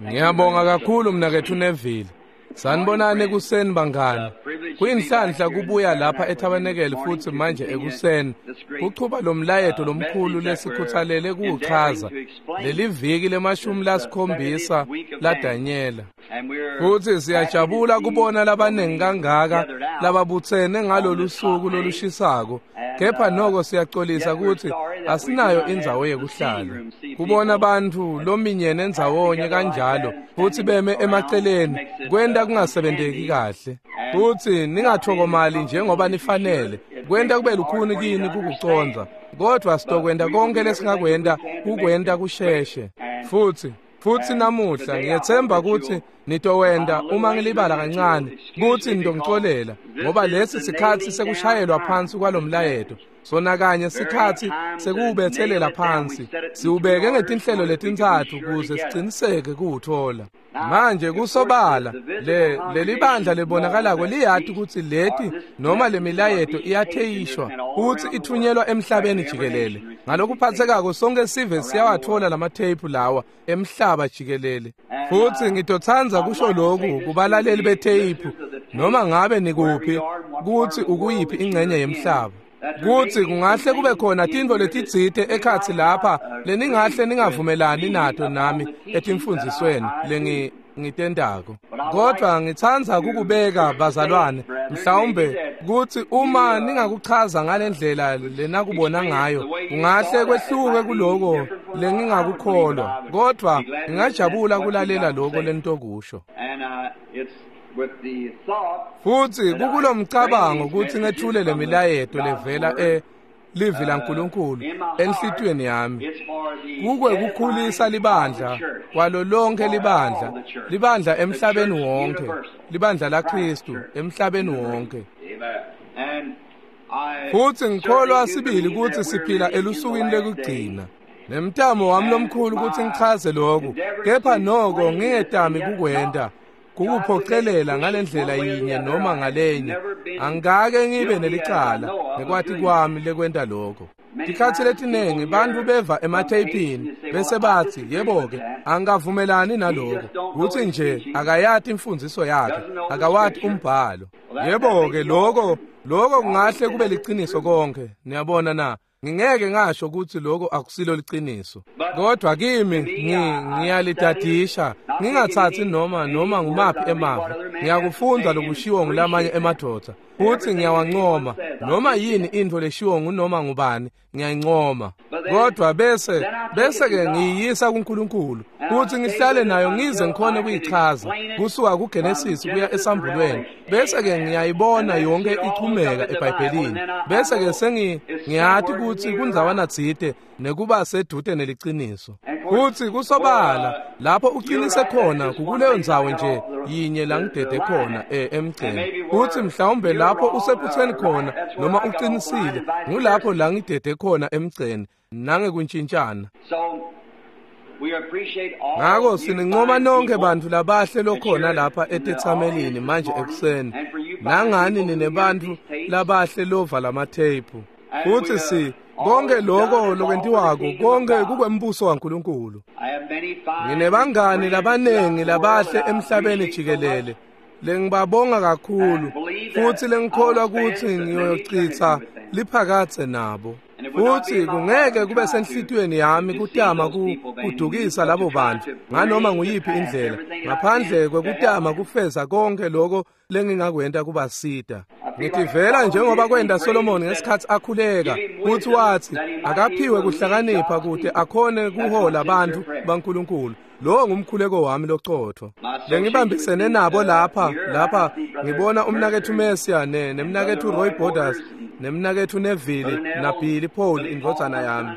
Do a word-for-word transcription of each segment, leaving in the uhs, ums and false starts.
Ngiyabonga kakhulu mnaketfu Neville. Sanibonani ekuseni bangani. Kuyinhlanhla kubuya lapha eTabernacle futhi manje ekuseni kuchuba lo mlayeto lomkhulu lesikhuthalele kuwuchaza leli viki lemashumi lasikhombisa laDanyela. Futhi siyajabula kubona labaningi kangaka lababutsene ngalolu suku lolushisako. Kepha noko siyaxolisa ukuthi asinayo indzawo yekuhlala. Kubona abantu lominyene endzawonye kanjalo futhi beme emaceleni kwenta kungasebenteki kahle. Futhi ningathokomali njengoba nifanele. Kwenta kube lukhuni kini kukucondza. Kodwa sitokwenta konke lesingakwenta kukwenta kusheshe. Futhi Futhi namuhla ngiyethemba ukuthi nitowenda uma ngilibala kancane kuthi nitongixolela ngoba lesi sikhathi sekushayelwa phansi kwalomlayeto sona kanye sikhathi sekuwubethelela phansi siubeke ngetinhlelo letintsatfu ukuze siciniseke kuwuthola. Manje kusobala le leli bandla lebonakalako liyati ukuthi leti noma lemilayeto iyatheyishwa futhi ithunyelwa emhlabeni jikelele. Ngalokuphathekako sonke sive siyawathola lamatheyiphu lawa emhlaba jikelele. Futhi ngitothandza kusho lokhu kubalaleli betheyiphu noma ngabe nikuphi kuthi ukuyiphi ingxenye yemhlaba. Kuthi kungahle kube khona tintfo letitsite ekhatsi lapha leningahle ningavumelani nato nami etimfundzisweni lengi ngitendako. Kodwa ngitsandza kukubeka bazalwane mhlawumbe kuthi uma ningakuchaza ngalendlela lenakubona ngayo kungahle kwehluke kuloko lengingakukholwa, kodwa ngingajabula kulalela lokho lentokusho. Futhi kukulomcabango ukuthi ngethule lemilayeto levela e livi laNkulunkulu enhlitiyweni yami kukwe kukhulisa libandla kwalo lonke libandla libandla emhlabeni wonke libandla laKristu emhlabeni wonke. Futhi ngikholwa sibili ukuthi siphila elusukwini lekugcina. Nemtamo wami lomkhulu ukuthi ngichaze lokhu, kepha noko ngingetami kukwenta kukuphocelela ngalendlela yinye noma ngalenye. Angikake ngibe nelicala ngekwati kwami lekwenta lokho. Tikhatsi letinengi bantfu beva ematheyipini bese batsi yebo-ke angikavumelani naloko, kutsi nje akayati imfundziso yakhe, akawati umbhalo. Yebo-ke lokho lokho kungahle kube liciniso konke, niyabona na? Ngingeke ngasho ukuthi lokho akusilo liciniso. Kodwa kimi ngiyalitadisha ngingathathi noma noma ngumaphi emavi. Ngiyakufunda lokushiwo ngulamanye emadvodza futhi ngiyawancoma noma yini intfo leshiwo ngunoma ngubani ngiyayincoma. Kodwa bese bese ke ngiyisa kuNkulunkulu futhi ngihlale nayo ngize ngikhone kuyichaza kusuka kuGenesis kuya esambulweni, bese ke ngiyayibona yonke ichumeka eBhayibhelini, bese ke sengi ngiyati ukuthi kundzawana tsite nekuba sedute neliciniso. Futhi kusobala lapho uqinise khona kukuleyo ndzawo nje yinye la ngidede khona emgceni, futhi mhlawumbe lapho usephutheni khona noma uqinisile ngulapho la ngidede khona emgceni nangekuntshintshana. Ngako sinincoma nonke bantfu labahle lokhona lapha etetsamelini manje ekuseni, nangani ninebantfu labahle lova lamatheyiphu. Futhi si konke lokho lokwentiwako konke kukwembuso waNkulunkulu. Nginebangani labanengi labahle emhlabeni jikelele lengibabonga kakhulu futhi lengikholwa ukuthi ngiyochitha liphakathe nabo. Futhi kungeke kube senhlitiyweni yami kutama kudukisa labo bantu nganoma nguyiphi indlela ngaphandle kwekutama kufeza konke lokho lengingakwenta kubasita. Ngitivela njengoba kwenda Solomon ngesikhathi akhuleka futhi wathi akaphiwe kuhlakanipha kude akhone kuhola abantu baNkulunkulu. Lo ngumkhuleko wami locotho. Lengibambisene nabo lapha lapha ngibona umnakethu Messia ne nemnakethu Roy Borders nemnakethu Neville na Billy Paul indvodzana yami.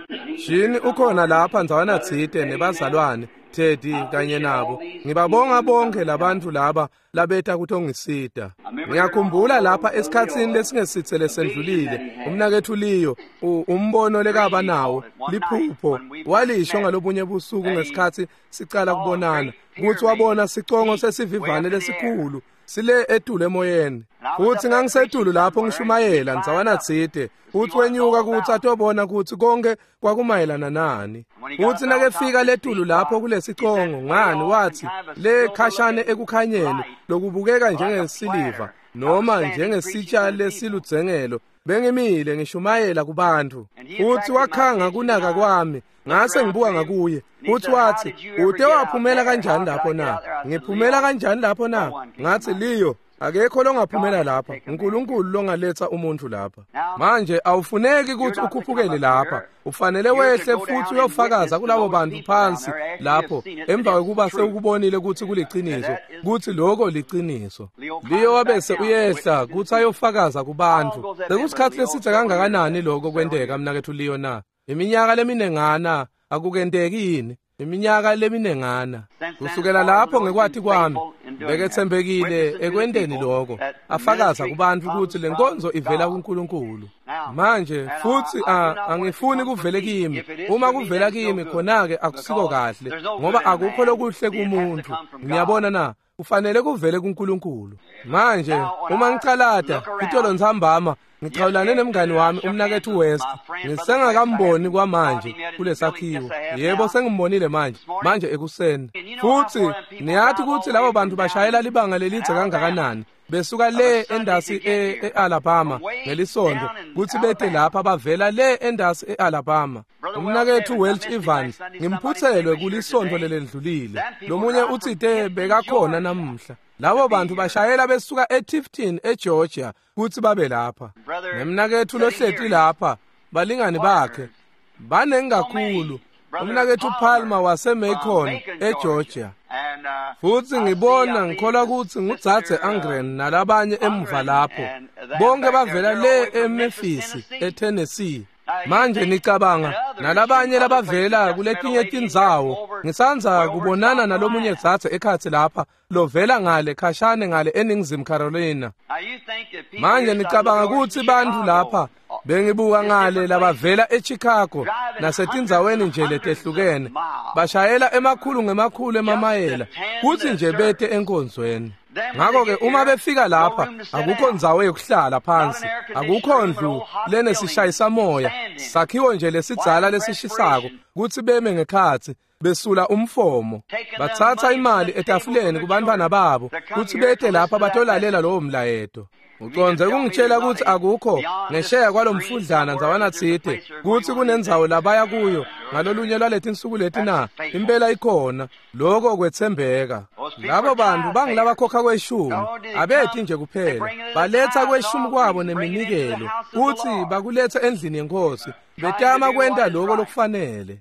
Jini ukhona lapha ndzawana tsite nebazalwane Teddy kanye nabo. Ngibabonga bonke labantu laba labeta kutongisita. Ngiyakhumbula lapha esikhatsini lesingesithe lesendlulile umnakethu Leo umbono lekaba nawo liphupho walisho ngalobunye busuku ngesikhathi sicala kubonana ukuthi wabona sicongo sesivivane lesikhulu Sile etulu emoyeni. Futsi ngangisetulu lapho ngishumayela ndzawana tsite. Futsi wenyuka kutsi atobona kutsi konke kwakumayelana nani. Futsi nakefika letulu lapho kulesicongo ngani watsi le khashane ekukhanyeni lokubukeka njengesiliva noma njengesitsha lesiludzengelo. Bengimile ngishumayela kubantfu. Futsi wakhanga kunaka kwami. Ngase ngibuka ngakuye. Futsi watsi ute waphumela kanjani lapho na? Ngiphumela kanjani lapho na? Ngatsi Leo akekho longaphumela lapha. uNkulunkulu longaletha umuntu lapha. Manje awufuneki ukuthi ukhuphukele lapha. Ufanele wehle futhi uyofakaza kulabo bantu phansi lapho emva kokuba sewukubonile ukuthi kuliciniso, ukuthi lokho liciniso. Leo wabese uyehla kuthi ayofakaza kubantu. Sekusikhathi lesithe kangakanani lokho kwenteka mnakethu Leo na? Iminyaka leminengana akukenteki yini? Iminyaka leminengana. Kusukela lapho ngekwati kwami bekethembekile ekwenteni lokho, afakaza kubantu ukuthi lenkonzo ivela kuNkulunkulu. Manje futhi angifuni kuvele kimi. Uma kuvela kimi khona ke akusiko kahle, ngoba akukho lokuhle kumuntu. Ngiyabona na? Kufanele kuvele kuNkulunkulu. Manje uma ngicalata itolo ntsambama ngixhawulane nemngani wami umnakethu West. Ngisengakamboni kwamanje kulesakhiwo. Yebo sengimbonile manje, manje ekuseni. Futhi niyathi ukuthi labo bantu bashayela libanga lelidze kangakanani besuka le endasi e-Alabama ngelisonto kuthi bete lapha bavela le endasi e-Alabama. Umnakethu Welch Evans ngimphuthelwe kulisonto lelendlulile. Lomunye utsite bekakhona namuhla. Labo bantu bashayela besuka eTifton eGeorgia kuthi babe lapha. Nemnakethu lohleti lapha balingani bakhe banengi kakhulu. Umnakethu Palmer waseMacon eGeorgia. Futhi ngibona ngikholwa ukuthi ngudzadze Angren nalabanye emuva lapho. Bonke bavela le eMemphis eTennessee. Manje nicabanga nalabanye labavela kuletinye tindzawo. Ngisanza kubonana nalomunye dzadze ekhatsi lapha lovela ngale khashane ngale eNingizimu Carolina. Manje nicabanga ukuthi bantu lapha bengibuka ngale labavela eChicago nasetindzaweni nje letehlukene bashayela emakhulu ngemakhulu emamayela kuthi nje bete enkonzweni. Ngakho ke uma befika lapha akukho ndzawo yokuhlala phansi, akukho ndlu lenesishayisamoya, sakhiwo nje lesidzala lesishisako kuthi beme ngekhatsi besula umfomo. Bathatha imali etafuleni kubantwana babo kuthi bete lapha batolalela lowo mlayeto. Uconze kungitshela ukuthi akukho ngesheya kwalomfudlana ndzawana tsite kuthi kunendzawo labaya kuyo ngalolunye lwaletinsuku leti na? Impela ikhona. Lokho kwethembeka. Labo bantu bangilabakhokha kweshumi, abethi nje kuphela baletha kweshumi kwabo neminikelo kuthi bakuletha endlini yenkosi, betama kwenta lokho lokufanele.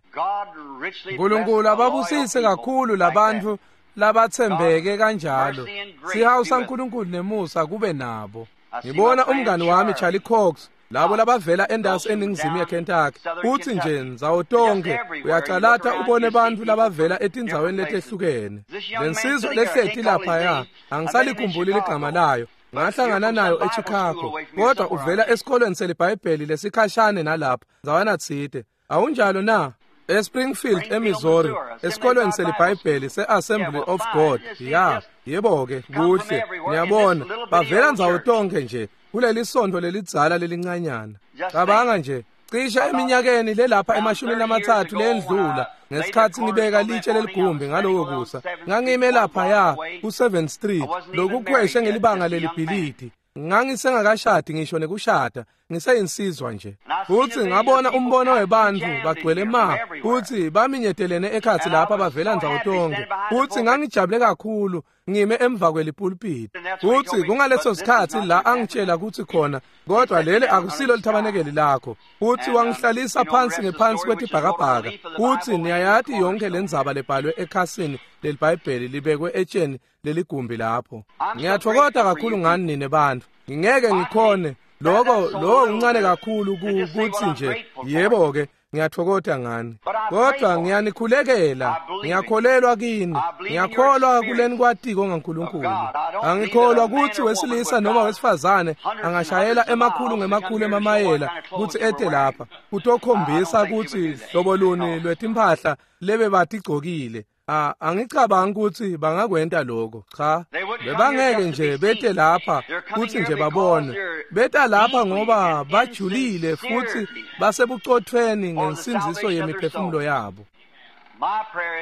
uNkulunkulu ababusise kakhulu labantu labathembeke kanjalo. Sihawu saNkulunkulu nemusa kube nabo. Ngibona umngani wami Charlie Cox, labo labavela endasi eningizimu yeKentucky. Uthi nje ndzawo tonke uyacalata ubone bantu labavela etindzaweni letehlukene. Lensizwa lehleti laphaya angisalikhumbuli ligama layo. Ngahlangana nayo eChicago, kodwa uvela esikolweni seliBhayibheli lesikhashane nalapha ndzawana tsite. Awunjalo na? eSpringfield eMissouri, esikolweni seliBhayibheli seAssembly of God. Ya, yebo ke, kuhle. Niyabona, bavela ndzawo tonke nje kuleli sonto lelidzala lelincanyana. Cabanga nje, cisha eminyakeni lelapha emashumini amathathu lendlula ngesikhathi ngibeka litshe leligumbi ngalowo kusa, ngangime lapha ya ku-seventh Street lokukhweshe ngelibanga lelibhilidi. Ngangisengakashadi ngisho nekushada, ngiseyinsizwa nje. Futhi ngabona umbono webantfu bagcwele ma, futhi baminyetelene ekhatsi lapha bavela ndzawo tonke. Futhi ngangijabule kakhulu ngime emva kwelipulpiti. Futhi kungaleso sikhathi la angitshela ukuthi khona, kodwa leli akusilo lithabanekeli lakho. Futhi wangihlalisa phansi ngephansi kwetibhakabhaka. Futhi niyayati yonke lendzaba lebhalwe ekhasini leliBhayibheli libekwe etsheni leligumbi lapho. Ngiyathokoza kakhulu ngani nine bantu. Ngingeke ngikhone lokho, lokho kuncane kakhulu kuthi nje yebo ke ngiyathokoza ngani, kodwa ngiyanikhulekela. Ngiyakholelwa kini, ngiyakholwa kuleni kwatiko ngaNkulunkulu. Angikholwa ukuthi wesilisa noma wesifazane angashayela emakhulu ngemakhulu emamayela kuthi ete lapha kutokhombisa ukuthi hlobo luni lwetimpahla lebe batigcokile. A angicabangi ukuthi bangakwenta lokho. Cha, bebangeke nje bete lapha kuthi nje babone. Beta lapha ngoba bajulile futhi basebucothweni ngensindziso yemiphefumulo yabo.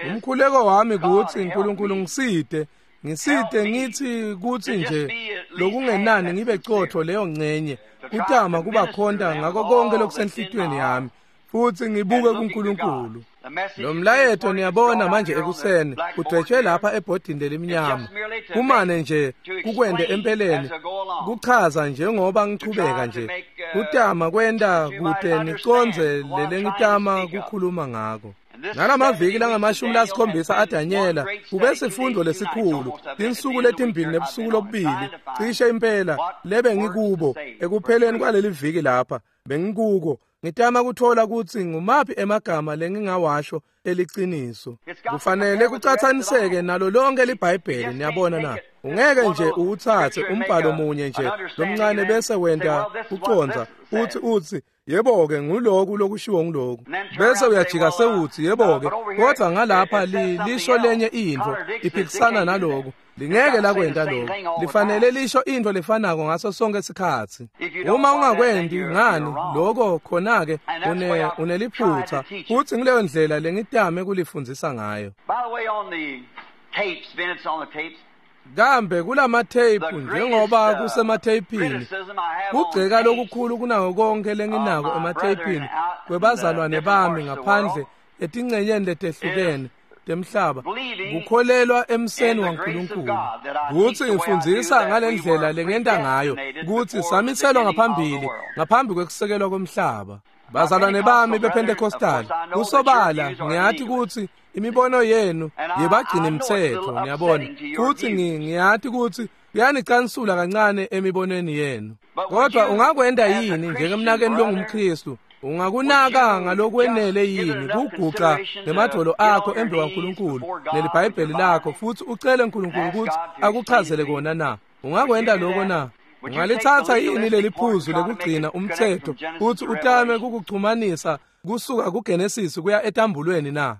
Umkhuleko wami kuthi uNkulunkulu ngiside, ngiside ngithi kuthi nje lokungenani ngibe cotho leyo ngcenye kutama kubakhonta ngako konke lokusenhlitweni yami futhi ngibuke kuNkulunkulu. Lo mlayeto niyabona manje ekuseni udwetshwe lapha ebhodini lelimnyama kumane nje kukwende empeleni kuchaza njengoba ngichubeka nje kutama kwenta kute niconze lelengitama kukhuluma ngako. Ngalamaviki langamashumi lasikhombisa aDanyela kube sifundo lesikhulu tinsuku letimbili nebusuku lobubili cishe impela lebe ngikubo ekupheleni kwaleli viki lapha bengikuko ngitama kuthola ukuthi ngumaphi emagama lengingawasho eliciniso. Kufanele kucathaniseke nalo lonke liBhayibheli, niyabona na. Ungeke nje uwuthathe umbhalo munye nje lomncane bese wenta uconza uthi uthi yebo-ke nguloku lokushiwo nguloku bese uyajika sewuthi yebo-ke kodwa ngalapha li lisho lenye intfo iphikisana naloku. Lingeke lakwenta lokho, lifanele lisho intfo lefanako ngaso sonke isikhatsi. Uma ungakwendi ngani lokho khona-ke une uneliphutha futhi ngileyo ndlela lengitame kulifundzisa ngayo. Kambe kulamatheyiphu njengoba kusematheyphini kugceka lokukhulu kunako konke lenginako ematheyphini kwebazalwane bami ngaphandle etingcenyeni letehlukene temhlaba kukholelwa emseni waNkulunkulu. Kuthi ngifundzisa ngalendlela lengenta ngayo kuthi samiselwa ngaphambili ngaphambi kwekusekelwa komhlaba. Bazalwane bami bePentecostal kusobala ngiyathi ukuthi imibono yenu yebagcina imithetho, niyabona, futhi ngiyathi ukuthi kuyanicansula kancane emibonweni yenu. Kodwa ungakwenda yini njengemnakeni longumKristu? Ungakunaka ngalokwenele yini kuguqa nemadvolo akho embi kwaNkulunkulu neliBhayibheli lakho futhi ucele uNkulunkulu ukuthi akuchazele kona na? Ungakwenda lokho na? Ungalithatha yini leli phuzu lekugcina umthetho futhi utame kukuchumanisa kusuka kuGenesis kuya etambulweni na?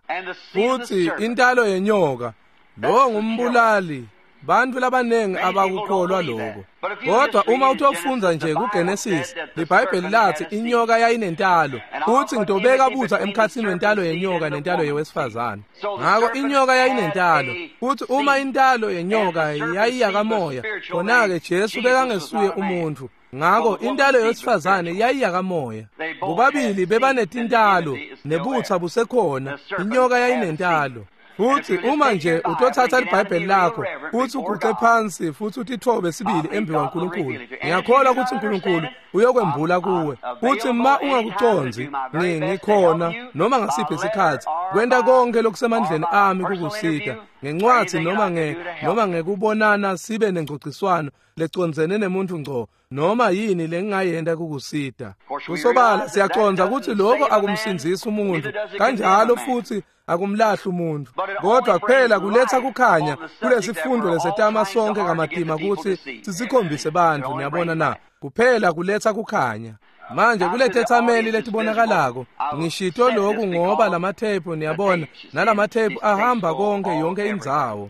Futhi intalo yenyoka lo ngumbulali. Bantu labanengi abakukholwa lokho. Kodwa uma utofundza nje kuGenesis, liBhayibheli lathi inyoka yayinentalo futhi ngitobeka butha emkhathini wentalo yenyoka nentalo yewesifazane. Ngakho inyoka yayinentalo futhi uma intalo yenyoka yayiyakamoya, khona-ke Jesu bekangesuye umuntu. Ngakho intalo yowesifazane yayiyakamoya. Bobabili bebanetintalo nebutha busekhona, inyoka yayinentalo. Futhi uma nje utothatha iBhayibheli lakho futhi uguqe phansi futhi utithobe sibili embi kwaNkulunkulu, ngiyakholwa ukuthi uNkulunkulu uyokwembula kuwe. Futhi ma ungakuconzi ngikhona noma ngasiphi isikhathi kwenta konke lokusemandleni ami kukusita ngencwadi noma nge noma ngekubonana sibe nengcociswano lecondzene nemuntu ngco noma yini lengingayenta kukusita. Kusobala siyaconza ukuthi lokho akumsindzisi umuntu kanjalo futhi akumlahli umuntu, kodwa kuphela kuletha kukhanya kulesifundo lesetama sonke kamatima ukuthi sisikhombise bantu, niyabona na. Kuphela kuletha kukhanya. Manje kuletethameli letibonakalako ngishito lokhu ngoba lamathephu, niyabona, nalamathephu ahamba konke yonke indzawo.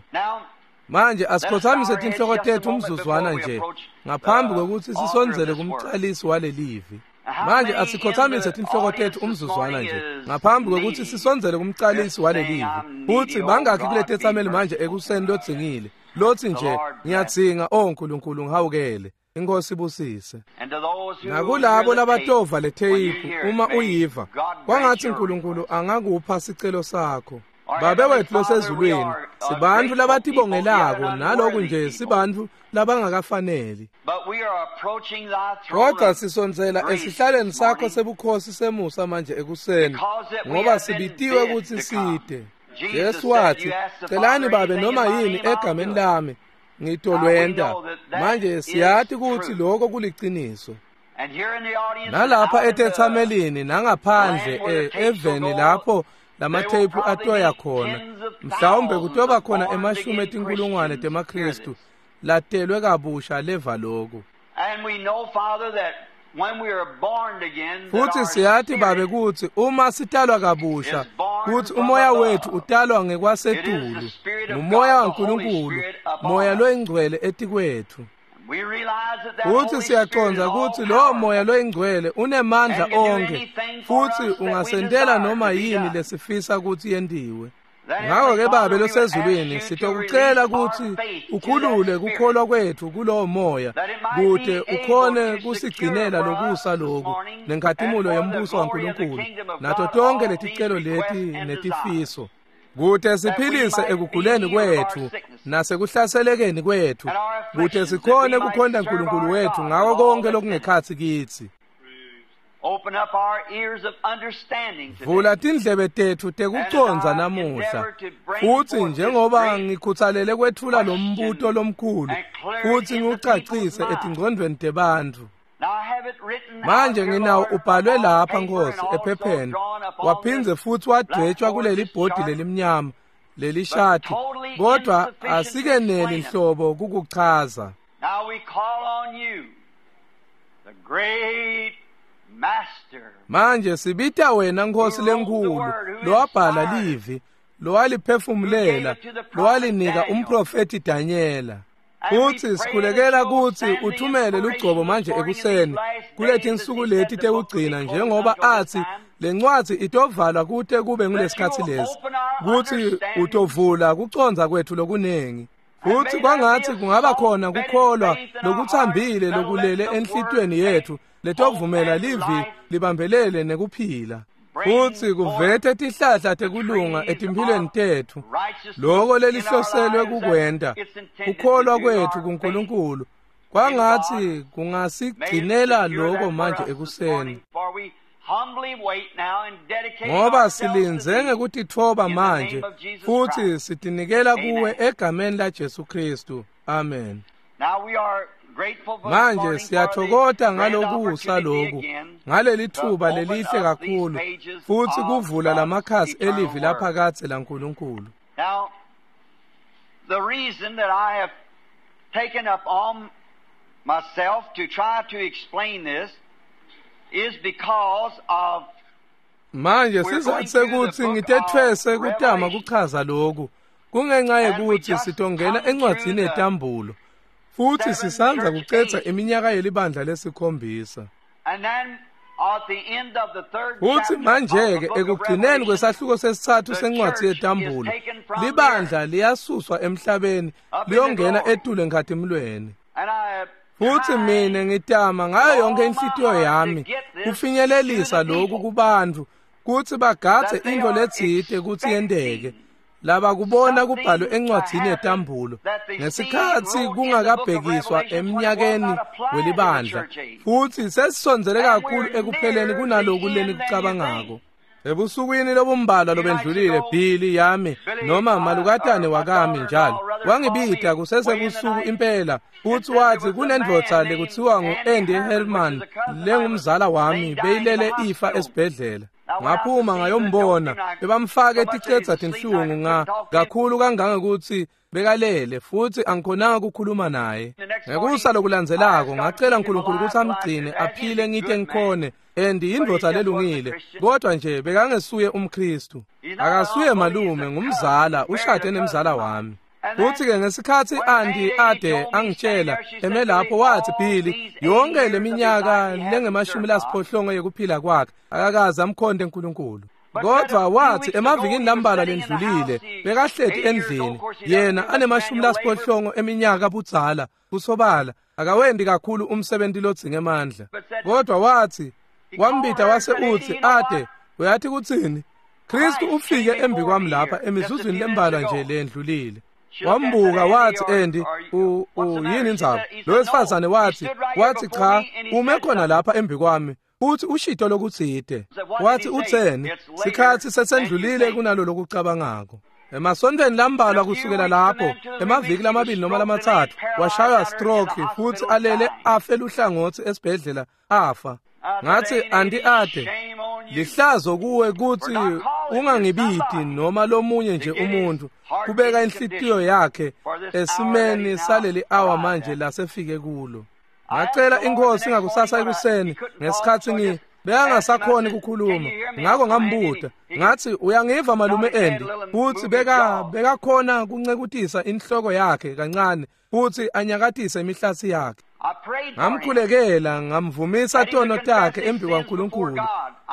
Manje asikhothamise tinhloko tethu umzuzwana nje ngaphambi kwekuthi sisondzele kumcalisi walelivi. Manje asikhothamise tinhloko tethu umzuzwana nje ngaphambi kwekuthi sisondzele kumcalisi walelivi. Futhi bangakhi kuletethameli manje ekuseni lodzingile lothi nje ngiyadzinga, oh Nkulunkulu ngihawukele, Inkosi ibusise. Nakulabo labatova letheyiphu uma uyiva kwangathi uNkulunkulu angakupha sicelo sakho. Babe wethu losezulwini, sibantu labatibongelako naloku nje sibantu labangakafaneli. Kodwa sisondzela esihlaleni sakho sebukhosi semusa manje ekuseni ngoba sibitiwe ukuthi side. Jesu wathi, celani babe noma yini egameni lami ngitolwenta. Manje siyathi ukuthi lokho kuliciniso. Nalapha etethamelini nangaphandle eveni lapho lamatheyiphu atoya khona, mhlawumbe kutoba khona emashumi etinkulungwane temaKristu latelwe kabusha leva lokhu. Futhi siyathi Babe kutsi uma sitalwa kabusha kutsi umoya wethu utalwa ngekwasetulu, ngumoya waNkulunkulu, moya loyingcwele etikwethu. Futhi siyaqonda kutsi lowo moya loyingcwele unemandla onke futhi ungasentela noma yini lesifisa kutsi yentiwe. Ngakho-ke Babe losezulwini, sitokucela kutsi ukhulule kukholwa kwethu kulowo moya kute ukhone kusigcinela lokusa loku nenkhatimulo yembuso waNkulunkulu nato tonke leticelo leti netifiso, kute siphilise ekuguleni kwethu nasekuhlaselekeni kwethu, kute sikhone kukhonta Nkulunkulu wethu ngako konke lokungekhatsi kitsi. Vula tindlebe tetfu tekucondza namuhla, futsi njengoba ngikhuthalele kwetfula lo mbuto lomkhulu futsi ngiwucacise etingcondvweni tebantfu. Manje nginawo ubhalwe lapha Nkosi ephepheni, waphindze futhi wadwetshwa kuleli bhodi lelimnyama lelishadi, kodwa asikeneli nhlobo kukuchaza. Manje sibita wena Nkosi lenkulu lowabhala livi, lowaliphefumulela, lowalinika umprofeti Danyela. Futhi sikhulekela kutsi uthumele lugcobo manje ekuseni kuletinsuku leti tekugcina, njengoba athi lencwadzi itovalwa kute kube ngulesikhatsi lesi, kutsi utovula kucondza kwethu lokunengi. Futhi kwangathi kungaba khona kukholwa lokuthambile lokulele enhlitiyweni yethu letovumela livi libambelele nekuphila, futhi kuvete tihlahla tekulunga etimphilweni tetfu, loko lelihloselwe kukwenta kukholwa kwethu kuNkulunkulu. Kwangathi kungasigcinela loko manje ekuseni, ngoba silindze ngekutitfoba manje futhi sitinikela kuwe egameni la Jesu Kristu. Amen. Manje siyathokoza ngalokusa loku, ngaleli thuba lelihle kakhulu futhi kuvula lamakhasi elivi laphakadze laNkulunkulu. Now, the reason that I have taken up on myself to try to explain this is because of manje sizathu sekuthi ngitethwese kutama kuchaza lokhu kungenxa yekuthi sitongena encwadzini yetambulo, futhi sisandza kucedza iminyaka yelibandla lesikhombisa. Futhi manje-ke ekugcineni kwesahluko sesithathu sencwadzi yetambulo, libandla liyasuswa emhlabeni liyongena etulu enkhatimulweni. Futhi mina ngitama ngayo yonke inhlitiyo yami kufinyelelisa lokhu kubantfu kutsi bagadze intfo letsite kutsi yenteke laba kubona kubhalwe encwadzini yetambulo ngesikhatsi kungakabhekiswa eminyakeni welibandla, futhi sesisondzele kakhulu ekupheleni kunaloku lenikucabangako. Ebusukwini lobumbalwa lobendlulile, Billy yami noma malukatane wakami njalo wangibita kusesebusuku impela, futhi wathi kunendvodza lekuthiwa ngu-Andy Hellman lengumzala wami beyilele ifa esibhedlela. Ngaphuma ngayombona, bebamfake ticedza tinhlungu nga kakhulu kangangekuthi bekalele, futhi angikhonanga ukukhuluma naye. Ngekusa lokulandzelako ngacela uNkulunkulu ukuthi amgcine aphile ngite ngikhone, and yindvodza lelungile, kodwa nje bekangesuye umKristu. Akasuye malume, ngumzala, ushade nemzala wami. Futhi-ke ngesikhatsi Andy ade angitshela eme lapho, wathi Billy, yonke leminyaka lengemashumi lasiphohlongo yekuphila kwakhe akakaze amkhonte uNkulunkulu. Kodwa wathi emavikini lambalwa lendlulile bekahleti endlini, yena anemashumi lasiphohlongo eminyaka budzala, kusobala akawendi kakhulu umsebenzi lodzinga emandla. Kodwa wathi wambita wase uthi, ade uyathi kutsini? Kristu ufike embi kwami lapha emizuzwini lembalwa nje lendlulile. Wambuka wathi, Andy, u yini indzaba? Lo wesifazane wathi, wathi cha, ume khona lapha embi kwami futhi ushito lokutsite. Wathi utseni? Sikhatsi sesendlulile kunalo lokucabangako. Emasontweni lambalwa kusukela lapho, emaviki lamabili noma lamatsatfu, washaywa stroke futhi alele afe luhlangotsi esibhedlela afa. Ngathi Andy ade, lihlazo kuwe kutsi ungangibiti noma lomunye nje umuntu kubeka inhlitiyo yakhe esimeni saleli hour manje lasefike kulo. Ngacela iNkhosi ngakusasa ekuseni ngesikhatsi ngi bekangasakhoni kukhuluma, ngako ngambuta ngathi, uyangiva malume Andy? Futhi beka bekakhona kuncekutisa inhloko yakhe kancane futhi anyakatise imihlatsi yakhe. Ngamkhulekela, ngamvumisa tono takhe embi kwaNkulunkulu.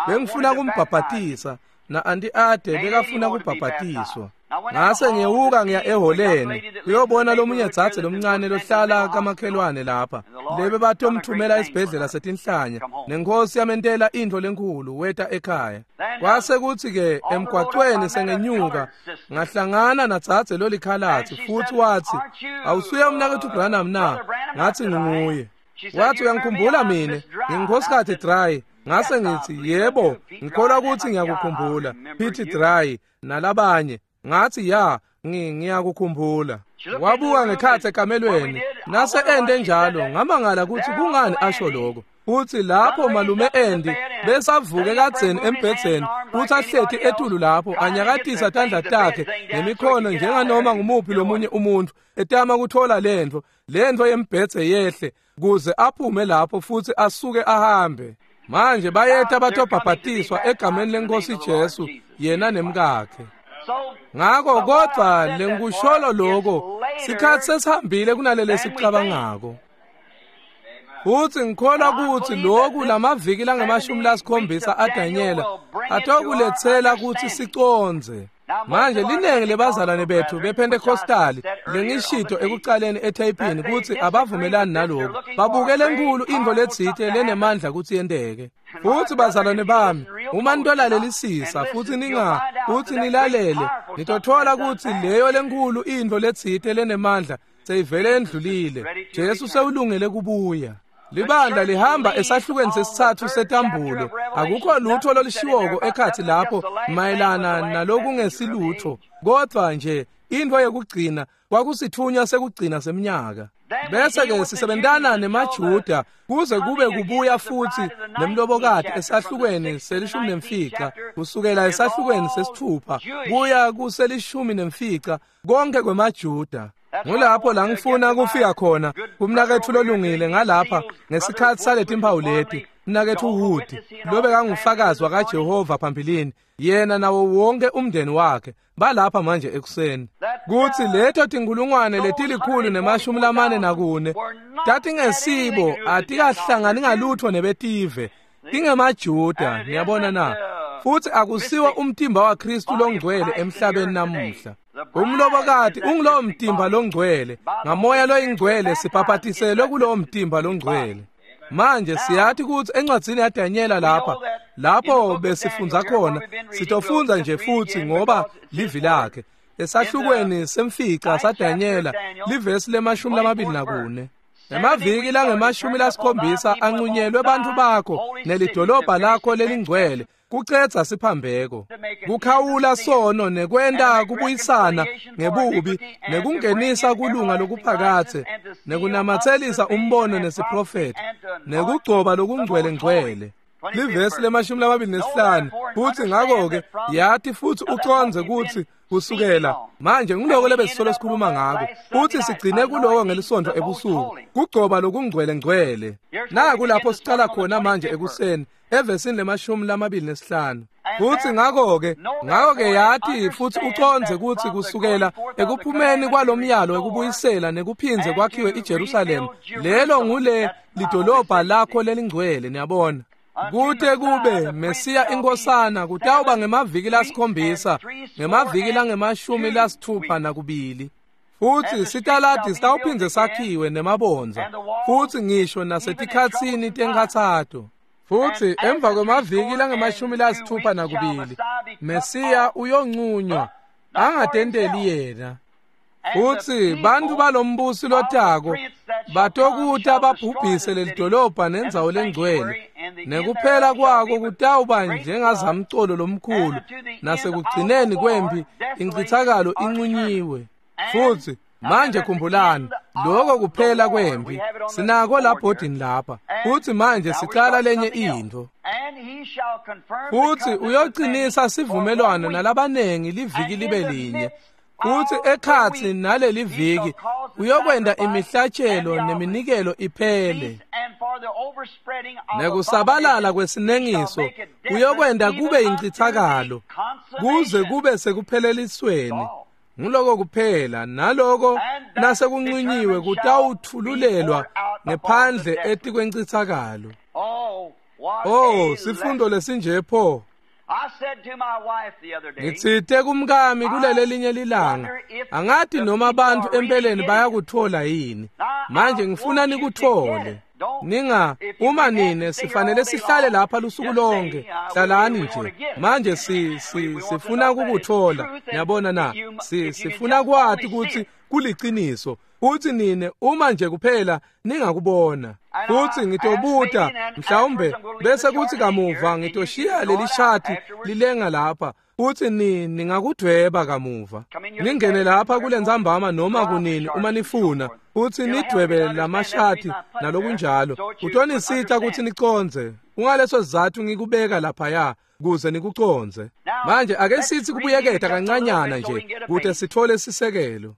Bengifuna kumbhabhatisa, na Anti Ade bekafuna kubhabhatiswa. Ngase ngiyewuka ngiya eholeni kuyobona lomunye dzadze lomncane lohlala kamakhelwane lapha, lebe batomthumela esibhedlela setinhlanya, nenkosi yamentela intfo lenkhulu, weta ekhaya. Kwase kutsi-ke emgwacweni sengenyuka ngahlangana nadzadze lolikhalatsi, futhi watsi, awusuye umnaketfu Branham na? Ngathi nginguye. Wathi, uyangikhumbula mine? Ngingunkhosikati Dry. Ngase ngithi, yebo, ngikholwa ukuthi ngiyakukhumbula, Pete Dry nalabanye. Ngathi, ya, ngiyakukhumbula. Wabuka ngekhatsi ekamelweni, nase ende njalo, ngamangala ukuthi kungani asho lokho. Futhi lapho malume Andy besavuke kadzeni embhedzeni, futhi ahleti etulu lapho anyakatisa tandla takhe nemikhono njenganoma ngumuphi lomunye umuntu, etama kuthola lentfo, lentfo yembhedze yehle kuze aphume lapho futhi asuke ahambe. Manje bayeta batobhabhatiswa egameni leNkosi Jesu, yena nemkakhe. Ngako kodvwa lengikusholo lokho, sikhatsi sesihambile kunalele sicabangako. Futhi ngikholwa ukuthi lokhu lamaviki langamashumi lasikhombisa aDanyela atokuletsela ukuthi sicondze. Manje linengi lebazalwane bethu bePentecostali lengishito ekucaleni ethayipini ukuthi abavumelani nalokhu, babukele enkulu intfo letsite lenemandla kutsi yenteke. Futhi bazalwane bami, uma nitolalelisisa futhi ninga futhi nilalele, nitothola kutsi leyo lenkulu intfo letsite lenemandla seyivele endlulile. Jesu sewulungele kubuya. Libandla lihamba esahlukweni sesitsatfu setambulo. Akukho lutho lolushiwoko ekhatsi lapho mayelana nalokungesilutho, kodvwa nje intfo yekugcina kwakusitfunywa sekugcina semnyaka. Bese-ke sisebentana nemaJuda kuze kube kubuya futhi nemlobokati esahlukweni selishumi nemfica, kusukela esahlukweni sesithupha kuya kuselishumi nemfica, konke kwemaJuda. Ngulapho la ngifuna kufika khona kumnaketfu lolungile ngalapha ngesikhatsi saletimphawu leti, mnaketfu Wood, lobekangufakazi wakaJehova phambilini, yena nawo wonke umndeni wakhe balapha manje ekuseni. Kutsi leto tinkhulungwane letilikhulu nemashumi lamane nakune tatingesibo, atikahlangani ngalutho nebetive, tingemaJuda, niyabona na? Futhi akusiwo umtimba waKristu longcwele emhlabeni namuhla. Umlobokati ungulowo mtimba longcwele, ngamoya loyingcwele sibhabhatiselwe kulowo mtimba longcwele. Manje siyathi kutsi encwadzini yaDanyela lapha, lapho besifundza khona, sitofundza nje futhi ngoba livi lakhe. Esahlukweni semfica saDanyela, livesi lemashumi lamabili nakune. Emaviki langemashumi lasikhombisa anqunyelwe bantfu bakho nelidolobha lakho lelingcwele, kucedza siphambeko, kukhawula sono nekwenta kubuyisana ngebubi, nekungenisa kulunga lokuphakathe, nekunamatselisa umbono nesiprofetho, nekugcoba lokungcwele-ngcwele. Livesi lemashumi lamabili nesihlanu. Futhi ngakho-ke yathi futhi ucondze kutsi kusukela manje ngiloko lebesisolo sikhuluma ngako, futhi sigcine kuloko ngelisonto ebusuku, kugcoba lokungcwele-ngcwele. Naku lapho sicala khona manje ekuseni evesini lemashumi lamabili nesihlanu. Futhi ngakho-ke ngakho-ke yathi futhi ucondze kutsi kusukela ekuphumeni kwalomyalo wekubuyisela nekuphindze kwakhiwe iJerusalema, lelo ngule lidolobha lakho lelingcwele, niyabona. Kute kube Mesiya inkosana kutawuba ngemaviki lasikhombisa, ngemaviki langemashumi lasithupha nakubili. Futhi sitaladi sitawuphindze sakhiwe nemabondza, futhi ngisho nasetikhatsini tenkhatsato. Futhi emva kwemaviki langemashumi lasithupha nakubili, Mesiya uyoncunywa angatenteli yena. Futhi bantfu balombusi lotako batokuta babhubhise lelidolobha nendzawo lengcwele, nekuphela kwako kutawuba njengazamcolo lomkhulu, nasekugcineni kwempi incithakalo incunyiwe. Futhi manje khumbulani, lokho kuphela kwempi sinako labhodini lapha. Futhi manje sicala lenye intfo. Futhi uyoqinisa sivumelwano nalabanengi liviki libe linye, Kutsi ekhatsi naleli viki uyokwenta imihlatshelo neminikelo iphele. Nekusabalala kwesinengiso uyokwenta kube incitsakalo kuze kube sekuphelelisweni. Nguloko kuphela naloko nasekuncinyiwe kutawutfululelwa ngephandle etikwencitsakalo. Oh, sifundo lesinje pho. Ngitsite kumkami kulele linye lilanga, angati noma abantu empeleni bayakuthola yini. Manje ngifuna nikutfole. Ninga uma nine sifanele sihlale lapha lusuku lonke, hlalani nje. Manje si si sifuna kukuthola. Niyabona na? Si sifuna kwati kutsi kuliciniso. Uthi nine uma nje kuphela ningakubona. Futhi ngitobuta mhlawumbe bese kuthi kamuva ngitoshiya leli shati lilenga lapha. Uthi ni ningakudweba kamuva. Ningene lapha kulentsambama noma kunini uma nifuna. Uthi nidwebe lamashati nalokunjalo. Utonisita kutsi nicondze. Ungaleso sizatfu ngikubeka lapha kuze nikucondze. Manje ake sithi kubuyeketa kancanyana nje kute sithole sisekelo.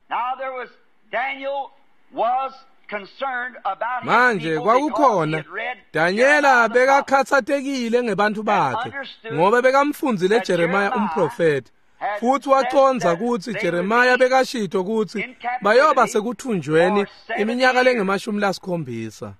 Manje kwakukhona Danyela bekakhathatekile ngebantfu bakhe ngoba bekamfundzile Jeremiah umprofeti futhi wacondza kutsi Jeremiah bekashito kutsi bayoba sekuthunjweni iminyaka lengemashumi lasikhombisa.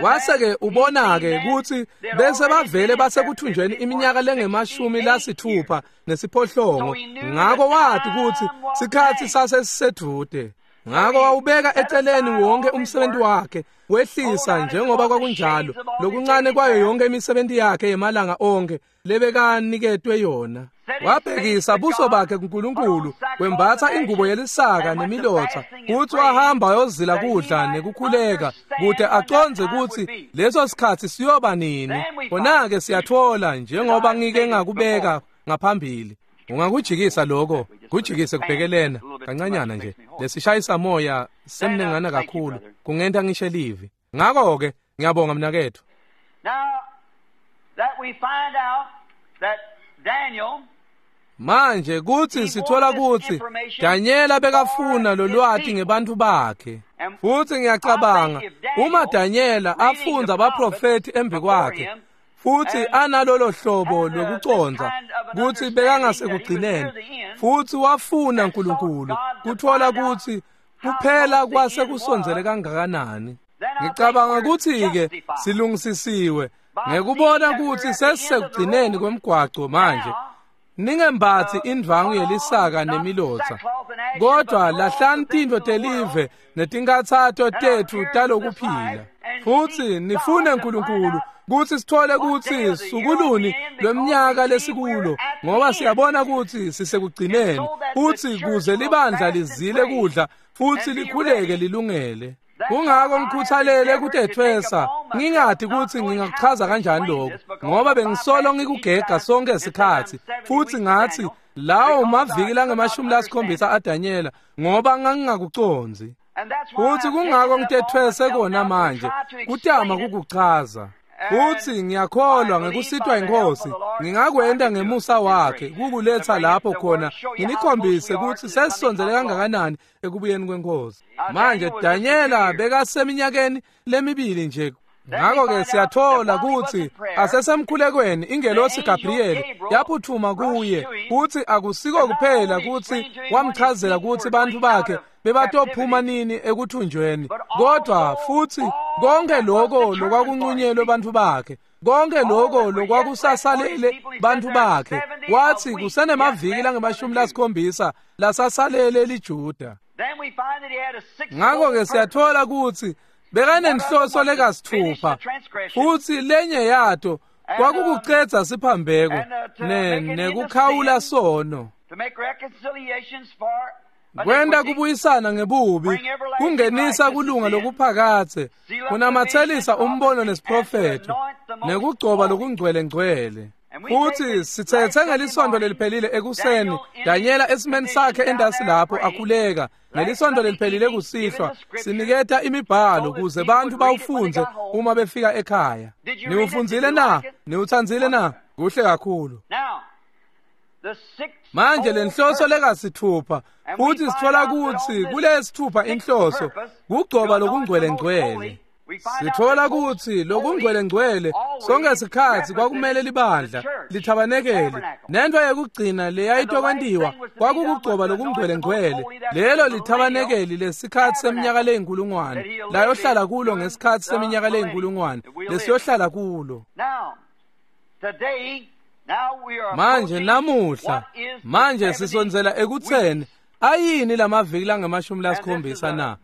Wase-ke ubona-ke kutsi bese bavele basekuthunjweni iminyaka lengemashumi lasithupha nesiphohlongo, ngako wati kutsi sikhatsi sasesisedvute. Ngako wawubeka eceleni wonke umsebenzi wakhe, wehlisa njengoba kwakunjalo lokuncane kwayo yonke imisebenzi yakhe yemalanga onke lebekaniketwe yona. Wabhekisa buso bakhe kuNkulunkulu, wembatsa ingubo yelisaka nemilotsa, kutsi wahamba wayozila kudla nekukhuleka kute acondze kutsi leso sikhatsi siyoba nini. Khona-ke siyatfola njengoba ngike ngakubeka ngaphambili. Ungakujikisa lokho, kujikise kubhekelena kancanyana nje. Lesishayisa moya semnengana kakhulu kungenta ngisho livi. Ngakho-ke ngiyabonga mnaketfu. Manje kutsi sithola kutsi Danyela bekafuna lolwati ngebantfu bakhe. Futsi ngiyacabanga uma Danyela afundza abaprofeti embi kwakhe futhi analolo hlobo lokucondza kutsi bekangasekugcineni futhi wafuna uNkulunkulu kuthola kutsi kuphela kwase kusondzele kangakanani. Ngicabanga kutsi-ke silungisisiwe ngekubona kutsi sesisekugcineni kwemgwaco manje. Ningembatsi indvangu yelisaka nemilotsa, kodwa lahlani tintfo telive netinkhatsato tetfu talokuphila. Futsi nifune uNkulunkulu kutsi sithole kutsi sukuluni lweminyaka lesikulo, ngoba siyabona kutsi sisekugcineni, futsi kuze libandla lizile kudla futsi likhuleke lilungele. Kungako ngikhuthalele kutethwesa, ngingati kutsi ngingakuchaza kanjani lokho, ngoba bengisolo ngikugega sonke isikhatsi. Futsi ngathi lawo maviki langemashumi lasikhombisa aDanyela, ngoba ngangingakucondzi. Futsi kungako ngitethwese kona manje, kutama kukuchaza. Futsi ngiyakholwa ngekusitwa inkosi ngingakwenta ngemusa wakhe kukuletha lapho khona nginikhombise kutsi sesisondzele kangakanani ekubuyeni kwenkosi. Manje Danyela bekaseminyakeni lemibili nje. Ngakho-ke siyathola kutsi asesemkhulekweni ingelosi Gabriel yaphuthuma kuye kutsi akusiko kuphela kutsi wamchazela kutsi bantfu bakhe bebatophuma nini ekuthunjweni, kodwa futsi konke lokho lokwakunqunyelwe bantfu bakhe, konke lokho lokwakusasalele bantfu bakhe. Wathi kusenemaviki langemashumi lasikhombisa lasasalele liJuda. Ngakho-ke siyathola kutsi bekanenhloso lekasithupha, futsi lenye yato kwakukucedza siphambeko ne nekukhawula sono, kwenta kubuyisana ngebubi, kungenisa kulunga lokuphakatse, kunamatselisa umbono nesiprofetho, nekugcoba lokungcwele-ngcwele. Futsi sithethe ngelisonto leliphelile ekuseni Danyela esimeni sakhe endasi lapho akhuleka, ngelisonto leliphelile kusihlwa siniketa imibhalo kuze bantfu bawufundze uma befika ekhaya. Niwufundzile na? Niwutsandzile na? Kuhle kakhulu. Manje lenhloso lekasithupha futhi sithola kutsi kulesithupha inhloso kugcoba lokungcwele-ngcwele. Sithola kutsi lokungcwele-ngcwele sonke sikhatsi kwakumele libandla lithabanekele nento yekugcina leyayitokwentiwa kwakukugcoba lokungcwele-ngcwele lelo lithabanekeli lesikhatsi seminyaka leyinkulungwane layohlala kulo ngesikhatsi seminyaka leyinkulungwane lesiyohlala kulo. Manje namuhla manje sisondzela ekutseni ayini lamaviki langemashumi lasikhombisa na?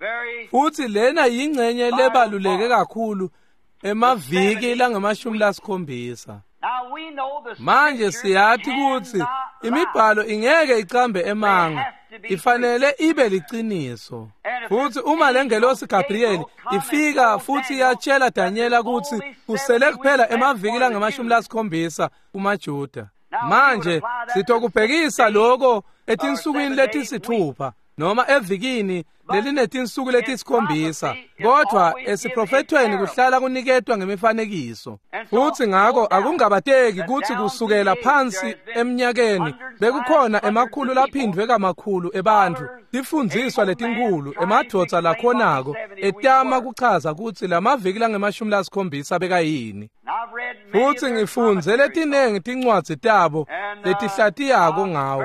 Futhi lena yingcenye lebaluleke kakhulu emaviki langemashumi lasikhombisa. Manje siyathi kutsi imibhalo ingeke icambe emanga, ifanele ibe liciniso. Futhi uma lengelosi Gabriel ifika futhi yatshela Daniela kutsi kusele kuphela emaviki langemashumi lasikhombisa kumaJuda. Manje sitokubhekisa lokho etinsukwini letisithupha noma evikini lelinetinsuku letisikhombisa, kodwa esiprofethweni kuhlala kuniketwa ngemifanekiso. Futhi ngako akungabateki kutsi kusukela phansi eminyakeni bekukhona emakhulu laphindwe kamakhulu ebantfu tifundziswa letinkhulu emadvodza lakhonako etama kuchaza kutsi lamaviki langemashumi lasikhombisa bekayini. Futhi ngifundze letinengi tincwadzi tabo letihlatiyako ngawo.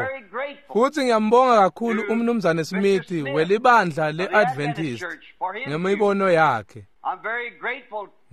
Futhi ngiyambonga kakhulu umnumzane Smith welibandla le-Adventist ngemibono yakhe.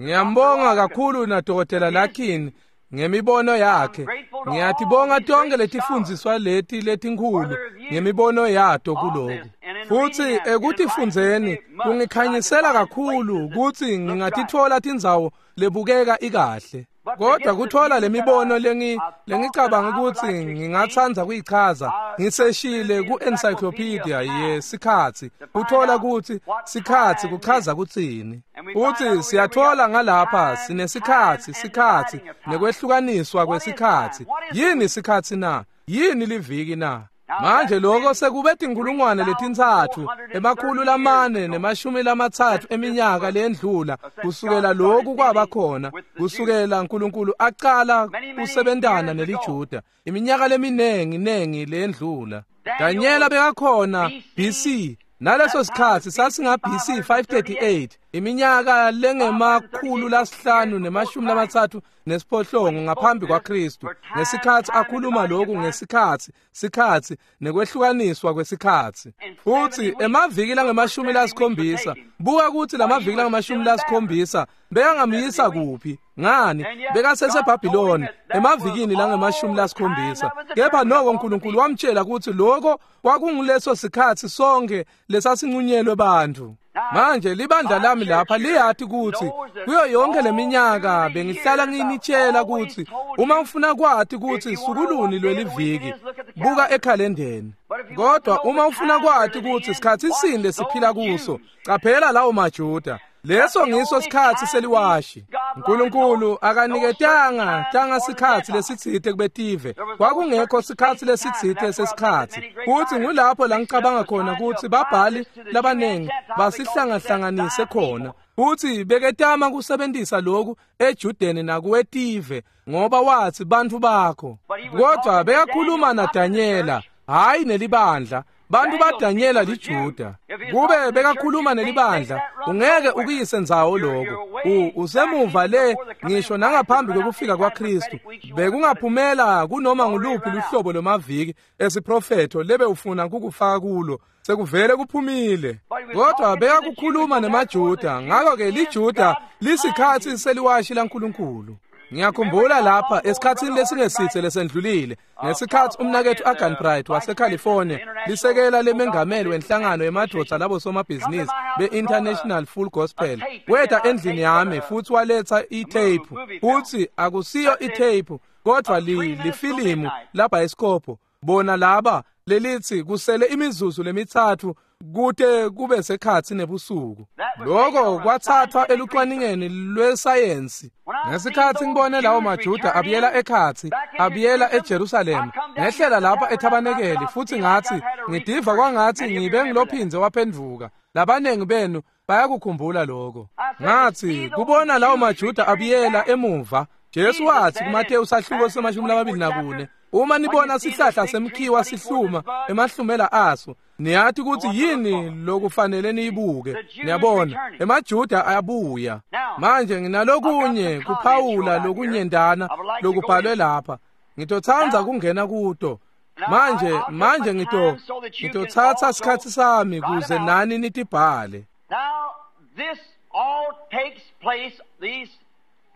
Ngiyambonga kakhulu na Dokotela Larkin ngemibono yakhe. Ngiyatibonga tonke letifundziswa leti letinkhulu ngemibono yato kuloku. Futhi ekutifundzeni kungikhanyisela kakhulu kutsi ngingatitfola tindzawo lebukeka ikahle. Kodwa kuthola lemibono lengi lengicabanga ukuthi ngingatsandza kuyichaza ngiseshile ku-encyclopedia yesikhatsi kuthola kutsi sikhatsi kuchaza kutsini. Futhi siyathola ngalapha sinesikhatsi sikhatsi nekwehlukaniswa kwesikhatsi. Yini sikhatsi na? Yini liviki na? Manje lokho sekube tinkulungwane letintsatfu emakhulu lamane nemashumi lamatsatfu eminyaka lendlula kusukela lokhu kwaba khona, kusukela uNkulunkulu aqala kusebentana neliJuda iminyaka leminengi nengi lendlula. Daniela bekakhona B C naleso sikhatsi sasinga B C five thirty-eight, iminyaka lengemakhulu lasihlanu nemashumi lamatsatfu nesiphohlongo ngaphambi kwaKristu, ngesikhatsi akhuluma lokhu ngesikhatsi sikhatsi nekwehlukaniswa kwesikhatsi. Futhi emaviki langemashumi lasikhombisa, buka kutsi lamaviki langemashumi lasikhombisa bekangamyisa kuphi? Ngani? BekaseseBhabhiloni emavikini langemashumi lasikhombisa. Kepha noko uNkulunkulu wamtshela kutsi lokho kwakunguleso sikhatsi sonke lesasinqunyelwe bantfu. Manje libandla lami lapha liyati kutsi kuyo yonke leminyaka bengihlala nginitshela kutsi uma ufuna kwati kutsi sukuluni lweliviki buka ekhalendeni. Kodwa uma ufuna kwati kutsi sikhatsi sini lesiphila kuso, caphela lawo maJuda. Leso ngiso sikhatsi seliwashi. uNkulunkulu akaniketanga tanga sikhatsi lesitsite kubetive. Kwakungekho sikhatsi lesitsite sesikhatsi. Futhi ngulapho la ngicabanga khona kutsi babhali labanengi basihlangahlanganise khona. Futhi beketama kusebentisa lokhu eJudeni nakuwetive ngoba wathi bantfu bakho. Kodwa bekakhuluma naDanyela, hayi nelibandla. Bantu baDanyela liJuda. Kube bekakhuluma nelibandla, ungeke ukuyise ndzawo lokho. Usemuva le ngisho nangaphambi kokufika kwaKristu. Bekungaphumela kunoma nguluphi luhlobo lwemaviki esiprofetho lebe ufuna kukufaka kulo. Sekuvele kuphumile. Kodwa bekakukhuluma nemaJuda, ngakho-ke liJuda lisikhatsi seliwashi laNkulunkulu. Ngiyakhumbula lapha esikhatsini lesingesithe lesendlulile ngesikhatsi umnaketfu Agan Bright waseCalifornia lisekela lemengameli wenhlangano yemadvodza labo somabhizinisi be-International Full Gospel weta endlini yami futhi waletha itape. Futhi akusiyo itape kodwa lifilimu labhayisikobho bona laba lelithi kusele imizuzu lemitsatfu kute kube sekhatsi nebusuku. Lokho kwathathwa elucwaningeni lwesayensi. Ngesikhatsi ngibone lawo maJuda abuyela ekhatsi, abuyela eJerusalema, ngehlela lapha ethabanekeli futhi ngathi ngidiva kwangathi ngibe ngilophindze waphenduka. Labanengi benu bayakukhumbula lokho. Ngathi kubona lawo maJuda abuyela emuva, Jesu wathi kuMateyu sahluko semashumi lamabili nakune, Uma nibona sihlahla semkhiwa sihluma emahlumela aso, niyathi ukuthi yini lokufanele niyibuke. Niyabona, emaJuda ayabuya. Manje nginalokunye kuphawula lokunyendana lokubhalwe lapha. Ngitotsandza kungena kuto. Manje manje ngito ngitothatha isikhatsi sami kuze nani nitibhale.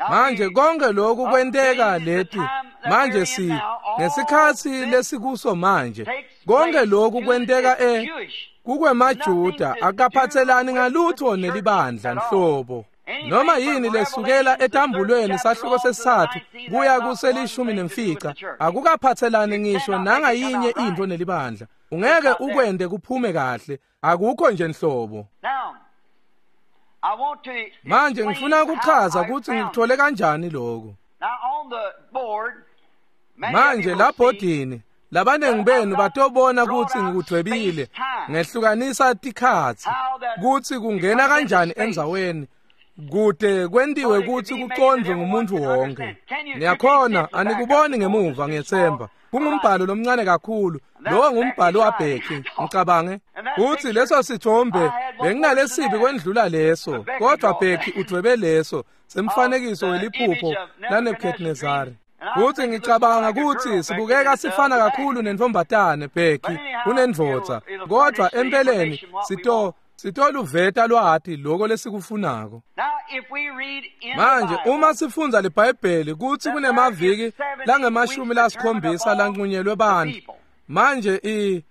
Manje konke lokhu kwenteka leti manje si ngesikhatsi lesikuso manje konke lokhu kwenteka e kukwemaJuda akaphathelani ngalutho nelibandla nhlobo. Noma yini lesukela etambulweni sahluko sesithathu kuya kuselishumi nemfica akukaphathelani ngisho nangayinye into nelibandla. Ungeke ukwende kuphume kahle, akukho nje nhlobo. Manje ngifuna ukuchaza ukuthi ngikuthole kanjani lokho. Manje labhodini labanengi benu batobona ukuthi ngikudwebile ngehlukanisa tikhatsi ukuthi kungena kanjani endzaweni kude kwentiwe ukuthi kucondvwe ngumuntu wonke. Niyakhona anikuboni ngemuva ngiyethemba. Kungumbhalo lomncane kakhulu, lowo ngumbhalo waBheki, ngicabange uthi leso sithombe benginalesibi kwendlula leso, kodwa Bheki udwebe leso semfanekiso weliphupho laNebukadnezari. Kuthi ngicabanga ukuthi sibukeka sifana kakhulu nentombatane Bheki kunendvodza, kodwa empeleni sito sitoluveta lwati lokho lesikufunako. Manje uma sifundza liBhayibheli kuthi kunemaviki langemashumi lasikhombisa lanqunyelwe bantu. Manje i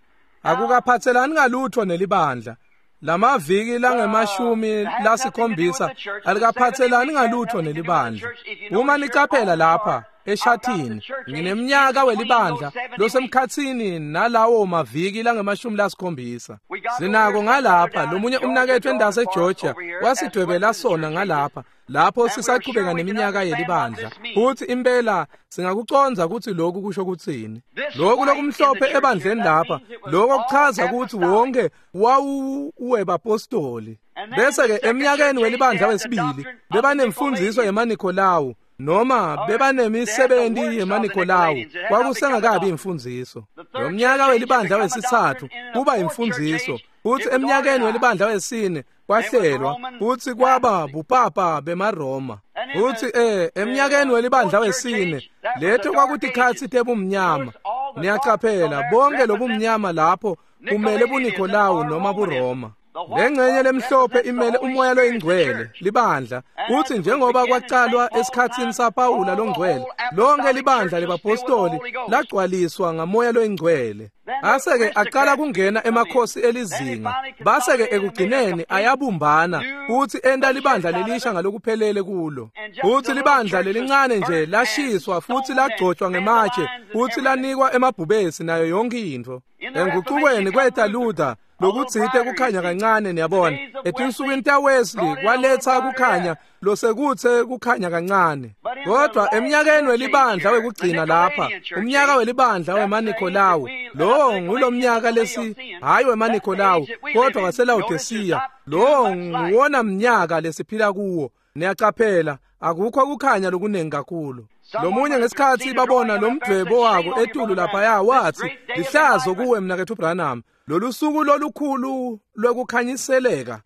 akukaphathelani ngalutho nelibandla. Lamaviki langemashumi lasikhombisa alikaphathelani ngalutho nelibandla. Uma nicaphela lapha eshathini ngineminyaka welibandla losemkhatsini nalawo maviki langemashumi lasikhombisa. Sinako ngalapha lomunye umnakethu endase eGeorgia wasidwebela sona ngalapha lapho sisaqhubeka neminyaka yelibandla. Futhi impela singakucondza ukuthi lokhu kusho ukuthini. Lokhu lokumhlophe ebandleni lapha lokho kuchaza ukuthi wonke wawuwebapostoli. Bese ke eminyakeni welibandla wesibili bebanemfundiso yemaNikolawu noma bebanemisebenzi yemaNikolawu, kwakusengakabi imfundiso. Lomnyaka welibandla wesithathu kuba imfundiso, futhi eminyakeni welibandla wesine kwahlelwa futhi kwaba bupapa bemaRoma. Futhi eh eminyakeni welibandla wesine letho kwakutikhatsi tebumnyama. Niyacaphela bonke lobumnyama lapho kumele buNikolawu noma buRoma. Lengxenye lemhlophe imele umoya loyingcwele libandla. Uthi njengoba kwaqalwa esikhatsini saPawula longcwele, lonke libandla lebapostoli lagcwaliswa ngamoya loyingcwele. Ase-ke aqala kungena emakhosi elizinga, base-ke ekugcineni ayabumbana futhi enta libandla lelisha ngalokuphelele kulo. Futhi libandla lelincane nje lashiswa futhi lagcotshwa ngematshe futhi lanikwa emabhubesi nayo yonke into. Enguqukweni kweta Luther lokutsite kukhanya kancane, niyabona. Etinsukwini taWesley kwaletha kukhanya losekuthe kukhanya kancane. Kodwa eminyakeni welibandla wekugcina lapha, umnyaka welibandla wemaNikolawu, lowo ngulomnyaka lesi hayi wemaNikolawu kodwa waseLaodicea, lowo nguwona mnyaka lesiphila kuwo. Niyacaphela akukho kukhanya lokunengi kakhulu. Lomunye ngesikhatsi babona lomdvwebo wako etulu laphaya wathi, lihlazo kuwe mnakethu Branham, lolu suku lolukhulu lwekukhanyiseleka.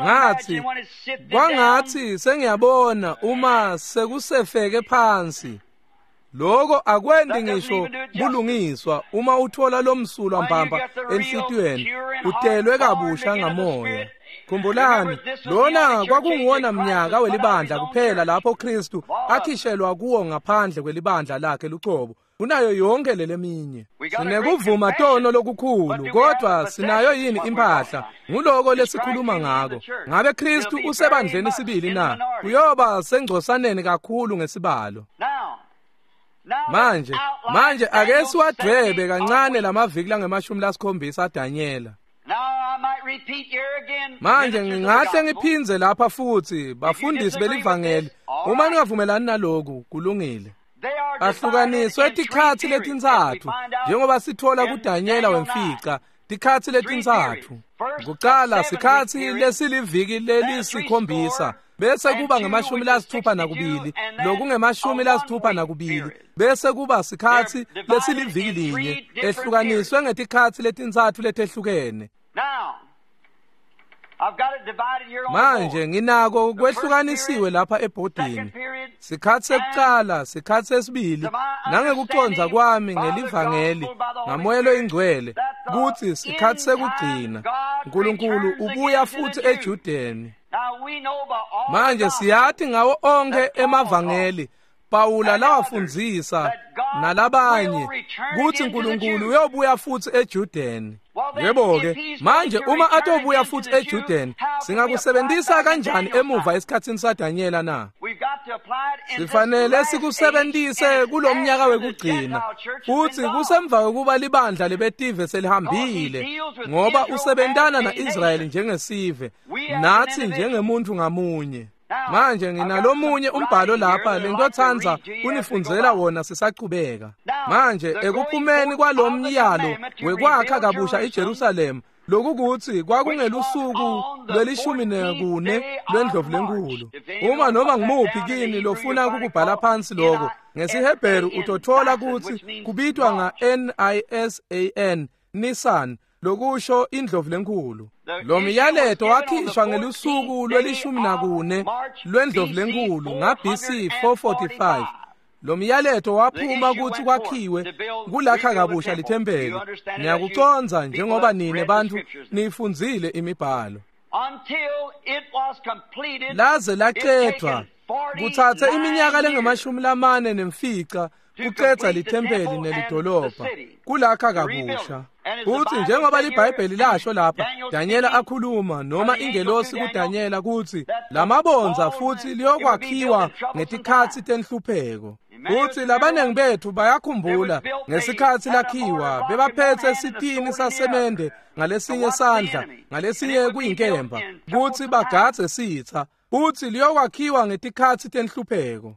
Ngathi kwangathi sengiyabona uma sekusefeke phansi. Lokho akwendi ngisho bulungiswa uma uthola lomsulwa mbamba enhlitiyweni utelwe kabusha ngamoya. Khumbulani, lona kwakunguwona mnyaka welibandla kuphela lapho Kristu akhishelwa kuwo ngaphandle kwelibandla lakhe lucobo kunayo yonke leleminye. Sinekuvuma tono lokukhulu, kodwa sinayo yini impahla? Nguloko lesikhuluma ngako. Ngabe Kristu usebandleni sibili na? Kuyoba sengcosaneni kakhulu ngesibalo. Manje, manje ake siwadwebe kancane lamaviki langemashumi lasikhombisa aDanyela. Manje ngingahle ngiphindze lapha futhi bafundisi belivangeli, uma ningavumelani naloku kulungile. Ahlukaniswe tikhatsi letintsatfu njengoba sithola kuDanyela wemfica Tikhatsi letintsatfu. Kucala sikhatsi lesiliviki lelisikhombisa, bese kuba ngemashumi lasitfupha nakubili, lokungemashumi lasitfupha nakubili, bese kuba sikhatsi lesiliviki linye, ehlukaniswe ngetikhatsi letintsatfu letehlukene. Manje nginako kwehlukanisiwe lapha ebhodini. Sikhatsi sekucala, sikhatsi sesibili, nangekucondza kwami ngelivangeli ngaMoya loyiNgcwele kutsi sikhatsi sekugcina Nkulunkulu ubuya futsi eJudeni. Manje siyati ngawo onkhe emavangeli Pawula lawafundzisa nalabanye kutsi Nkulunkulu uyobuya futsi eJudeni. Yebo-ke, manje uma atobuya futsi eJudeni, singakusebentisa kanjani emuva esikhatsini saDanyela na? Sifanele sikusebentise kulomnyaka wekugcina, futsi kusemva kwekuba libandla lebetive selihambile, ngoba usebentana na-Israyeli njengesive, natsi njengemuntfu ngamunye. Manje nginalomunye umbhalo lapha lengitotsandza kunifundzela wona sisachubeka. Manje ekuphumeni kwalomyalo wekwakha kabusha iJerusalema, lokukutsi kwakungelusuku lwelishumi nekune lwendlovu lenkulu. Uma noma ngimuphi kini lofuna ukubhala phansi lokho ngesiHebheru utothola kutsi kubitwa nga N I S A N, Nisan, lokusho indlovu lenkulu. Lo myaleto wakhishwa ngelusuku lwelishumi nakune lwendlovu lenkulu nga B C four forty-five. Lo myaleto waphuma kutsi kwakhiwe kulakha kabusha lithempeli. Niyakucondza njengoba nine bantfu nifundzile imibhalo. Laze lacedvwa kutsatse iminyaka lengemashumi lamane nemfica kucedza lithempeli nelidolobha kulakha kabusha. Kutsi njengoba liBhayibheli lasho lapha, Danyela akhuluma noma ingelosi kuDanyela kutsi lamabondza futsi liyokwakhiwa ngetikhatsi tenhlupheko. Kutsi labanengi betfu bayakhumbula ngesikhatsi lakhiwa bebaphetse sitini sasemende ngalesinye sandla ngalesinye kuyinkemba kutsi bagadze sitsa, kutsi liyokwakhiwa ngetikhatsi tenhlupheko.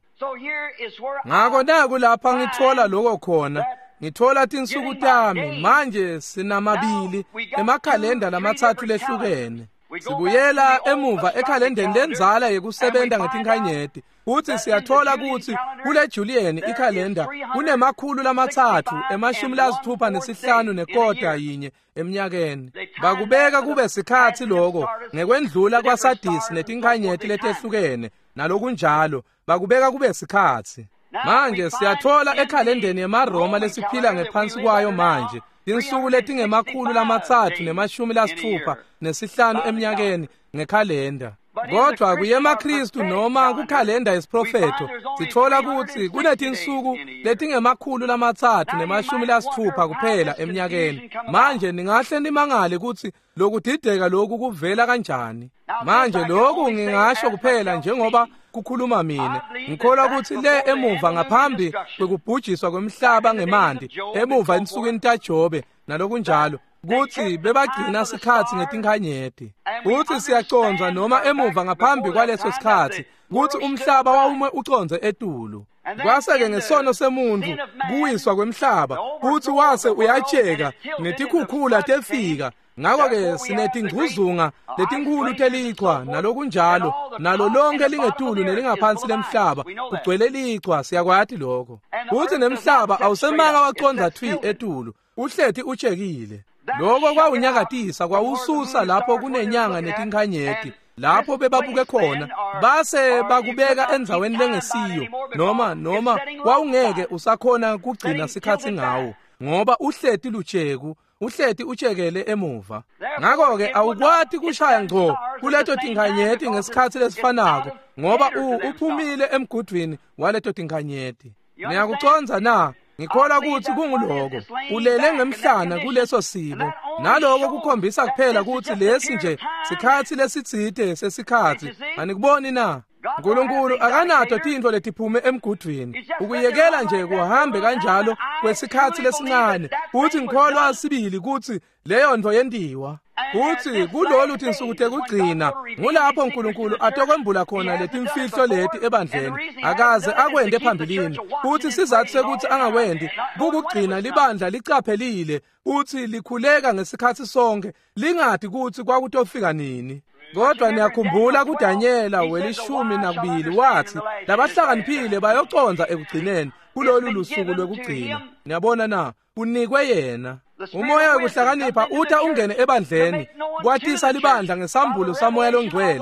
Ngako naku lapha ngitfola lokho khona, ngitfola tinsuku tami. Manje sinamabili emakhalenda lamatsatfu lehlukene. Sibuyela emuva ekhalendeni lendzala yekusebenta ngetinkhanyeti, futsi siyatfola kutsi kule Julian ikhalenda kunemakhulu lamatsatfu emashumi lasitfupha nesihlanu nekota yinye eminyakeni. Bakubeka kube sikhatsi lokho ngekwendlula kwaSadisi netinkhanyeti letehlukene nalokunjalo, bakubeka kube sikhatsi. Manje siyatfola ekhalendeni yemaRoma lesiphila ngephansi kwayo manje tinsuku letingemakhulu lamatsatfu nemashumi lasitfupha nesihlanu eminyakeni ngekhalenda. Kodwa kuyemaKristu noma kukhalenda yesiprofetho sitfola kutsi kunetinsuku letingemakhulu lamatsatfu nemashumi lasitfupha kuphela eminyakeni. Manje ningahle nimangale kutsi lokudideka lokhu kuvela kanjani. Manje lokhu ngingasho kuphela njengoba kukhuluma mina. Ngikholwa kutsi le emuva ngaphambi kwekubhujiswa kwemhlaba ngemanti, emuva ensukwini taJobe nalokunjalo, kutsi bebagcina sikhatsi ngetinkhanyeti. Kutsi siyacondza noma emuva ngaphambi kwaleso sikhatsi kutsi umhlaba wawume ucondze etulu. Kwase-ke ngesono semuntfu kuwiswa kwemhlaba, kutsi wase uyatsheka netikhukhula tefika. Ngako-ke sinetingcuzunga letinkhulu telichwa nalokunjalo, nalo lonke lingetulu nelingaphansi lemhlaba kugcwele lichwa, siyakwati lokho. Kutsi nemhlaba awusemanga wacondza thwi etulu, uhleti utshekile. Lokho kwawunyakatisa kwawususa lapho kunenyanga netinkhanyeti, lapho bebabuke khona, base bakubeka endzaweni lengesiyo, noma noma wawungeke usakhona kugcina sikhatsi ngawo, ngoba uhleti lutsheku, uhleti utshekele emuva. Ngako-ke awukwati kushaya ngco kuleto tinkhanyeti ngesikhatsi lesifanako, ngoba uphumile emgudvwini waleto tinkhanyeti. Niyakucondza na? Ngikholwa kutsi kunguloko ulele ngemhlana kuleso simo, naloko kukhombisa kuphela kutsi lesi nje sikhatsi lesitsite sesikhatsi. Anikuboni na? Nkulunkulu akanato tintfo letiphume emgudvwini. Ukuyekela nje kuhambe kanjalo kwesikhatsi lesincane. Futsi ngikholwa sibili kutsi leyo nto yentiwa. Kutsi kulolu tinsuku tekugcina ngulapho uNkulunkulu atokwembula khona letimfihlo leti ebandleni. Akaze akwente phambilini. Futsi sizatfu sekutsi angakwendi kukugcina libandla licaphelile futsi likhuleka ngesikhatsi sonke lingati kutsi kwakutofika nini. Kodwa niyakhumbula kuDanyela welishumi nakubili wathi labahlakaniphile bayocondza ekugcineni kulolu lusuku lwekugcina. Niyabona na, unikwe yena. Umoya wekuhlakanipha uta ungene ebandleni kwatisa libandla ngesambulo samoya longcwele.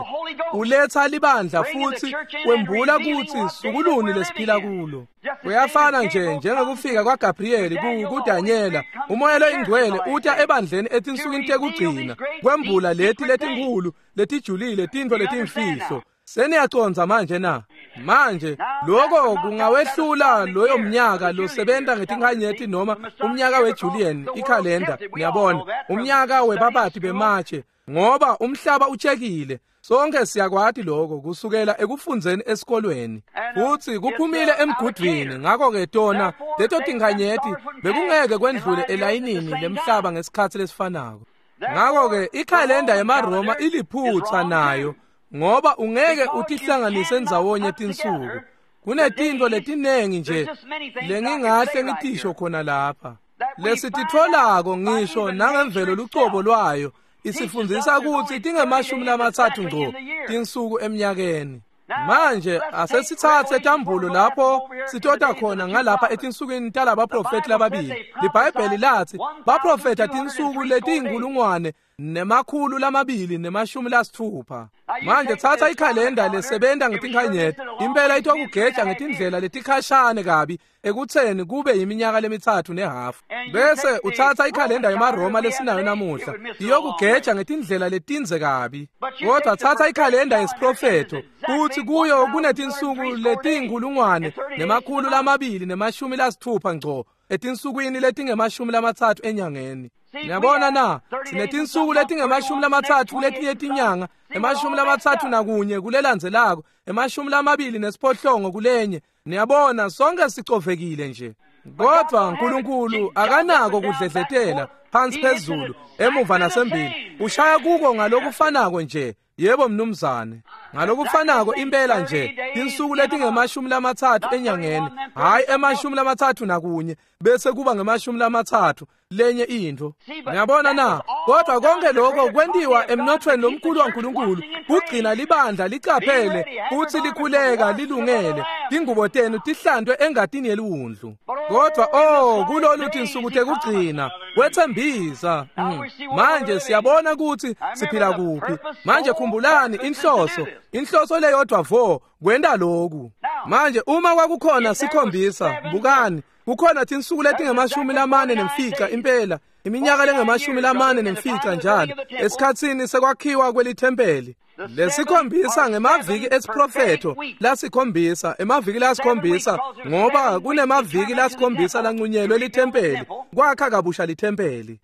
Uletha libandla futsi wembula kutsi sukuluni lesiphila kulo. Kuyafana nje njengekufika kwaGabriel kuDanyela. Umoya loyingcwele uta ebandleni etinsukwini tekugcina kwembula leti letinkhulu letijulile tintfo letimfihlo. Seniyacondza manje na? Manje lokho kungawehlula loyo mnyaka losebenta ngetinkanyeti noma umnyaka weJulian ikhalenda, niyabona, umnyaka webabati bematshe, ngoba umhlaba utshekile. Sonke siyakwati lokho kusukela ekufundzeni esikolweni. Futsi kuphumile emgudvwini, ngakho-ke tona leto tinkanyeti bekungeke kwendlule elayinini lemhlaba ngesikhatsi lesifanako. Ngakho-ke ikhalenda yemaRoma iliphutsa nayo, ngoba ungeke utihlanganise ndzawonye tinsuku. Kunetintfo letinengi nje lengingahle ngitisho khona lapha lesititfolako ngisho nangemvelo lucobo lwayo isifundzisa kutsi tingemashumi lamatsatfu ngco tinsuku eminyakeni. Manje asesitsatse tambulo lapho sitota khona ngalapha etinsukwini talabaprofethi lababili. LiBhayibheli lathi baprofetha tinsuku letiyinkulungwane nemakhulu lamabili nemashumi lasitfupha. Manje tsatsa ikhalenda lesebenta ngetinkanyeti, impela itokugeja ngetindlela letikhashane kabi ekutseni kube yiminyaka lemitsatfu nehafu. Bese utsatsa ikhalenda yemaRoma lesinayo namuhla, iyokugeja ngetindlela letindze kabi. Kodwa tsatsa ikhalenda yesiprofetho, kutsi kuyo kunetinsuku letiyinkulungwane nemakhulu lamabili nemashumi lasitfupha ngco etinsukwini letingemashumi lamatsatfu enyangeni. Niyabona na, sinetinsuku letingemashumi lamatsatfu kuletinye tinyanga, emashumi lamatsatfu nakunye kulelandzelako, emashumi lamabili nesiphohlongo kulenye. Niyabona, sonke sicovekile nje. Kodwa uNkulunkulu akanako kudledletela phansi phezulu, emuva nasembili. Ushaya kuko ngalokufanako nje. Yebo mnumzane, ngalokufanako impela nje, tinsuku letingemashumi lamatsatfu enyangeni, hayi emashumi lamatsatfu nakunye, bese kuba ngemashumi lamatsatfu lenye intfo. Niyabona na? Kodwa konke lokho kwentiwa emnothweni lomkhulu waNkulunkulu, kugcina libandla licaphele futsi likhuleka lilungele, tingubo tenu tihlantwe engatini yeliwundlu. Kodwa oh, kulolu tinsuku tekugcina wetsembisa. Mm. Manje siyabona kutsi siphila kuphi. Manje khumbulani inhloso, inhloso leyodwa vo kwenta lokhu. Manje uma kwakukhona sikhombisa, bukani, kukhona tinsuku letingemashumi lamane nemfica impela, iminyaka lengemashumi lamane nemfica njalo esikhatsini sekwakhiwa kwelithempeli. Lesikhombisa ngemaviki esiprofetho lasikhombisa, emaviki lasikhombisa, ngoba kunemaviki lasikhombisa lanqunyelwe lithempeli, kwakha kabusha lithempeli.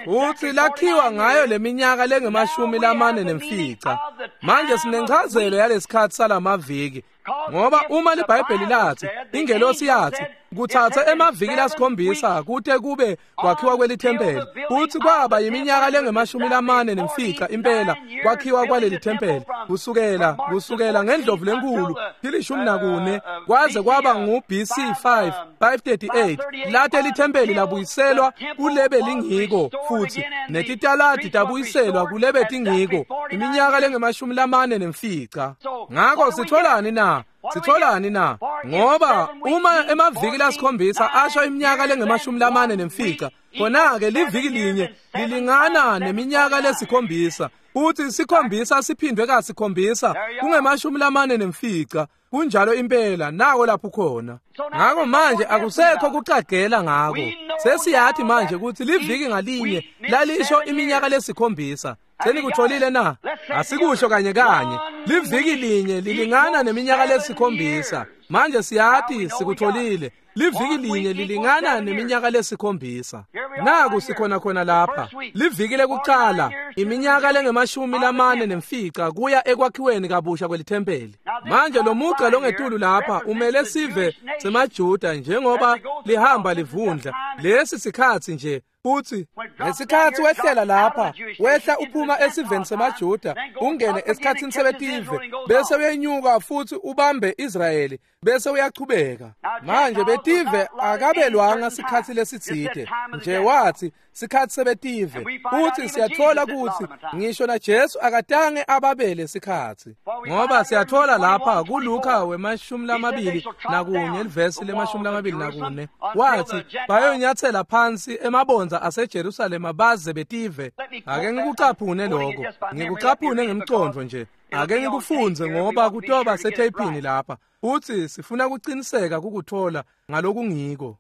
Futsi lakhiwa ngayo leminyaka lengemashumi lamane nemfica. Manje sinenchazelo yalesikhatsi salamaviki, ngoba uma liBhayibheli lathi, ingelosi yathi, kutsatse emaviki lasikhombisa kute kube kwakhiwa kwelithempeli, futsi kwaba yiminyaka lengemashumi lamane nemfica impela kwakhiwa kwaleli thempeli, kusukela kusukela ngendlovu lenkulu tilishumi nakune kwaze kwaba ngu B C five five thirty-eight late lithempeli labuyiselwa kulebe lingiko, futsi netitaladi tabuyiselwa kulebe tingiko, iminyaka lengemashumi lamane nemfica. Ngako sitholani na? Sitholani na? Ngoba uma emaviki lasikhombisa asho iminyaka lengemashumi lamane nemfica, khona-ke liviki linye lilingana neminyaka lesikhombisa, futhi sikhombisa siphindwe kasikhombisa kungemashumi lamane nemfica. Kunjalo impela, nako lapho khona. Ngako manje akusekho kucagela ngako. Sesiyathi manje ukuthi liviki ngalinye lalisho iminyaka lesikhombisa. Senikutholile na? Asikusho kanye kanye. Liviki linye lilingana neminyaka lesikhombisa. Manje siyati sikutholile. Liviki linye lilingana neminyaka lesikhombisa. Naku sikhona khona lapha. Liviki lekucala iminyaka lengemashumi lamane nemfica kuya ekwakhiweni kabusha kwelithempeli. Manje lo mugqa longetulu lapha umele sive semaJuda njengoba lihamba livundla. Lesi sikhatsi nje futhi ngesikhatsi wehlela lapha wehla uphuma esiveni semaJuda ungene esikhatsini sebetive bese uyenyuka futhi ubambe Israyeli bese uyachubeka. Manje betive akabelwanga sikhatsi lesitsite nje, wathi sikhatsi sebetive. Futhi siyathola ukuthi ngisho na Jesu akatange ababele sikhatsi, ngoba siyathola lapha kuLuka wemashumi lamabili nakunye livesi lemashumi lamabili nakune wathi bayonyathela phansi emabonza aseJerusalema baze betive. Ake ngikucaphune lokho, ngikucaphune ngemqondo nje, ake ngikufunze ngoba kutoba setheyphini lapha. Uthi sifuna kuqiniseka ukuthola ngalokungiko.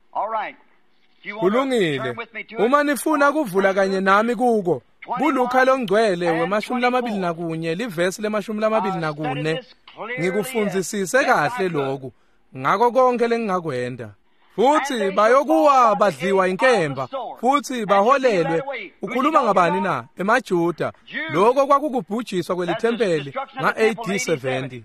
Kulungile. Uma nifuna kuvula kanye nami kuko kuLuka longcwele wemashumi lamabili nakunye livesi lemashumi lamabili nakune, ngikufundzisise kahle lokhu ngako konke lengingakwenda. Futhi bayokuwa badliwa inkemba futhi baholelwe. Ukhuluma ngabani na? EmaJuda. Lokho kwakukubhujiswa kwelithempeli nga-A D seventy.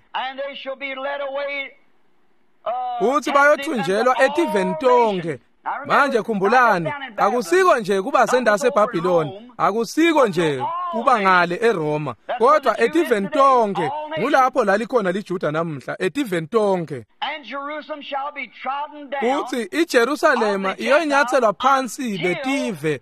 Futhi bayothunjelwa etiveni tonke. Manje khumbulani, akusiko nje kuba sendase eBhabhiloni, akusiko nje kuba ngale eRoma, kodwa etiveni tonke. Ngulapho lalikhona liJuda namuhla, etiveni tonke. Futhi iJerusalema iyonyathelwa phansi betive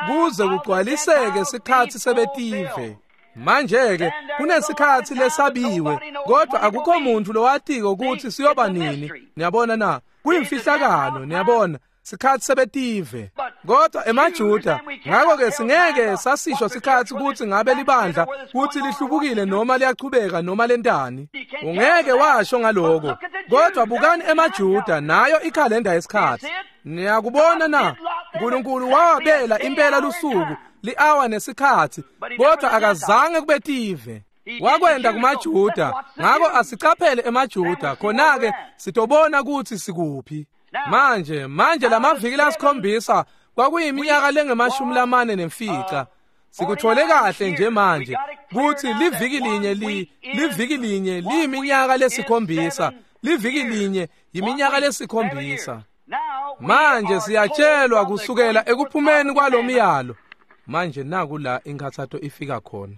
kuze kugcwaliseke sikhatsi sebetive. Manje-ke kunesikhatsi lesabiwe, kodwa akukho muntu lowatiko ukuthi siyoba nini. Niyabona na? Kuyimfihlakalo, niyabona, sikhatsi sebetive. Kodwa emaJuda, ngakho-ke singeke sasisho sikhatsi ukuthi ngabe libandla kuthi lihlubukile noma liyachubeka noma lentani. Ungeke washo ngaloko. Kodwa bukani emaJuda, nayo ikhalenda yesikhatsi. Niyakubona na? uNkulunkulu wabela impela lusuku, li-awa nesikhatsi, kodwa akazange kube tive. Wakwenda kumaJuda, ngakho asicaphele emaJuda, khona-ke sitobona ukuthi sikuphi. Manje, manje lamaviki lasikhombisa kwakuyiminyaka lengemashumi lamane nemfica. Sikuthole kahle nje manje kuthi liviki linye li liviki linye liyiminyaka lesikhombisa, liviki linye yiminyaka lesikhombisa. Manje siyatshelwa kusukela ekuphumeni kwalomyalo. Manje naku la inkathatho ifika khona.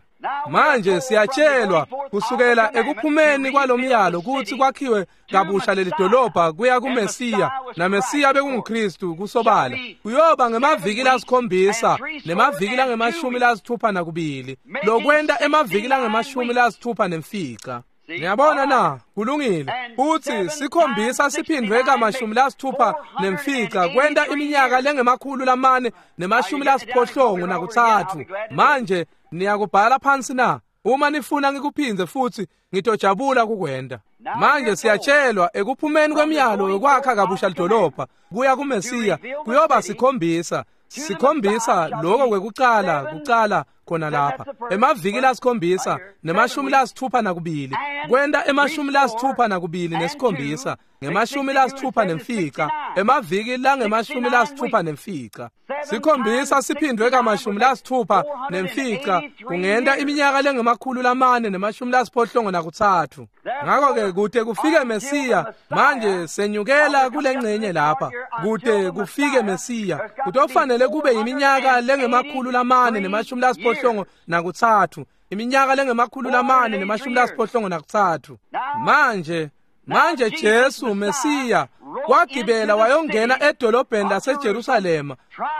Manje siyatshelwa kusukela ekuphumeni kwalomyalo kuthi kwakhiwe kabusha leli dolobha kuya kuMesiya, naMesiya bekunguKristu kusobala. Kuyoba ngemaviki lasikhombisa nemaviki langemashumi lasithupha nakubili, lokwenta emaviki langemashumi lasithupha nemfica. Niyabona na? Kulungile. Uthi sikhombisa siphindwe kamashumi lasithupha nemfica kwenta iminyaka lengemakhulu lamane nemashumi lasiphohlongo nakutsatfu. Manje niyakubhala phansi na? Uma nifuna ngikuphindze futhi ngitojabula kukwenda. Manje siyatshelwa ekuphumeni kwemiyalo yokwakha kabusha lidolobha kuya kuMesiya kuyoba sikhombisa. Sikhombisa lokho kwekucala kucala khona lapha emaviki lasikhombisa nemashumi lasithupha nakubili kwenta emashumi lasithupha nakubili nesikhombisa ngemashumi lasithupha nemfica emaviki langemashumi lasithupha nemfica. Sikhombisa siphindwe kamashumi lasithupha nemfica kungenta iminyaka lengemakhulu lamane nemashumi lasiphohlongo nakutsatfu. Ngakho-ke kude kufike Mesiya, manje senyukela kulengcenye lapha, kude kufike Mesiya kutofanele kube iminyaka lengemakhulu lamane nemashumi lasiphohlongo nakutsatfu, iminyaka lengemakhulu lamane nemashumi lasiphohlongo nakutsatfu. Manje manje Jesu Mesiya wagibela wayongena edolobheni laseJerusalema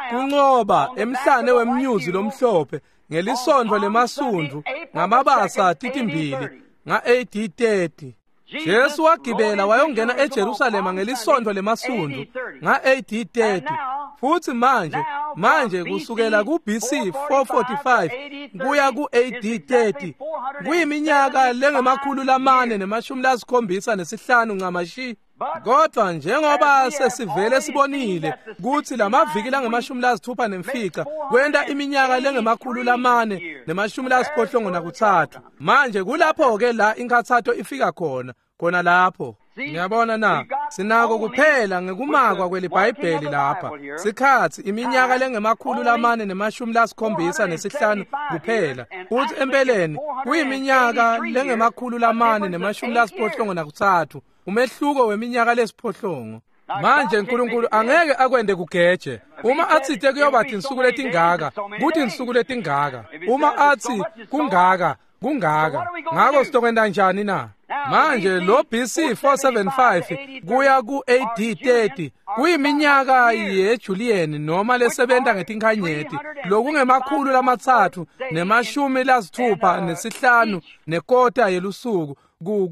kunqoba emhlane wemnyuzi lomhlophe ngelisondvo lemasundu ngamabasa titimbili nga-A D thirty. Jesu wagibela wayongena eJerusalema ngelisondvo lemasundu nga-A D thirty. Futhi manje manje kusukela ku-B C four forty-five kuya ku-A D thirty kuyiminyaka lengemakhulu lamane nemashumi lasikhombisa nesihlanu ncamashi. Kodwa njengoba sesivele sibonile kuthi lamaviki langemashumi lasithupha nemfica kwenta iminyaka lengemakhulu lamane nemashumi lasiphohlongo nakutsatfu. Manje kulapho-ke la inkathatho ifika khona, khona lapho. Niyabona na, sinako kuphela ngekumakwa kweliBhayibheli lapha. Sikhatsi iminyaka lengemakhulu lamane nemashumi lasikhombisa nesihlanu kuphela. Futsi empeleni kuyiminyaka lengemakhulu lamane nemashumi lasiphohlongo nakutsatfu, umehluko weminyaka lesiphohlongo. Manje uNkulunkulu angeke akwende kugeje. Uma atsite kuyoba tinsuku letingaka, kuthi insuku letingaka. Uma athi kungaka, kungaka. Ngako sitokwenta njani na? Manje lo B C four seventy-five kuya ku A D thirty kuyiminyaka yeJulian noma lesebenta ngetinkhanyeti lokungemakhulu lamatsatfu nemashumi lasithupha nesihlanu nekota yelusuku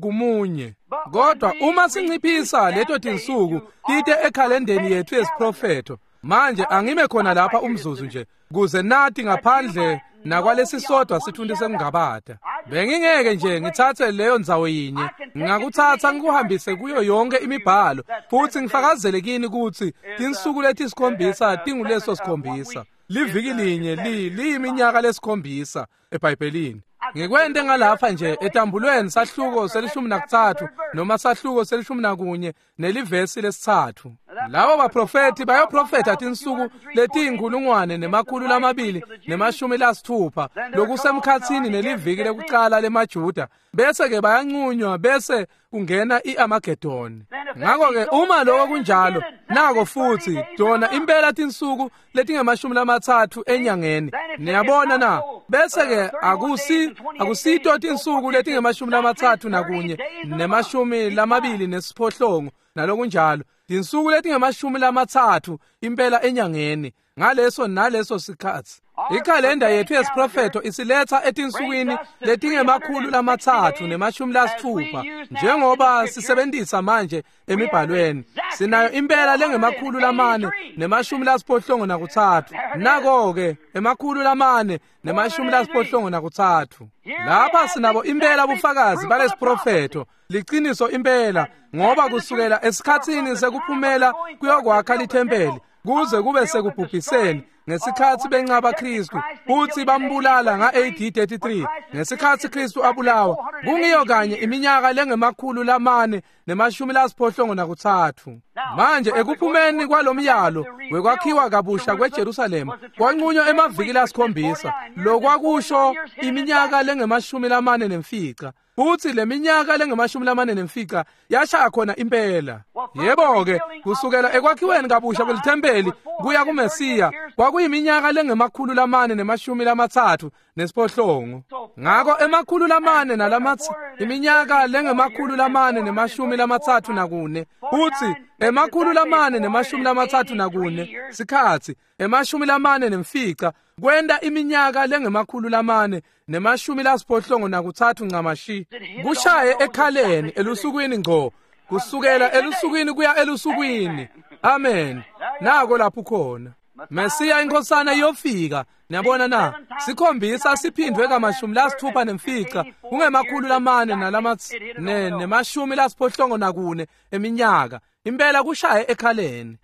kumunye. Kodwa uma sinciphisa leto tinsuku tite ekhalendeni yethu yesiprofetho. Manje angime khona lapha umzuzu nje kuze nathi ngaphandle nakwalesisodwa sithundi sengingabata. Bengingeke nje ngithathe leyo ndzawo yinye, ngakuthatha ngikuhambise kuyo yonke imibhalo futhi ngifakazele kini ukuthi tinsuku letisikhombisa tinguleso sikhombisa. Liviki linye li liyiminyaka lesikhombisa eBhayibhelini. Ngikwente ngalapha nje etambulweni sahluko selishumi nakutsatfu noma sahluko selishumi nakunye nelivesi lesitsatfu. Labo baprofeti bayoprofetha tinsuku letiyinkulungwane nemakhulu lamabili nemashumi lasithupha lokusemkhatsini neliviki lekucala lemaJuda, bese ke bayanqunywa bese kungena iArmageddon. Ngakho ke uma lokho kunjalo, nako futhi tona impela tinsuku letingemashumi lamatsatfu enyangeni. Niyabona na? Bese ke akusi akusito tinsuku letingemashumi lamatsatfu nakunye nemashumi lamabili nesiphohlongo nalokunjalo. Tinsuku letingemashumi lamatsatfu impela enyangeni ngaleso naleso sikhatsi. Ikhalenda yethu yesiprofetho isiletha etinsukwini letingemakhulu lamatsatfu nemashumi lasithupha njengoba sisebenzisa manje emibhalweni. Sinayo impela lengemakhulu lamane nemashumi lasiphohlongo nakutsatfu. Nako-ke emakhulu lamane nemashumi lasiphohlongo nakutsatfu. Lapha sinabo impela bufakazi balesiprofetho, liciniso impela, ngoba kusukela esikhatsini sekuphumela kuyokwakha lithempeli kuze kube sekubhubhiseni ngesikhatsi bencaba Kristu futhi bambulala nga-A D thirty-three ngesikhatsi Kristu abulawa, kungiyo kanye iminyaka lengemakhulu lamane nemashumi lasiphohlongo nakutsatfu. Manje ekuphumeni kwalomyalo wekwakhiwa kabusha kweJerusalema kwanqunywa emaviki lasikhombisa, lokwakusho iminyaka lengemashumi lamane nemfica. Futhi leminyaka lengemashumi lamane nemfica yashaya khona impela. Yebo-ke, kusukela ekwakhiweni kabusha kwelithempeli kuya kuMesiya kwakuyiminyaka lengemakhulu lamane nemashumi lamatsatfu nesiphohlongo. Ngako emakhulu lamane nalamatsi iminyaka lengemakhulu lamane nemashumi lamatsatfu nakune, futhi emakhulu lamane nemashumi lamatsatfu nakune sikhatsi emashumi lamane nemfica kwenta iminyaka lengemakhulu lamane nemashumi lasiphohlongo nakutsatfu ncamashi. Kushaye ekhaleni elusukwini ngco, kusukela elusukwini kuya elusukwini. Amen. Nako lapho khona Mesiya inkosana iyofika. Niyabona na? Sikhombisa siphindwe kamashumi lasithupha nemfica kungemakhulu lamane nalamatsi ne nemashumi lasiphohlongo nakune eminyaka. Impela kushaye ekhaleni.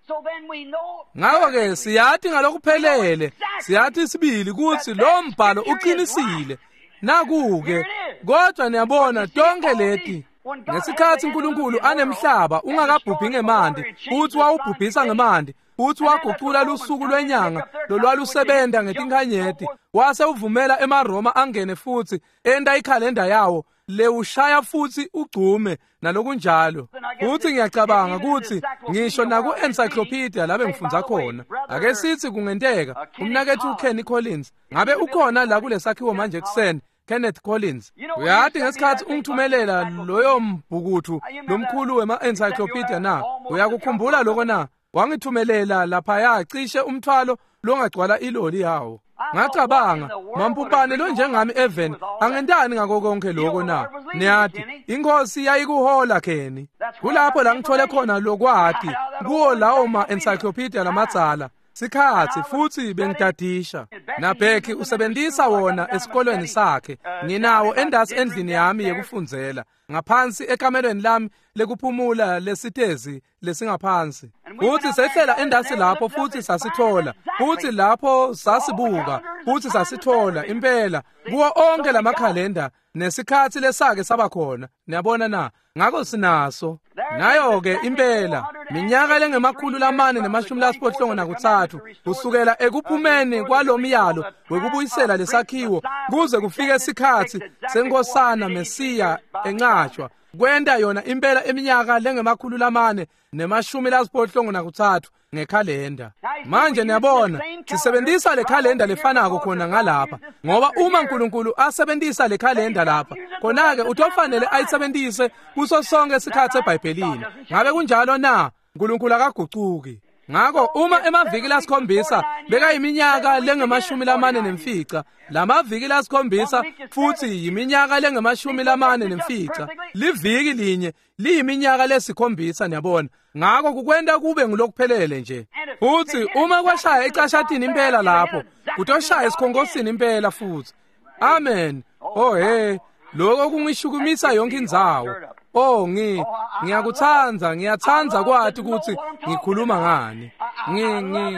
Ngakho-ke siyati ngalokuphelele, siyati sibili kutsi lo mbhalo uqinisile. Naku-ke, kodwa niyabona tonke leti ngesikhatsi uNkulunkulu anemhlaba ungakabhubhi ngemanti, futhi wawubhubhisa ngemanti, futhi wagucula lusuku lwenyanga lolwalusebenta ngetinkhanyeti, wase uvumela emaRoma angene futhi enta ikhalenda yawo lewushaya futhi ugcume nalokunjalo. Futhi ngiyacabanga ukuthi ngisho naku-encyclopedia labe ngifundza khona, ake sithi kungenteka umnakethu Kenny Collins ngabe ukhona la kulesakhiwo manje ekuseni, Kenneth Collins. Uyati ngesikhatsi ungithumelela loyo mbhukuthu lomkhulu wema-encyclopedia na? Uyakukhumbula lokho na? Wangithumelela laphaya cishe umthwalo longagcwala iloli yawo. Ngacabanga, mampupane lo njengami Evan angentani ngako konke lokho na? Niyati, inkosi yayikuhola Kenny. Kulapho la ngithole khona lokwati kuwo lawo ma-encyclopedia lamadzala. Sikhatsi futhi bengidadisha. NaBheki usebenzisa wona esikolweni sakhe. Nginawo endasi endlini yami yekufundzela, ngaphansi ekamelweni lami lekuphumula lesitezi lesingaphansi. Futhi sehlela endasi lapho futhi sasithola, futhi lapho sasibuka, futhi sasithola impela kuwo onke lamakhalenda nesikhatsi lesake saba khona. Niyabona na? Ngako sinaso. Nayo-ke impela minyaka lengemakhulu lamane nemashumi lasiphohlongo nakutsatfu kusukela ekuphumeni kwalomyalo wekubuyisela lesakhiwo kuze kufike sikhatsi senkosana Mesiya enqatshwa kwenta yona impela iminyaka lengemakhulu lamane nemashumi lasiphohlongo nakutsatfu ngekhalenda. Manje niyabona sisebenzisa le khalenda lefanako khona ngalapha, ngoba uma uNkulunkulu asebenzisa le khalenda lapha khona-ke utofanele ayisebenzise kuso sonke isikhathi eBhayibhelini. Ngabe kunjalo na? uNkulunkulu akagucuki. Ngako uma emaviki lasikhombisa bekayiminyaka lengemashumi lamane nemfica, lamaviki lasikhombisa futhi yiminyaka lengemashumi lamane nemfica, liviki linye liyiminyaka lesikhombisa, niyabona. Ngako kukwenta kube ngulokuphelele nje. Futhi uma kwashaya ecashatini impela lapho, kutoshaya esikhongosini impela futhi. Amen. Oh hey, lokho kungishukumisa yonke indzawo. Oh ngi ngiyakuthanda, ngiyathanda kwathi ukuthi ngikhuluma ngani. Ngi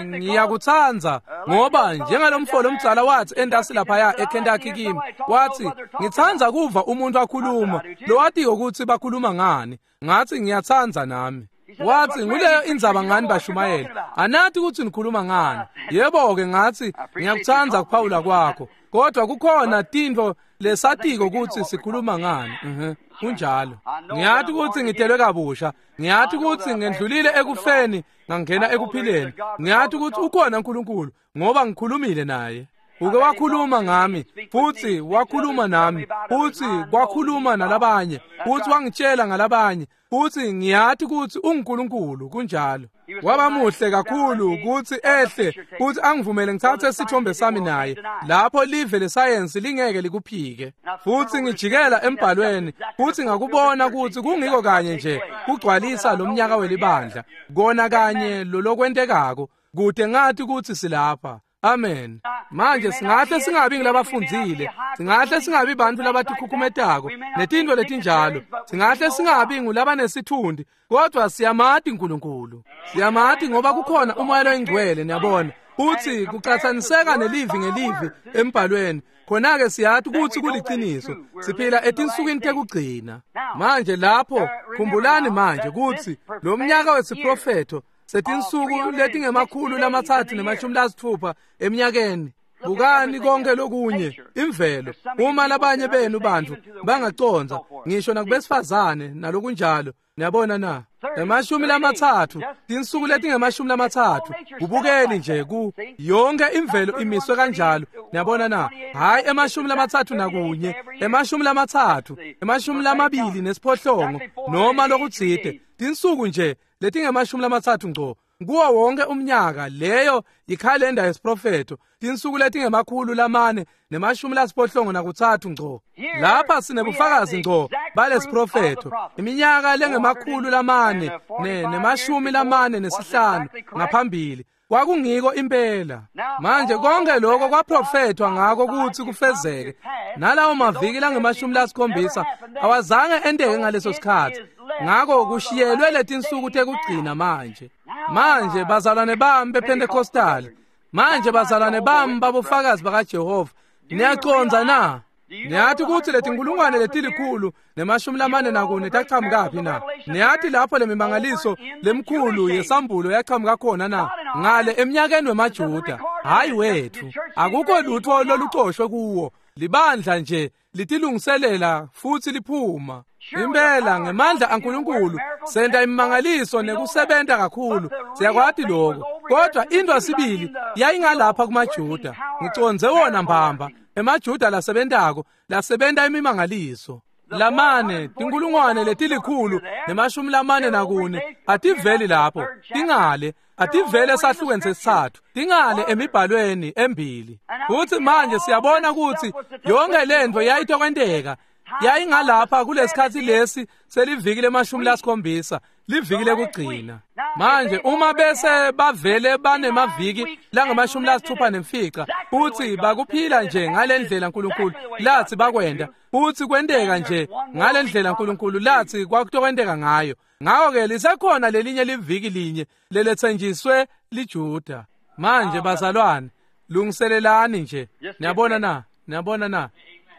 ngiyakuthanda ngoba njengalomfolo omdzala wathi endasi lapha eKentucky kimi, wathi ngithanda kuva umuntu akhuluma lowatiyo ukuthi bakhuluma ngani. Ngathi ngiyathanda nami. Wathi nguleyo indzaba ngani bashumayela, anathi ukuthi nikhuluma ngani. Yebo-ke ngathi ngiyakuthanda kuphawula kwakho, kodwa kukhona tintfo lesatiko ukuthi sikhuluma ngani. Mhm, kunjalo. Ngiyathi ukuthi ngitelwe kabusha, ngiyathi ukuthi ngendlulile ekufeni ngangena ekuphileni, ngiyathi ukuthi ukhona uNkulunkulu ngoba ngikhulumile naye. Uke wakhuluma ngami futhi wakhuluma nami futhi kwakhuluma nalabanye futhi wangitshela ngalabanye futhi ngiyathi ukuthi unguNkulunkulu. Kunjalo. Waba muhle kakhulu ukuthi ehle futhi angivumele ngithathe isithombe sami naye lapho live lesayensi lingeke likuphike. Futhi ngijikela embhalweni futhi ngakubona ukuthi kungiko kanye nje kugcwalisa lo mnyaka welibandla kona kanye lolokwentekako kude ngathi ukuthi silapha. Amen. Manje singahle singabi ngilabafundzile, singahle singabi bantu labatikhukumetako netintfo letinjalo, singahle singabi ngulabanesithundi, kodwa siyamati uNkulunkulu. Siyamati ngoba kukhona uMoya loyiNgcwele, niyabona. Futhi kucatsaniseka nelivi ngelivi embhalweni. Khona-ke siyathi ukuthi kuliciniso, siphila etinsukwini tekugcina. Manje lapho khumbulani manje ukuthi lo mnyaka wesiprofetho setinsuku letingemakhulu lamatsatfu nemashumi lasitfupha eminyakeni. Bukani konke lokunye imvelo. Uma labanye benu bantu bangaconza ngisho nakubesifazane nalokunjalo, niyabona na? Emashumi lamatsatfu, tinsuku letingemashumi lamatsatfu, kubukeni nje ku yonke imvelo imiswe kanjalo, niyabona na? Hayi emashumi lamatsatfu nakunye, emashumi lamatsatfu, emashumi lamabili nesiphohlongo noma lokutsite, tinsuku nje letingemashumi lamatsatfu ngco kuwo wonke umnyaka. Leyo ikhalenda yesiprofetho, tinsuku letingemakhulu lamane nemashumi lasiphohlongo nakutsatfu ngco. Lapha sinebufakazi ngco balesiprofetho, iminyaka lengemakhulu lamane nemashumi lamane nesihlanu ngaphambili kwakungiko impela. Manje konke lokho kwaprofethwa ngako ukuthi kufezeke, nalawo maviki langemashumi lasikhombisa awazange enteke ngaleso sikhathi. Ngako kushiyelwe letinsuku tekugcina manje. Manje bazalwane bami bePentecostal, manje bazalwane bami babofakazi bakaJehova, niyaconza na? Niyathi ukuthi letinkulungwane letilikhulu nemashumi lamane nakune taqhamukaphi na? Niyathi lapho lemimangaliso lemkhulu yesambulo yaqhamuka khona na? Ngale eminyakeni wemaJuda, hayi wethu. Akukho lutho lolucoshwe kuwo. Libandla nje litilungiselela futhi liphuma. Impela ngemandla aNkulunkulu senta imimangaliso nekusebenta kakhulu, siyakwati lokho. Kodwa into sibili yayingalapha kumaJuda, ngiconze wona mbamba emaJuda lasebentako, lasebenta imimangaliso. Lamane tinkulungwane letilikhulu nemashumi lamane nakune ativeli lapho, tingale ativele esahlukweni sesithathu, tingale emibhalweni embili. Futhi manje siyabona ukuthi yonke lento yayitokwenteka yayingalapha kulesikhathi lesi seliviki lemashumi lasikhombisa, liviki lekugcina. Manje uma bese bavele banemaviki langamashumi lasithupha nemfica futhi bakuphila nje ngalendlela uNkulunkulu lathi bakwenda, futhi kwenteka nje ngalendlela uNkulunkulu lathi kwakutokwenteka ngayo, ngako-ke lisekhona lelinye liviki linye leletsenjiswe liJuda. Manje bazalwane, lungiselelani nje. Niyabona na? Niyabona na?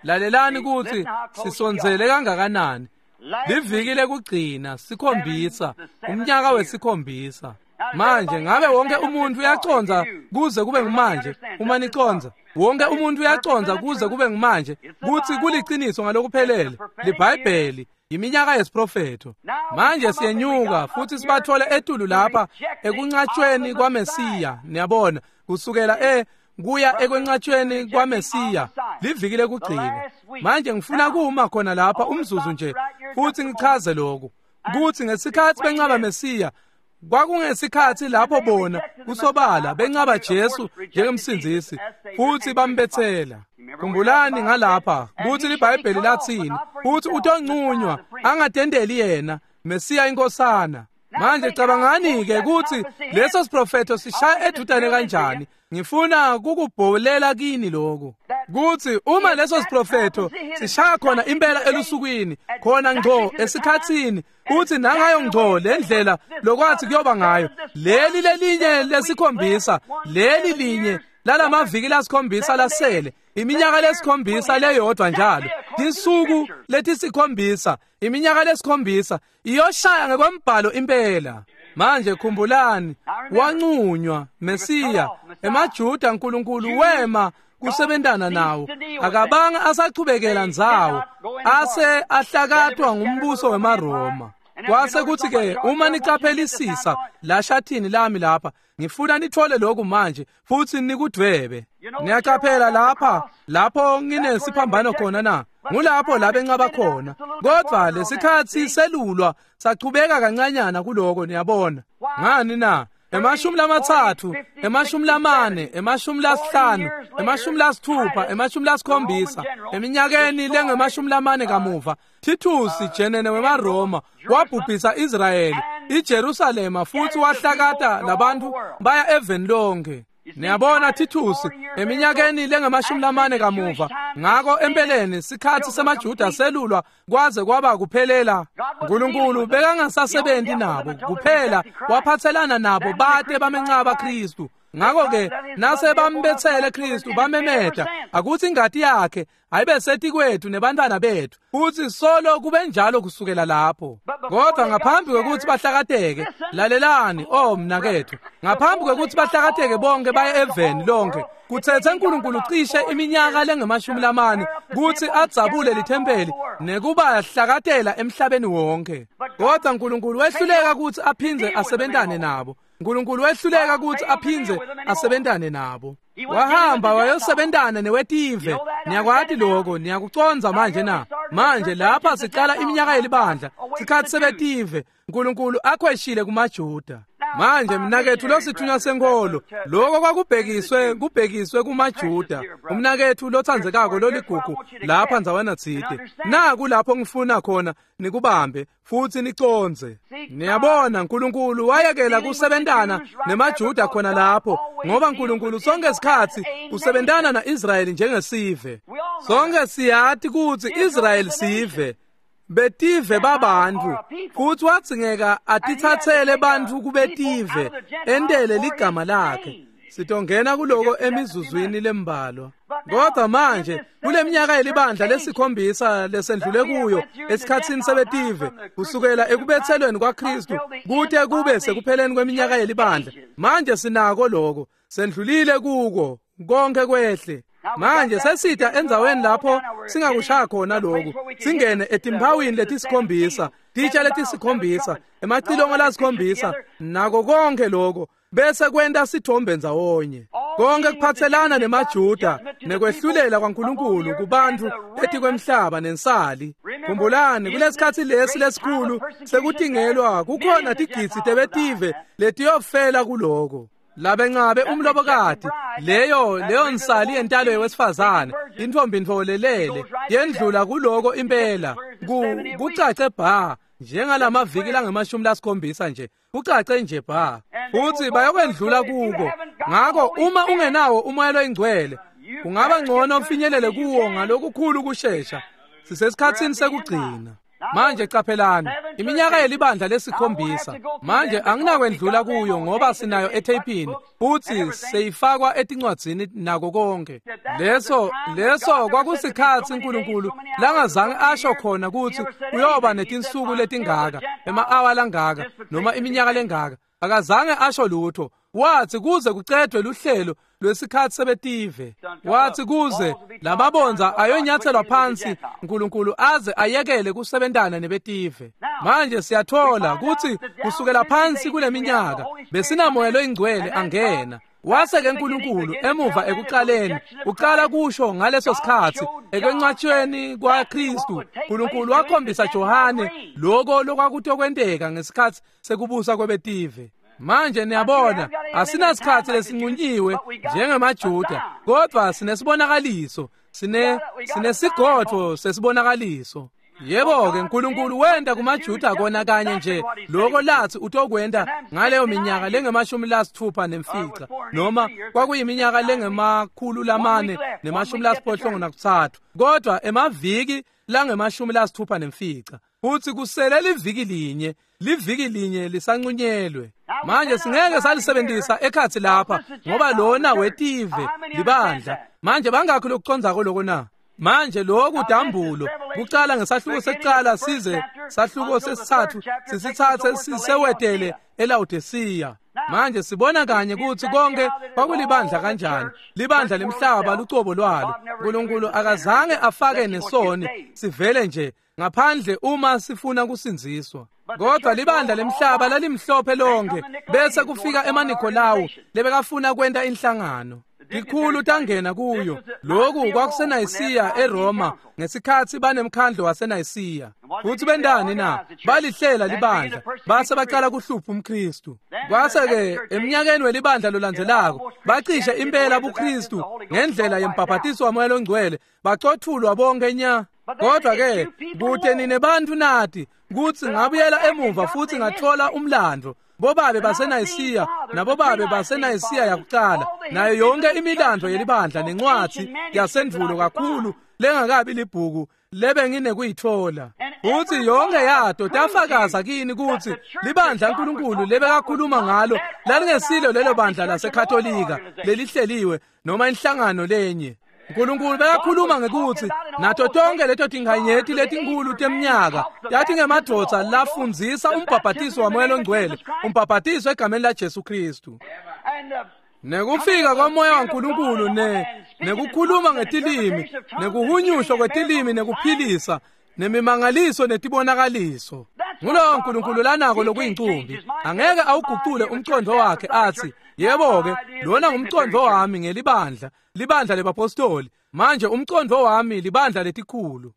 Lalelani ukuthi sisondzele kangakanani. Liviki lekugcina sikhombisa, umnyaka wesikhombisa. Manje ngabe wonke umuntu uyacondza kuze kube ngumanje? Uma nicondza, wonke umuntu uyacondza kuze kube ngumanje kutsi kuliciniso ngalokuphelele liBhayibheli iminyaka yesiprofetho. Manje siyenyuka futhi sibathole etulu lapha ekunqatshweni kwaMesiya. Niyabona, kusukela e kuya ekwenqatshweni kwaMesiya liviki lekugcina. Manje ngifuna kuma khona lapha umzuzu nje futhi ngichaze lokhu kutsi ngesikhathi benqaba Mesiya kwakungesikhathi lapho bona kusobala benqaba Jesu njengemsindzisi futhi bambethela. Khumbulani ngalapha kutsi liBhayibheli lathini, futhi utonqunywa angatendeli yena Mesiya inkosana. Manje cabangani-ke kutsi leso siprofetho sishaya edudane kanjani. Ngifuna kukubholela kini lokhu kutsi uma leso siprofetho sishaya khona impela elusukwini, khona ngco esikhatsini, kutsi nangayo ngco le ndlela lokwathi kuyoba ngayo, leli lelinye lesikhombisa, leli linye lalamaviki lasikhombisa lasele, iminyaka lesikhombisa leyodwa njalo, tinsuku letisikhombisa, iminyaka lesikhombisa iyoshaya ngekwembhalo impela. Manje khumbulani, wanqunywa Mesiya emaJuda, uNkulunkulu wema kusebentana nawo, akabanga asachubekela ndzawo, ase ahlakatwa ngumbuso wemaRoma. Kwase kuthi ke uma nicaphelisisa la shathini lami lapha, ngifuna nithole lokhu manje futhi nikudvwebe. Niyaqaphela lapha lapho nginesiphambano khona na? Ngulapho la benqaba khona. Kodwa lesikhathi selulwa sachubeka kancanyana kuloko, niyabona. Ngani na? Emashumi lamatsatfu, emashumi lamane, emashumi lasihlanu, emashumi lasithupha, emashumi lasikhombisa, eminyakeni lengemashumi lamane kamuva, Titus jenene wemaRoma wabhubhisa Israyeli, iJerusalema, futhi wahlakata labantu baya eveni lonke. Niyabona, Titus eminyakeni lengemashumi lamane kamuva. Ngako empeleni sikhathi semaJuda selulwa kwaze kwaba kuphelela. uNkulunkulu bekangasasebenzi nabo kuphela, waphathelana nabo bate bamenqaba Kristu. Ngako ke nase bambethele Kristu bamemeta akuthi ingati yakhe ayibe setikwethu nebantwana bethu, futhi solo kube njalo kusukela lapho. Kodwa ngaphambi kwekuthi bahlakateke, lalelani oh mnakethu, ngaphambi kwekuthi bahlakateke bonke baye eveni lonke, kuthethe uNkulunkulu cishe iminyaka lengemashumi lamane kuthi adzabule lithempeli nekuba hlakatela emhlabeni wonke. Kodwa uNkulunkulu wehluleka ukuthi aphindze asebentane nabo. uNkulunkulu wehluleka ukuthi aphindze asebentane nabo. Wahamba wayosebentana newetive. Niyakwati lokho, niyakucondza manje na? Manje lapha sicala iminyaka yelibandla, sikhathi sebetive, uNkulunkulu akhweshile kumaJuda. Manje mnakethu losithunywa senkolo, lokho kwakubhekiswe kubhekiswe kumaJuda. Umnakethu lothandzekako loligugu lapha ndzawana tsite. Naku lapho ngifuna khona nikubambe futhi nicondze. Niyabona, uNkulunkulu wayekela kusebentana nemaJuda khona lapho, ngoba uNkulunkulu sonke isikhathi usebentana na-Israyeli njengesive. Sonke siyati kutsi Israyeli sive, betive babantu, futhi wadzingeka atithathele bantfu kubetive entele ligama lakhe. Sitongena kuloko emizuzwini lembalwa. Kodwa manje kule minyaka yelibandla lesikhombisa lesendlule kuyo esikhatsini sebetive, kusukela ekubethelweni kwaKristu kute kube sekupheleni kweminyaka yelibandla, manje sinako lokho, sendlulile kuko konke kwehle. Manje sesida endzaweni lapho singakushaya khona lokhu, singene etimpawini letisikhombisa, titsha letisikhombisa, emacilongo lasikhombisa, nako konke lokho bese kwenta sithombe ndzawonye. Konke kuphathelana nemaJuda nekwehlulela kwaNkulunkulu kubantu etikwemhlaba nensali. Khumbulani, kulesikhathi lesi lesikhulu sekutingelwa kukhona tigidzi tebetive letiyofela kuloko. Labenqabe umlobokati, leyo leyo nsali yentalo yewesifazane, intombi ntfolelele, yendlula kuloko impela, kucace bha njengalamaviki langemashumi lasikhombisa nje, kucace nje bha, futhi bayokwendlula kuko. Ngako uma ungenawo umoya loyingcwele, kungaba ngcono ufinyelele kuwo ngalokukhulu kushesha. Sisesikhatsini sekugcina. Manje caphelani, iminyaka yelibandla lesikhombisa. Manje anginakwendlula kuyo ngoba sinayo etheyphini futhi seyifakwa etincwadzini nako konke. Leso leso kwakusikhatsi uNkulunkulu langazange asho khona kutsi uyoba netinsuku letingaka, ema-awa langaka, noma iminyaka lengaka. Akazange asho lutho. Wathi kuze kucedwe luhlelo lwesikhatsi sebetive. Wathi kuze lababonza ayonyathelwa phansi uNkulunkulu aze ayekele kusebentana nebetive. Manje siyathola kutsi kusukela phansi kuleminyaka besinamoya loyingcwele angena. Wase-ke uNkulunkulu emuva ekuqaleni uqala kusho ngaleso sikhatsi ekwencwatshweni kwaKristu, uNkulunkulu wakhombisa Johane lokho lokwakutokwenteka ngesikhatsi sekubusa kwebetive. Manje niyabona, asinasikhatsi lesinqunyiwe njengemaJuda, kodwa sinesibonakaliso, sine sinesigodvo sesibonakaliso. Yebo-ke uNkulunkulu wenta kumaJuda kona kanye nje lokho lathi utokwenta ngaleyo minyaka lengemashumi lasitfupha nemfica, noma kwakuyiminyaka lengemakhulu lamane nemashumi lasiphohlongo nakutsatfu, kodwa emaviki langemashumi lasitfupha nemfica. Futhi kusele liviki linye, liviki linye lisanqunyelwe. Manje singeke salisebenzisa ekhatsi lapha ngoba lona wetive libandla. Manje bangakho lokucondzako lokho na? Manje lokhu dambulo kucala ngesahluko sekucala size sahluko sesithathu sisithathe sisewetele eLaodicea. Manje sibona kanye kutsi konke kwakulibandla kanjani, libandla lemhlaba lucobo lwalo. uNkulunkulu akazange afake nesoni, sivele nje ngaphandle uma sifuna kusindziswa. Kodwa libandla lemhlaba lalimhlophe lonke, bese kufika emaNikolawu lebekafuna kwenta inhlangano. Tikhulu tangena kuyo. Lokhu kwakuseNayisiya eRoma ngesikhatsi banemkhandlo waseNayisiya. Futhi bendani na? Balihlela libandla base baqala kuhlupha umKristu. Kwase-ke eminyakeni welibandla lolandzelako bacishe impela buKristu ngendlela yembhabhatiso waMoya loNgcwele, bacothulwa bonke nya. Kodwa-ke kute nine bantfu nati kutsi ngabuyela emuva futhi ngathola umlando. Bobabe baseNayisiya nabobabe baseNayisiya yakucala, nayo yonke imilando yelibandla nencwadzi yasendvulo kakhulu lengakabi libhuku lebenginekuyithola. Futhi yonke yato tafakaza kini kutsi libandla uNkulunkulu lebekakhuluma ngalo lalingesilo lelo bandla laseKatolika lelihleliwe noma inhlangano lenye. uNkulunkulu bekakhuluma ngekutsi nato tonke leto tinkhanyeti letinkulu temnyaka yathi ngemadvodza lafundzisa umbhabhatiso waMoya loNgcwele, umbhabhatiso egameni laJesu Kristu. Nekufika kwaMoya waNkulunkulu ne nekukhuluma ngetilimi, nekuhunyushwa kwetilimi, nekuphilisa, nemimangaliso netibonakaliso. Ngulowo uNkulunkulu lanako lokuyincumbi. Angeke awugucule umcondvo wakhe athi, yebo-ke, lona ngumcondvo wami ngelibandla, libandla lebapostoli. Manje umcondvo wami libandla letikhulu.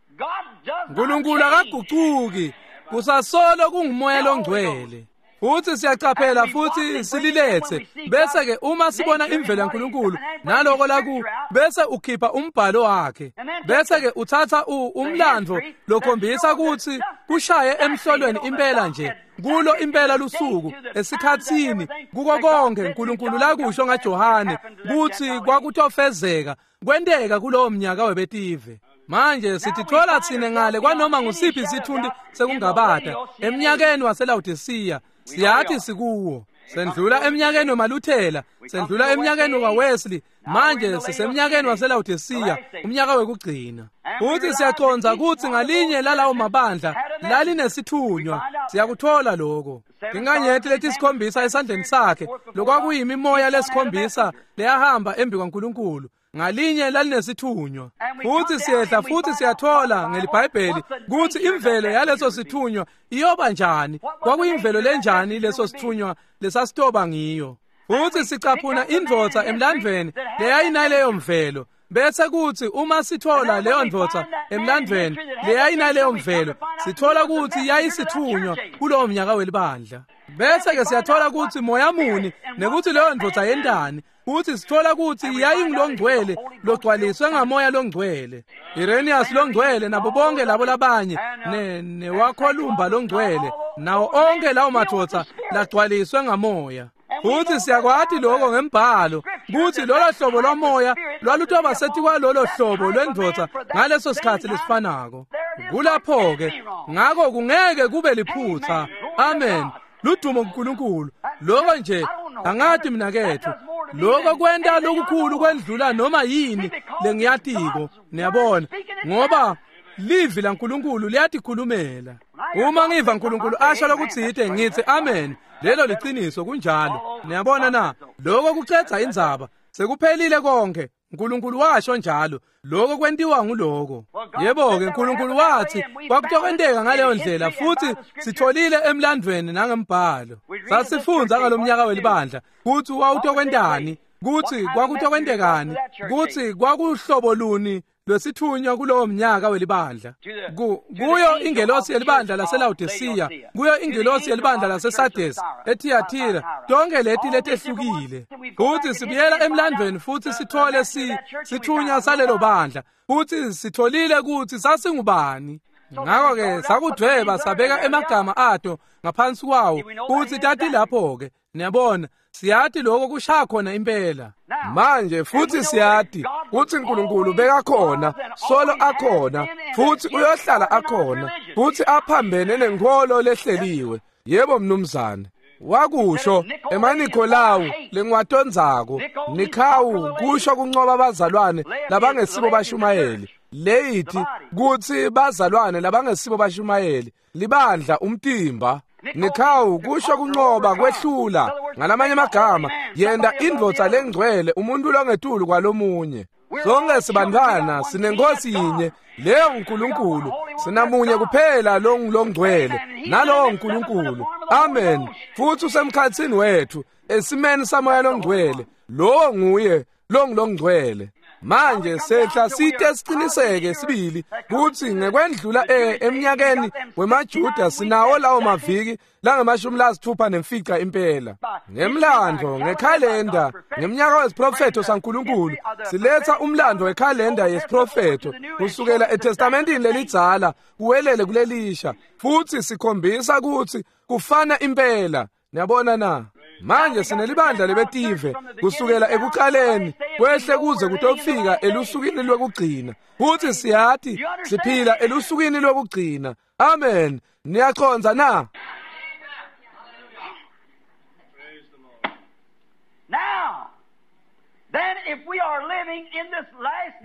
uNkulunkulu akagucuki, kusasolo kunguMoya loNgcwele. Futhi siyacaphela futhi sililethe, bese-ke uma sibona imvelo yaNkulunkulu naloko laku, bese ukhipha umbhalo wakhe, bese-ke uthatha umlando lokhombisa kutsi kushaye emhlolweni impela nje kulo impela lusuku esikhatsini kuko konke uNkulunkulu lakusho ngaJohane kutsi kwakutofezeka kwenteka kulowo mnyaka webetive. Manje sitithola tsine ngale kwanoma ngusiphi isithunti sekungabata eminyakeni waseLaodicea. Siyathi sikuwo. Sendlula eminyakeni wemaLuthela, sendlula eminyakeni waWesley, manje sisemnyakeni waseLaodicea, umnyaka wekugcina. Futhi siyacondza kutsi ngalinye lalawo mabandla lalinesithunywa. Siyakuthola lokho. Tinkanyeti letisikhombisa esandleni sakhe, lokwakuyimimoya lesikhombisa leyahamba embi kwaNkulunkulu. Ngalinye lalinesithunywa. Futhi siyehla futhi siyathola ngeliBhayibheli kutsi imvelo yaleso sithunywa iyoba njani, kwakuyimvelo lenjani leso sithunywa lesasitoba ngiyo. Futhi sicaphuna indvodza emlandvweni leyayinaleyo mvelo, bese kutsi uma sithola leyo ndvodza emlandvweni leyayinaleyo mvelo, sithola kutsi yayisithunywa kulowo mnyaka welibandla. Bese-ke siyathola kutsi moya muni nekuthi leyo ndvodza yentani. Futhi sithola kutsi yayingulongcwele logcwaliswe ngamoya longcwele, Irenaeus longcwele nabo bonke labo labanye, ne newaKholumba longcwele, nawo onke lawo madvodza lagcwaliswe ngamoya. Futhi siyakwati lokho ngembhalo kutsi lolo hlobo lwamoya lwalutoba setikwalolo hlobo lwendvodza ngaleso sikhatsi lesifanako. Kulapho-ke ngako kungeke kube liphutsa. Amen. Ludumo kuNkulunkulu. Lokho nje angati mina kethu. Lokho kwenta lokukhulu kwendlula noma yini lengiyatiko. Niyabona, ngoba livi laNkulunkulu liyatikhulumela. Uma ngiva uNkulunkulu asho lokutsite ngithi amen. Lelo liciniso, kunjalo. Niyabona na? Lokho kucedza indzaba. Sekuphelile konke. uNkulunkulu washo njalo. Lokho kwentiwa nguloko. Yebo ke, uNkulunkulu wathi kwakutokwenteka ngaleyo ndlela, futhi sitholile emlandweni nangembhalo. Sasifundza ngalomnyaka welibandla kutsi wawutokwentani, kutsi kwakutokwentekani, kutsi kwakuhlobo luni lwesithunywa kulowo mnyaka welibandla. Ku, kuyo ingelosi yelibandla laseLaodicea, kuyo ingelosi yelibandla laseSardis, eThiatira, tonke leti letehlukile. Futhi sibuyela emlandweni futhi sithole si sithunywa salelo bandla, futhi sitholile kutsi sasingubani. Ngakho-ke sakudvweba sabeka emagama ato ngaphansi kwawo, kutsi tatilapho-ke. Niyabona, siyati lokho kushaya khona impela. Manje futhi siyati kutsi uNkulunkulu bekakhona, solo akhona, futhi uyohlala akhona, futhi aphambene nenkholo lehleliwe. Yebo mnumzane. Wakusho emaNikolawu lengwatondzako, Nikhawu kusho kunqoba abazalwane labangesibo bashumayeli. Leyithi kutsi bazalwane labangesibo bashumayeli, libandla umtimba. Nikhawu kusho kunqoba, kwehlula. Ngalamanye amagama, yenta indvodza lengcwele umuntu longetulu kwalomunye. Sonke sibantwana sinenkosi yinye, leyo nguNkulunkulu. Sinamunye kuphela longcwele, nalowo nguNkulunkulu. Amen. Futhi usemkhatsini wethu esimeni samoya longcwele. Lowo nguye longcwele. Manje sehla site siciniseke sibili kutsi ngekwendlula eminyakeni wemaJuda sinawo lawo maviki langamashumi lasithupha nemfica impela. Ngemlando, ngekhalenda, ngemnyaka wesiprofetho saNkulunkulu, siletha umlando wekhalenda yesiprofetho kusukela eTestamentini lelidzala kuwelele kulelisha, futhi sikhombisa kutsi kufana impela. Niyabona na? Manje sinelibandla lebetive kusukela ekuqaleni kwehle kuze kutofika elusukwini lwekugcina, futhi siyati siphila elusukwini lwekugcina. Amen. Niyacondza na?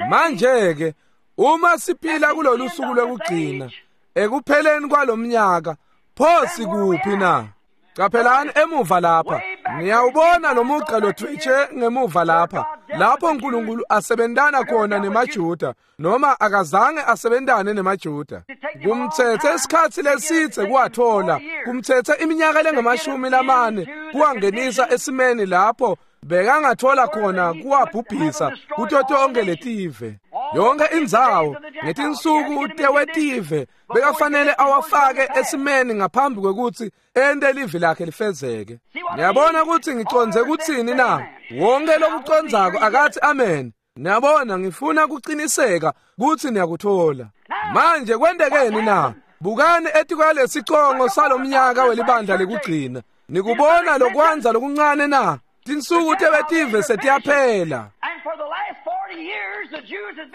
Manje ke uma siphila kulolu suku lwekugcina ekupheleni kwalomnyaka, pho sikuphi na? Qaphelani emuva lapha, niyawubona lo mugqa lodvwetshe ngemuva lapha, lapho uNkulunkulu asebentana khona nemaJuda, noma akazange asebentane nemaJuda. Kumthethe isikhatsi lesidze kuwathola, kumthethe iminyaka lengamashumi lamane kuwangenisa esimeni lapho bekangathola khona kuwabhubhisa kuto tonke letive. Yonke indzawo ngetinsuku tewetive bekafanele awafake esimeni ngaphambi kwekutsi ente livi lakhe lifezeke. Niyabona kutsi ngicondze kutsini na? Wonke lokucondzako akathi amen. Niyabona, ngifuna kuciniseka kutsi niyakuthola. Manje kwentekeni na? Bukani etikwalesicongo salomnyaka welibandla lekugcina. Nikubona lokwanza lokuncane na? Tinsuku tebetive setiyaphela.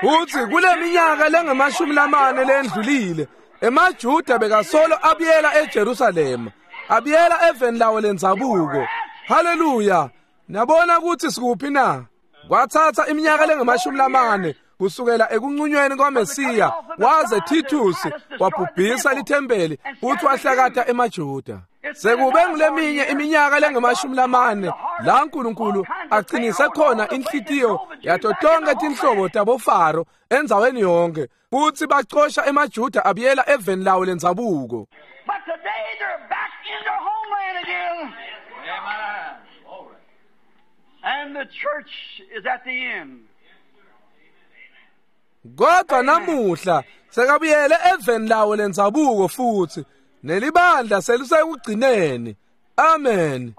Futsi kule minyaka lengamashumi lamane lendlulile, emaJuda bekasolo abuyela eJerusalema, abuyela eveni lawo lendzabuko. Haleluya! Niyabona kutsi sikuphi na? Kwathatha iminyaka lengamashumi lamane kusukela ekunqunyweni kwaMesiya waze Titus wabhubhisa lithempeli futhi wahlakata emaJuda. Sekube nguleminye iminyaka lengamashumi lamane la uNkulunkulu aqinise khona inhlitiyo yato tonke tinhlobo taboFaro endzaweni yonke, futhi bacosha emaJuda abuyela eveni lawo lendzabuko. But today they're back in their homeland again. Amen. And the church is at the end. Kodwa namuhla sekabuyele eveni lawo lendzabuko futhi nelibandla selisekugcineni. Amen.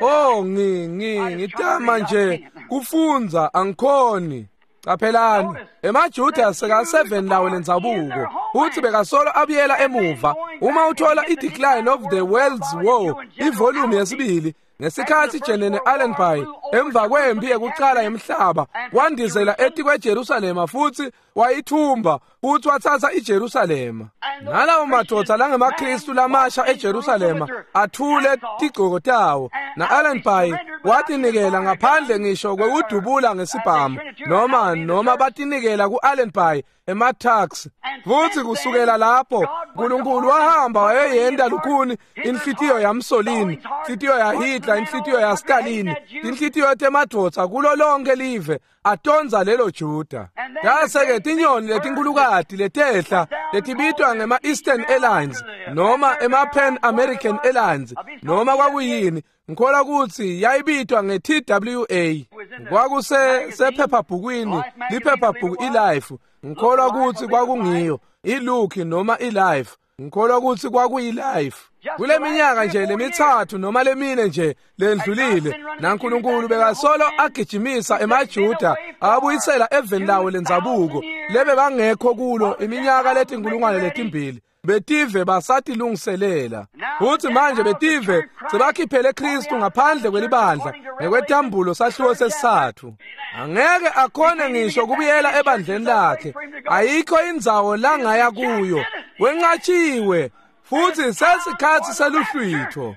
Oh, ngi ngi ngitama nje kufundza angikhoni. Qaphelani, emaJuda seka seven lawo lendzabuko futhi bekasolo abuyela emuva. Uma uthola i-Decline of the World's War, ivolume yesibili, Ngesikhatsi Jenene Allenby emva kwempi yekucala yemhlaba wandizela etikweJerusalema futsi wayithumba futsi watsatsa iJerusalema. Nalawo madvodza langemaKristu lamasha eJerusalema athule tigcoko tawo, na-Allenby watinikela ngaphandle ngisho kwekudubula ngesibhamu noma noma batinikela ku-Allenby ema-taxi. Futsi kusukela lapho Nkulunkulu wahamba wayeyenta lukhuni inhlitiyo yaMussolini, inhlitiyo yaHitler, inhlitiyo yaStalin, inhlitiyo temadvodza kulo lonke live atondza lelo Juda. Yase-ke tinyoni letinkhulukati letehla letibitwa ngema-Eastern Airlines noma ema-Pan American Airlines noma kwakuyini, ngikholwa kutsi yayibitwa nge-T W A. Kwakuse sephephabhukwini, liphephabhuku iLife. Ngikholwa kutsi kwakungiyo iLook noma iLife. Ngikholwa kutsi kwakuyiLife. Kule minyaka nje lemithathu noma lemine nje lendlulile, naNkulunkulu bekasolo agijimisa emaJuda abuyisela eveni lawo lendzabuko lebe bangekho kulo iminyaka letinkulungwane letimbili. Betive basatilungiselela. Futsi manje betive sebakhiphele Kristu ngaphandle kwelibandla ngekwetambulo sahluko sesithathu. Angeke akhone ngisho kubuyela ebandleni lakhe. Ayikho indzawo langaya kuyo. Wenqatshiwe futhi sesikhatsi seluhlwitho.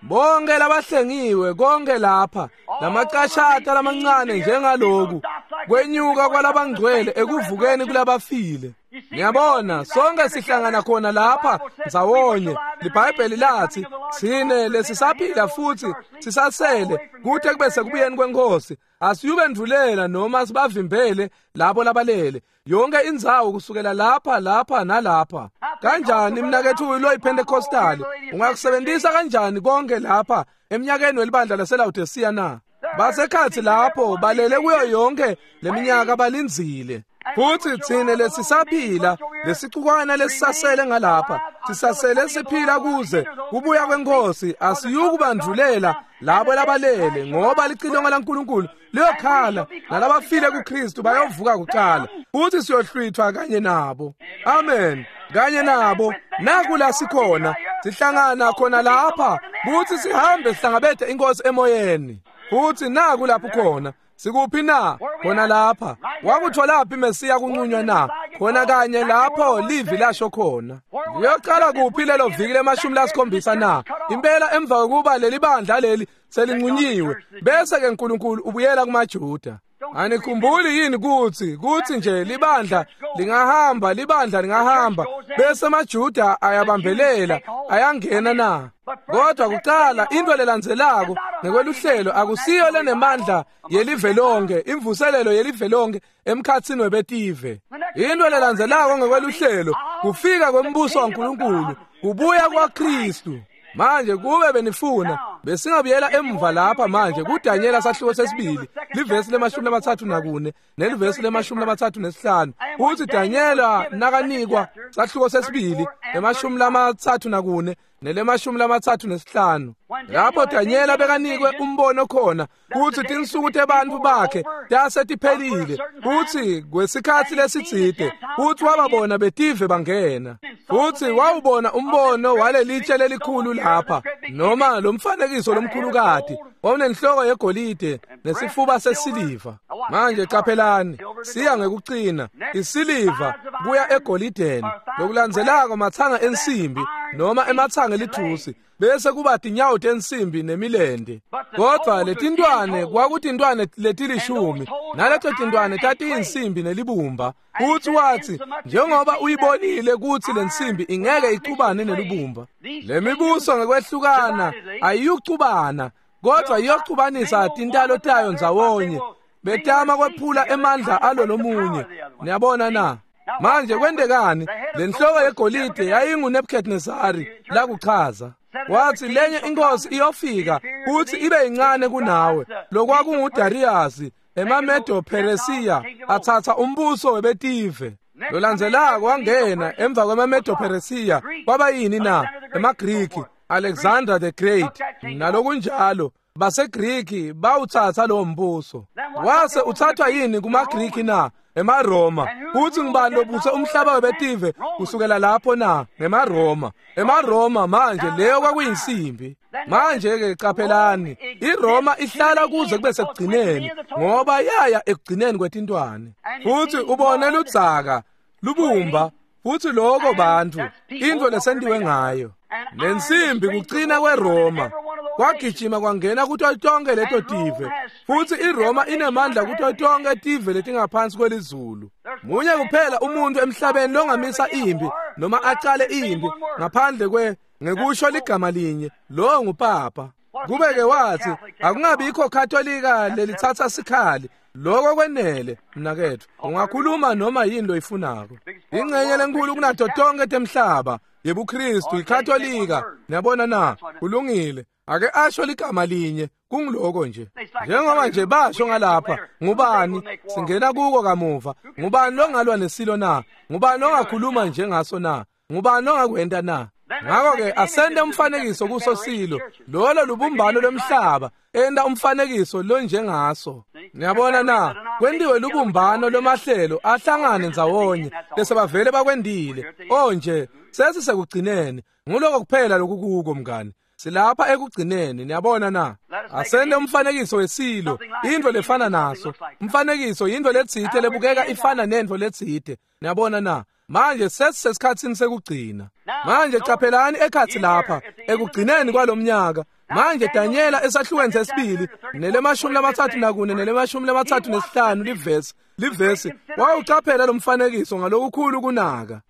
Bonke labahlengiwe konke lapha lamacashata lamancane njengaloku kwenyuka kwalabangcwele ekuvukeni kulabafile. Ngiyabona sonke sihlangana khona lapha ndzawonye. LiBhayibheli lathi sine lesisaphila futhi sisasele kute kube sekubuyeni kwenkosi. Asiyubendvulela noma sibavimbele labo labalele. Yonke indzawo kusukela lapha lapha nalapha. Kanjani mnakethu loyiPentecostal ungakusebenzisa kanjani konke lapha eminyakeni welibandla laseLaodicea na? Basekhatsi lapho balele kuyo yonke leminyaka balindzile. Futhi tsine lesisaphila lesicukwana lesisasele ngalapha sisasele siphila kuze kubuya kwenkosi. Asiyukubandvulela labo labalele, ngoba licilongo laNkulunkulu liyokhala nalabafile kuKristu bayovuka kuqala, futhi siyohlwithwa kanye nabo. Amen. Kanye nabo nakula sikhona sihlangana khona lapha kuthi sihambe sihlangabethe inkosi emoyeni. Futhi naku lapho khona sikuphi na? Khona lapha. Wakutholaphi Mesiya kunqunywa na? Khona kanye lapho livi lasho khona. Liyocala kuphi lelo viki lemashumi lasikhombisa na? Impela emva kokuba leli bandla leli selinqunyiwe, bese ke uNkulunkulu ubuyela kumaJuda. Anikhumbuli yini kuthi kuthi nje libandla lingahamba libandla lingahamba bese amaJuda ayabambelela ayangena na? Kodwa kuqala into lelandzelako ngekweluhlelo akusiyo lenemandla yelive lonke, imvuselelo yelive lonke emkhatsini webetive. Into lelandzelako ngekweluhlelo kufika kwembuso waNkulunkulu, kubuya kwaKristu. Manje kube benifuna besingabuyela emva lapha manje kuDanyela sahluko sesibili livesi lemashumi lamathathu nakune nelivesi lemashumi lamathathu nesihlanu. Uthi Danyela nakanikwa sahluko sesibili emashumi lamathathu nakune nelemashumi lamathathu nesihlanu. Lapho Danyela bekanikwe umbono khona kuthi tinsuku tebantfu bakhe tasetiphelile, kuthi kwesikhatsi lesitsite kuthi wababona betive bangena. Futhi wawubona umbono walelitshe lelikhulu lapha noma lomfanekiso lomkhulukati wawunenhloko yegolide nesifuba sesiliva. Manje qaphelani, siya ngekucina isiliva kuya egolideni, lokulandzelako mathanga ensimbi noma emathanga elithusi, bese kuba tinyawo tensimbi nemilende. Kodwa letintwane kwakutintwane letilishumi, naleto tintwane tatiyinsimbi nelibumba. Futhi wathi njengoba uyibonile kuthi lensimbi ingeke icubane nelibumba, lemibuso ngekwehlukana ayiyucubana, kodwa iyocubanisa tintalo tayo ndzawonye, betama kwephula emandla alo lomunye. Niyabona na? Manje kwentekani? Lenhloko yegolide yayinguNebukadnezari lakuchaza. Wathi lenye inkosi iyofika kuthi ibe incane kunawe, lokwakunguDarius emaMedo Persia athatha umbuso webetive. Lolandzelako wangena emva kwemaMedo Persia kwaba yini na? EmaGriki, Alexander the Great nalokunjalo. BaseGriki bawuthatha lo mbuso. Wase uthathwa yini kumaGriki na? EmaRoma. Futhi ngubani lobuse umhlaba webetive kusukela lapho na? NgemaRoma. EmaRoma manje leyo kwakuyinsimbi. Manje ke qaphelani, iRoma ihlala kuze kube sekugcineni ngoba yaya ekugcineni kwetintwane. Futhi ubone ludzaka lubumba futhi lokho bantu into lesentiwe ngayo. Lensimbi kucina kweRoma kwagijima kwangena kuto tonke leto tive, futhi iRoma inemandla kuto tonke tive letingaphansi kwelizulu. Munye kuphela umuntu emhlabeni longamisa impi noma acale impi ngaphandle kwe ngekusho ligama linye, lo ngupapa. Kube-ke wathi akungabikho Katolika lelithatha sikhali, lokho kwenele mnakethu, ungakhuluma noma yini loyifunako. Ingxenye lenkulu kunato tonke temhlaba yebuKristu iKatolika. Niyabona na? Kulungile. Ake asho ligama linye, kungiloko nje. Njengoba nje basho ngalapha, ngubani singena kuko kamuva, ngubani longalwa nesilo na? Ngubani ongakhuluma njengaso na? Ngubani ongakwenta na? Ngakho-ke asende umfanekiso kuso silo, lolo lubumbano lomhlaba, enda umfanekiso lonjengaso. Niyabona na? Kwentiwe lubumbano lomahlelo ahlangane ndzawonye bese bavele bakwendile. Oh nje, sesisekugcineni. Nguloko kuphela lokukuko mngani. Silapha ekugcineni, niyabona na? Asende umfanekiso wesilo, into lefana naso. Umfanekiso yinto letsite lebukeka ifana nento letsite. Niyabona na? Manje sesisesikhatsini sekugcina. Manje qaphelani ekhathi lapha ekugcineni kwalomnyaka. Manje Daniela esahlukweni sesibili nelemashumi lamathathu nakune nelemashumi lamathathu nesihlanu livesi livesi wawuqaphela lo mfanekiso ngalokukhulu kunaka.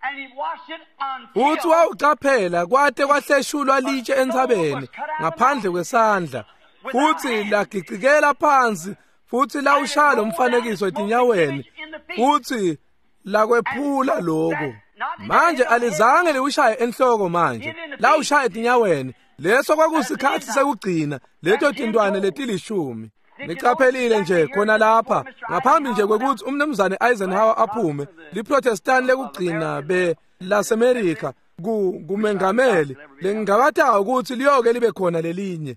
Futhi wawuqaphela kwate kwahleshulwa litshe entsabeni ngaphandle kwesandla, futhi lagicikela phansi futhi lawushaya lo mfanekiso etinyaweni futhi lakwephula lokho. Manje alizange liwushaye enhloko, manje lawushaya etinyaweni. Leso kwakusikhathi sekugcina, leto tintwane letilishumi. Niqaphelile nje khona lapha ngaphambi nje kwekuthi umnumzane Eisenhower aphume, liProtestant lekugcina be laseMerika ku kumengameli lengingabatayo ukuthi liyoke libe khona lelinye.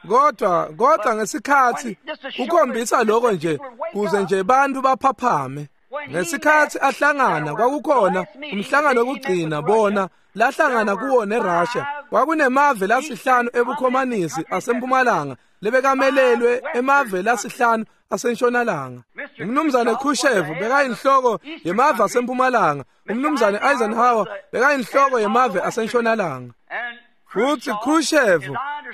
Kodwa kodwa ngesikhathi kukhombisa lokho nje kuze nje bantu baphaphame. Ngesikhathi ahlangana kwakukhona umhlangano wokugcina bona lahlangana kuwo neRussia. Kwakunemave lasihlanu ebukhomanisi asempumalanga lebekamelelwe emave lasihlanu asentshonalanga. Umnumzane Khrushchev bekayinhloko yemave asempumalanga, umnumzane Eisenhower bekayinhloko yemave asentshonalanga. Futhi Khrushchev,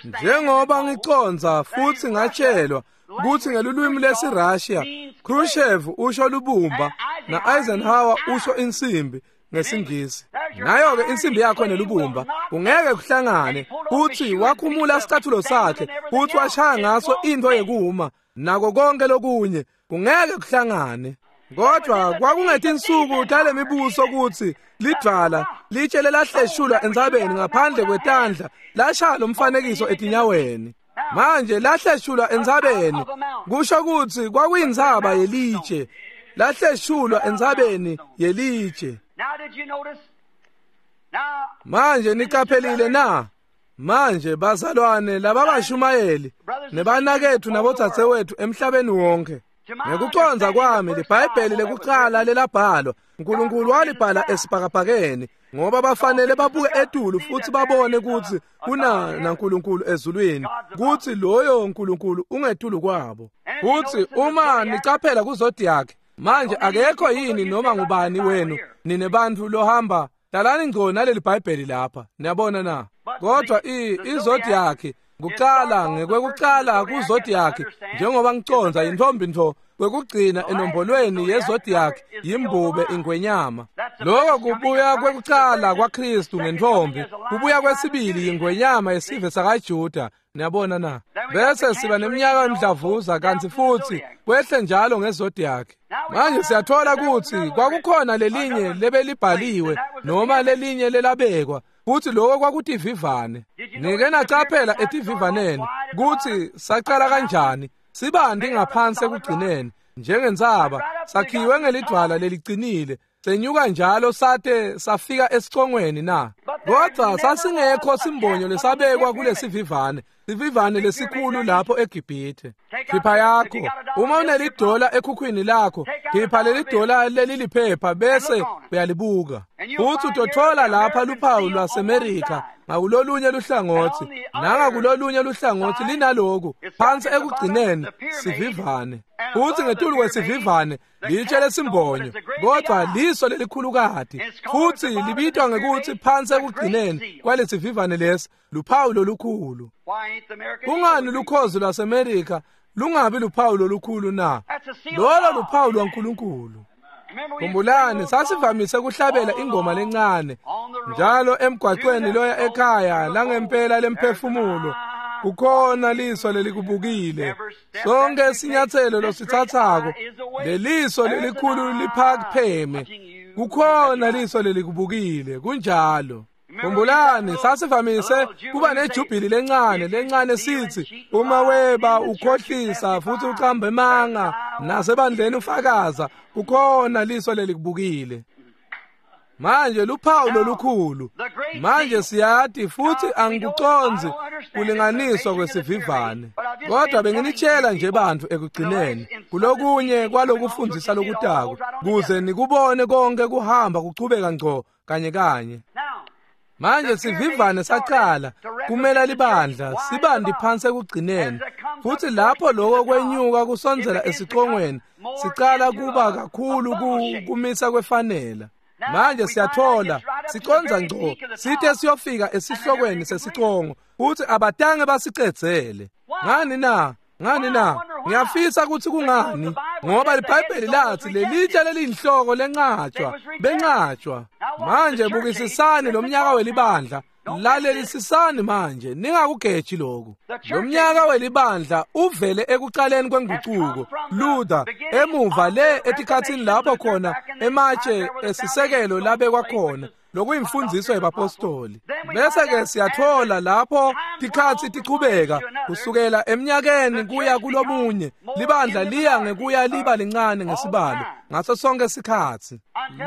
njengoba ngiconza futhi ngatshelwa kuthi ngelulwimi lesiRussia, Khrushchev usho lubumba na Eisenhower usho insimbi ngesingisi. Nayo-ke insimbi yakho nelubumba kungeke kuhlangane. Futhi wakhumula isicathulo sakhe futhi washaya ngaso into yekuma nako konke lokunye, kungeke kuhlangane. Kodwa kwakungetinsuku tale mibuso kuthi lidvwala litshe lelahleshulwa entsabeni ngaphandle kwetandla lashaya lo mfanekiso etinyaweni. Manje lahleshulwa entsabeni kusho ukuthi kwakuyintsaba yelitshe, lahleshulwa entsabeni yelitshe. Manje niqaphelile na? Manje bazalwane lababashumayeli nebanakethu nabodzadzewethu emhlabeni wonke, ngekuconza kwami liBhayibheli lekuqala lelabhalwa uNkulunkulu walibhala esibhakabhakeni, ngoba bafanele babuke etulu futhi babone ukuthi kuna naNkulunkulu ezulwini, kuthi loyo uNkulunkulu ungetulu kwabo. Futhi uma nicaphela kuzodiac, manje akekho yini noma ngubani wenu nine bantu lohamba hlalani ngco naleli Bhayibheli lapha, niyabona na? Kodwa izodiac kuqala ngekwekuqala kuzodiac, njengoba ngiconza intombi ntfo kwekugcina enombolweni yezodiac yimbube ingwenyama. Lokho kubuya kwekuqala kwaKristu ngentombi, kubuya kwesibili yingwenyama yesive sakaJuda, niyabona na? Bese siba neminyaka yomdlavuza kanti futhi kwehle njalo ngezodiac. Manje siyathola ukuthi kwakukhona lelinye lebelibhaliwe noma lelinye lelabekwa, futhi lokho kwakutivivane. Nike nacaphela etivivaneni kuthi saqala kanjani sibandi ngaphansi ekugcineni njengentsaba, sakhiwe ngelidwala leliqinile, Senyuka njalo sate safika esicongweni na? Kodwa sasingekho simbonyo lesabekwa kulesivivane, sivivane lesikhulu lapho eGibhithe. Khipha yakho, uma unelidola ekhukhwini lakho, khipha leli dola leliliphepha bese uyalibuka. Futhi utothola lapha luphawu lwaseMerika ngakulolunye luhlangothi, nangakulolunye luhlangothi linaloku phansi ekugcineni sivivane. Futhi ngetulu kwesivivane litshe lesimbonyo, kodwa liso lelikhulukati, futhi libitwa ngekuthi phansi ekugcineni kwalesivivane lesi luphawu lolukhulu. Kungani lukhozi lwaseMerika lungabi luphawu lolukhulu na? Lolo luphawu lwaNkulunkulu. Khumbulani, sasivamise kuhlabela ingoma lencane njalo emgwaqweni loya ekhaya langempela lemphefumulo. Kukhona liso lelikubukile. Sonke isinyathelo losithathako, leliso lelikhulu liphapheme. Kukhona liso lelikubukile, kunjalo. Khumbulani, sasivamise kuba nejubhili lencane lencane sithi uma weba ukhohlisa futhi uqamba emanga nasebandleni ufakaza, kukhona liso lelikubukile. Manje luphawu lolukhulu. Manje siyati futhi angikuconzi kulinganiswa kwesivivane, kodwa benginitshela nje bantu ekugcineni kulokunye kwalokufundisa lokutako kuze nikubone konke kuhamba kuchubeka ngco kanye kanye. Manje sivivane saqala kumela libandla sibandi phansi ekugcineni, futhi lapho lokho kwenyuka kusondzela esicongweni sicala kuba kakhulu kumisa kwefanela. Manje siyathola siconza ngco sithe siyofika esihlokweni sesicongo futhi abatange basicedzele. Ngani na? Ngani na? Ngiyafisa ukuthi kungani, ngoba iBhayibheli lathi lelitshe leliyinhloko lencatshwa bencatshwa. Manje bukisisani lo mnyaka welibandla, lalelisisani manje, ningakugeji lokhu. Lo mnyaka welibandla uvele ekuqaleni kwenguquko Luther, emuva le etikhathini lapho khona ematshe esisekelo labekwa khona lokuyimfundiso yabapostoli. Bese ke siyathola lapho tikhathi tichubeka kusukela eminyakeni kuya kulomunye, libandla liya ngekuya liba lincane ngesibalo ngaso sonke isikhathi,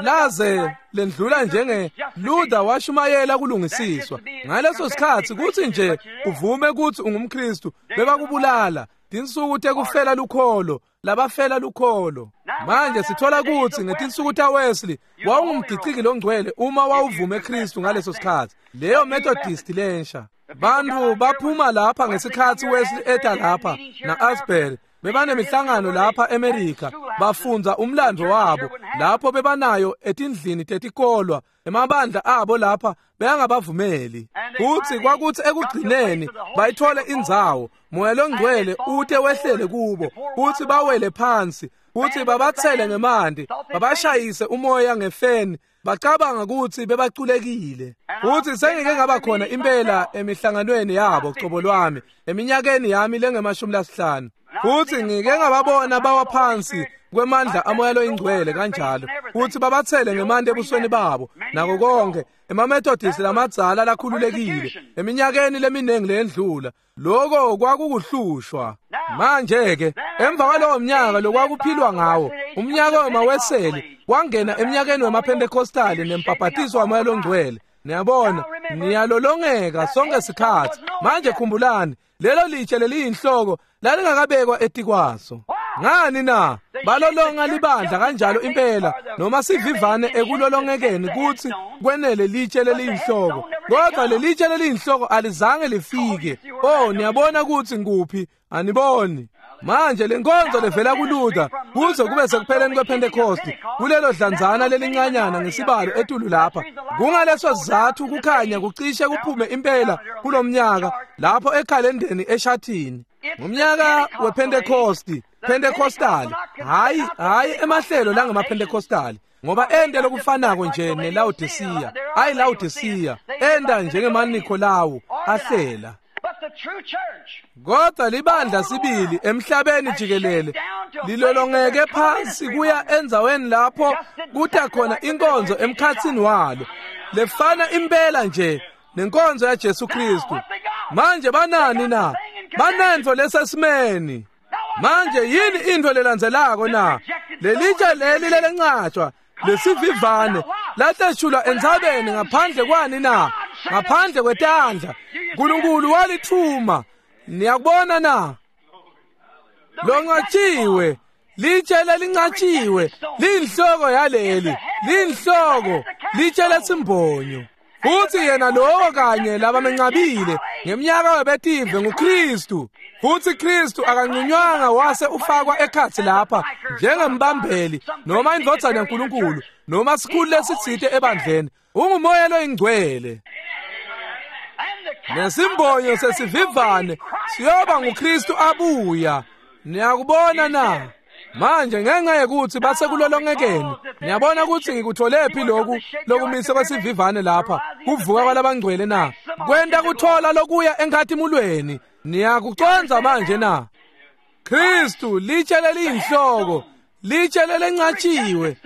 laze lendlula njenge Luther washumayela kulungisiswa. Ngaleso sikhathi kuthi nje uvume ukuthi ungumKristu bebakubulala. Tinsuku tekufela lukholo, labafela lukholo. Manje sithola ukuthi ngetinsuku taWesley wawungumgiciki longcwele uma wawuvume Kristu ngaleso sikhathi, leyo Methodist lensha. Bantu baphuma lapha ngesikhathi Wesley eta lapha na-Asbury, bebanemihlangano lapha eMerika, bafunza umlando wabo lapho bebanayo etindlini tetikolwa, emabandla abo lapha beyangabavumeli. Futhi kwakuthi ekugcineni bayithole indzawo, moya longcwele ute wehlele kubo, futhi bawele phansi, futhi babathele ngemanti, babashayise umoya ngefeni, bacabanga ukuthi bebaculekile. Futhi sengike ngaba khona impela emihlanganweni yabo cobo lwami eminyakeni yami lengemashumi lasihlanu, futhi ngike ngababona bawa phansi kwemandla amoya loyingcwele kanjalo, futhi babathele ngemanti ebusweni babo nako konke. EmaMethodist lamadzala lakhululekile eminyakeni leminingi leyendlula, lokho kwakukuhlushwa. Manje ke emva kwalowo mnyaka lokwakuphilwa ngawo, umnyaka wemaWeseli wangena eminyakeni wemaPentecostali nembhabhatiso wamoya longcwele. Niyabona, niyalolongeka sonke sikhathi. Manje khumbulani, lelo litshe leliyinhloko lalingakabekwa etikwaso. Ngani na? Balolonga libandla kanjalo impela, noma sivivane ekulolongekeni kuthi kwenele litshe leliyinhloko, kodwa lelitshe leliyinhloko alizange lifike. Oh, niyabona ukuthi nguphi? Aniboni? Manje lenkonzo levela kuLuther kuze kube sekupheleni kwePentecost, kulelo dlanzana lelincanyana ngesibalo etulu lapha. Kungaleso sizathu kukhanya kucishe kuphume impela kulomnyaka lapho ekhalendeni eshathini. Ngomnyaka wePentecost, Pentecostal, hayi hayi emahlelo langemaPentecostal, ngoba ende lokufanako nje neLaodicea, ayi Laodicea enda njengemaNikolawu ahlela. Kodwa libandla sibili emhlabeni jikelele lilolongeke phansi kuya endzaweni lapho kuta khona inkonzo emkhatsini walo lefana impela nje nenkonzo yaJesu Kristu. Manje banani na? Banentfo lesesimeni. Manje yini into lelandzelako na? Lelitshe leli lelencatshwa lesivivane lahleshulwa entsabeni ngaphandle kwani na? Ngaphandle kwetandla. Nkulunkulu walithuma. Niyakubona na? Lonqatshiwe, litshe lelinqatshiwe, linhloko yaleli, linhloko, litshe lesimbonyo. Futhi yena lowo kanye labamenqabile ngeminyaka webetive nguKristu. Futhi Kristu akanqunywanga wase ufakwa ekhatsi lapha njengembambeli noma indvodzana yaNkulunkulu noma sikhulu lesitsite ebandleni. Ungumoya loyingcwele. Nesimbonyo sesivivane siyoba nguKristu abuya. Niyakubona na? Manje ngenxa yekuthi basekulolongekeni, niyabona ukuthi ngikutholephi lokhu lokumise kwesivivane lapha kuvuka kwalabangcwele na? Kwenta kuthola lokuya enkhatimulweni. Niyakucondza manje na? Kristu litshe leliyinhloko, litshe lelenqatshiwe,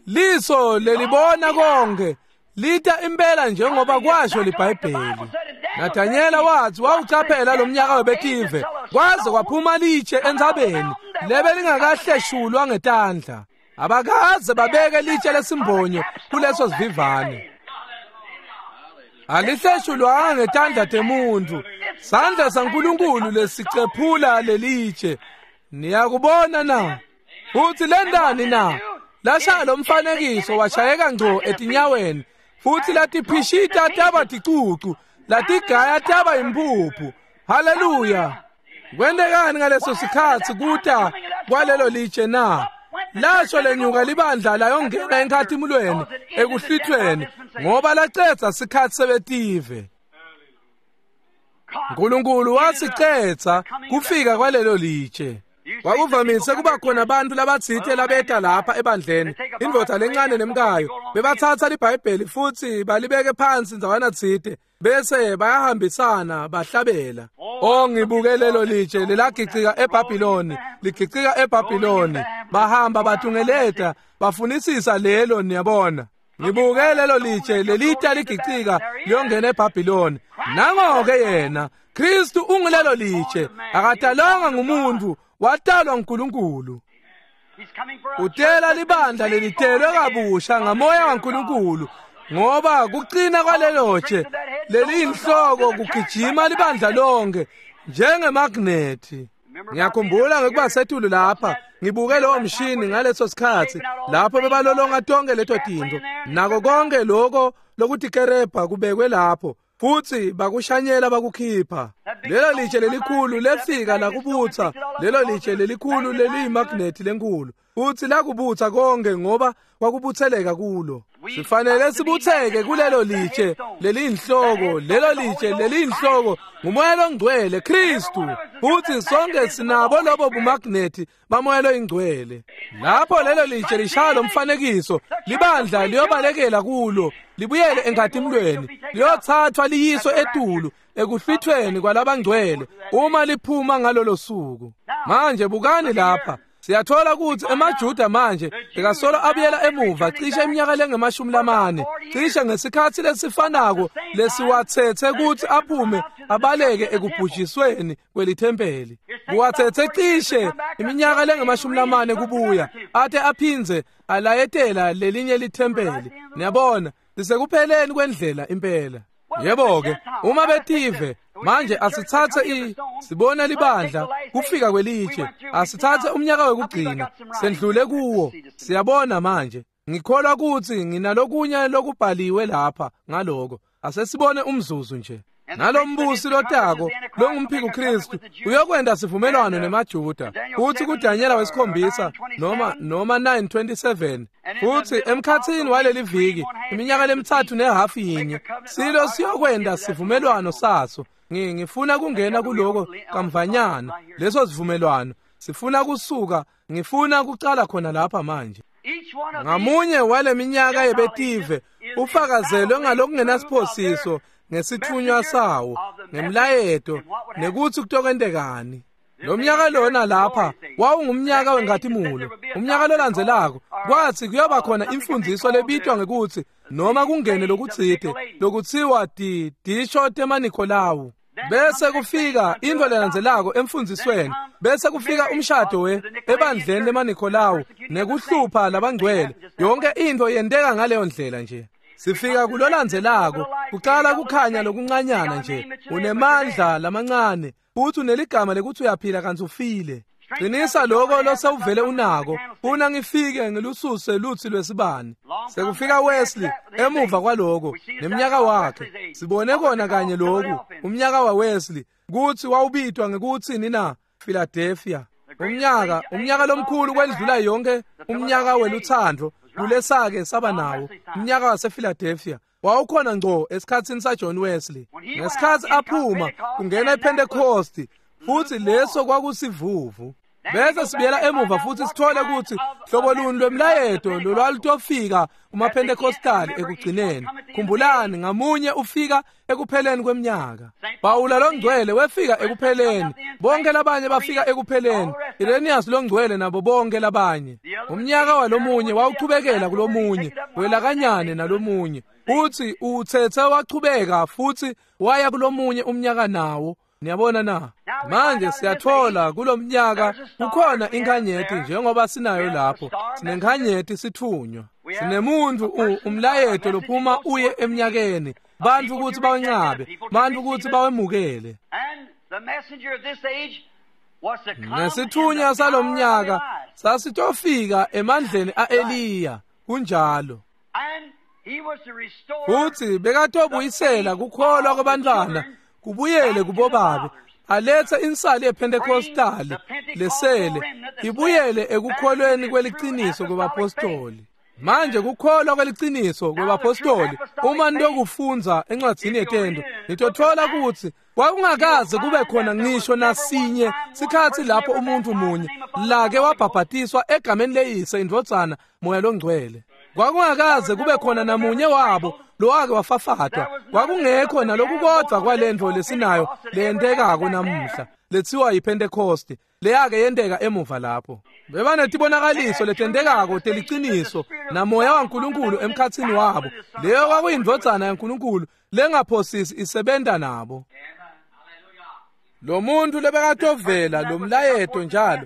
liso lelibona konke, lita impela njengoba kwasho liBhayibheli. Nathanyela wathi wawucaphela lo mnyaka webetive kwaze kwaphuma litshe entsabeni lebe lingakahleshulwa ngetandla. Abakaze babeke litshe lesimbonyo kuleso sivivane. Alihleshulwanga ngetandla temuntu, sandla saNkulunkulu lesicephula lelitshe. Niyakubona na? Futhi lendani na? Lashaya lo mfanekiso washayeka ngco etinyaweni, futhi latiphishita taba ticucu, latigaya taba imphuphu. Haleluya! Kwentekani ngaleso sikhatsi kuta kwalelo litshe na? Lasho lenyuka libandla layongena enkhatimulweni ekuhlithweni, ngoba lacedza sikhatsi sebetive. Nkulunkulu wasicedza kufika kwalelo litshe. Kwakuvamise kuba khona abantu labatsite labeta lapha ebandleni, indvodza lencane nemkayo, bebathatha liBhayibheli futhi balibeke phansi ndzawana tsite, bese bayahambisana bahlabela. Oh, ngibuke lelo litshe lelagicika eBhabhiloni, ligicika eBhabhiloni. Bahamba batungeleta bafunisisa lelo, niyabona. Ngibuke lelo litshe lelita ligicika liyongena eBhabhiloni. Nango-ke yena Kristu ungulelo litshe, akatalwanga ngumuntu, watalwa nguNkulunkulu. Utela libandla lelitelwe kabusha ngamoya waNkulunkulu, ngoba kucina kwalelo tshe leliyinhloko kugijima libandla lonke njengemagnethi. Ngiyakhumbula ngekuba setulu lapha ngibuke lowo mshini ngaleso sikhatsi lapho bebalolonga tonke leto tintfo, nako konke loko lokutikerebha kubekwe lapho, futhi bakushanyela bakukhipha. Lelo litshe lelikhulu lefika lakubutsa, lelo litshe lelikhulu leliyimagnethi lenkulu, futhi lakubutsa konke ngoba kwakubutseleka kulo. Sifanele sibutseke kulelo litshe leliyinhloko. Lelo litshe leliyinhloko ngumoya longcwele Kristu, futhi sonke sinabo lobo bumagnethi bamoya loyingcwele. Lapho lelo litshe lishaya lo mfanekiso, libandla liyobalekela kulo, libuyele enkhatimulweni, liyothathwa liyiswe etulu ekuhlwithweni kwalabangcwele uma liphuma ngalolo suku. Manje bukani lapha, siyathola ukuthi emaJuda manje bekasolo abuyela emuva cishe iminyaka lengemashumi lamane, cishe ngesikhatsi lesifanako lesiwatsetse kutsi aphume abaleke ekubhujisweni kwelithempeli. Kuwatsetse cishe iminyaka lengemashumi lamane kubuya ate aphindze alayetela lelinye lithempeli. Niyabona, lisekupheleni kwendlela impela. Yebo-ke, uma betive manje asitsatse i sibona libandla kufika kwelitshe, asitsatse umnyaka wekugcina sendlule kuwo. Siyabona manje, ngikholwa ukuthi nginalokunye lokubhaliwe lapha ngaloko. Asesibone umzuzu nje. Nalombusi lotako longumphiko Kristu uyokwenda sivumelwano nemaJuda. Futhi kuDanyela wesikhombisa noma noma nine twenty-seven, futhi emkhathini waleli viki iminyaka lemithathu nehafu yinye silo siyokwenda sivumelwano saso. Ngifuna kungena kuloko kamvanyana, leso sivumelwano sifuna kusuka, ngifuna kucala khona lapha manje. Ngamunye wale minyaka yebetive ufakazelwe ngalokungenasiphosiso ngesithunywa sawo ngemlayeto nekuthi kutokwentekani. Lo mnyaka lona lapha wawungumnyaka wenkhatimulo. Umnyaka lolandzelako kwathi kuyoba khona imfundiso lebitwa ngekuthi noma kungene lokutsite lokutsiwa ti tisho temaNikolawu. Bese kufika intfo lelandzelako emfundzisweni, bese kufika umshado we ebandleni lemaNikolawu nekuhlupha labangcwele. Yonke intfo yenteka ngaleyo ndlela nje. Sifika kulolandzelako, kucala kukhanya lokuncanyana nje, unemandla lamancane, futhi uneligama lekutsi uyaphila kantsi ufile. Qinisa lokho losewuvele unako, funa ngifike ngilususe lutsi lwesibani. Sekufika Wesley emuva kwaloko nemnyaka wakhe. Sibone kona kanye lokhu, umnyaka wa Wesley, kutsi wawubitwa ngekutsini na? Philadelphia. Umnyaka, umnyaka lomkhulu kwendlula yonke, umnyaka welutsandvo kulesake saba nawo, umnyaka wasePhiladelphia. Wawukhona ngco esikhatsini saJohn Wesley. Ngesikhatsi aphuma kungena ePentecost, futhi leso kwakusivuvu. Bese sibuyela emuva futhi sithole ukuthi hlobo luni lwemlayeto lolwalutofika kumaPentecostal ekugcineni. Khumbulani, ngamunye ufika ekupheleni kweminyaka. Pawula longcwele wefika ekupheleni, bonke labanye bafika ekupheleni, Irenaeus longcwele nabo bonke labanye. Umnyaka walomunye wawuchubekela kulomunye, welakanyane nalomunye, futhi utsetse wachubeka futhi waya kulomunye umnyaka nawo. Niyabona na? Manje siyathola kulomnyaka kukhona inkhanyeti njengoba sinayo lapho. Sinenkhanyeti sithunywa. Sinemuntu umlayeto lophuma uye eminyakeni. Bantu kutsi bawencabe, bantu kutsi bawemukele. Nesithunywa salomnyaka sasitofika emandleni aEliya, kunjalo. Futhi bekatobuyisela kukholwa kwabantwana kubuyele kubobabe, alethe insali yePentecostal lesele ibuyele ekukholweni kweliciniso kwebapostoli. Manje kukholwa kweliciniso kwebapostoli, uma nitokufundza encwadzini yetento, nitothola kutsi kwakungakaze kube khona ngisho nasinye sikhatsi lapho umuntu munye lake wabhabhatiswa egameni leyise, indvodzana, Moya loNgcwele. Kwakungakaze kube khona namunye wabo lowake wafafatwa. Kwakungekho nalokukodvwa kwalentfo lesinayo leyentekako namuhla letsiwa yiPentecost, leyake yenteka emuva lapho. Bebanetibonakaliso letentekako teliciniso namoya waNkulunkulu emkhatsini wabo. Leyo kwakuyindvodzana yaNkulunkulu lengaphosisi isebenta nabo. Lo muntu lebekatovela lo mlayeto njalo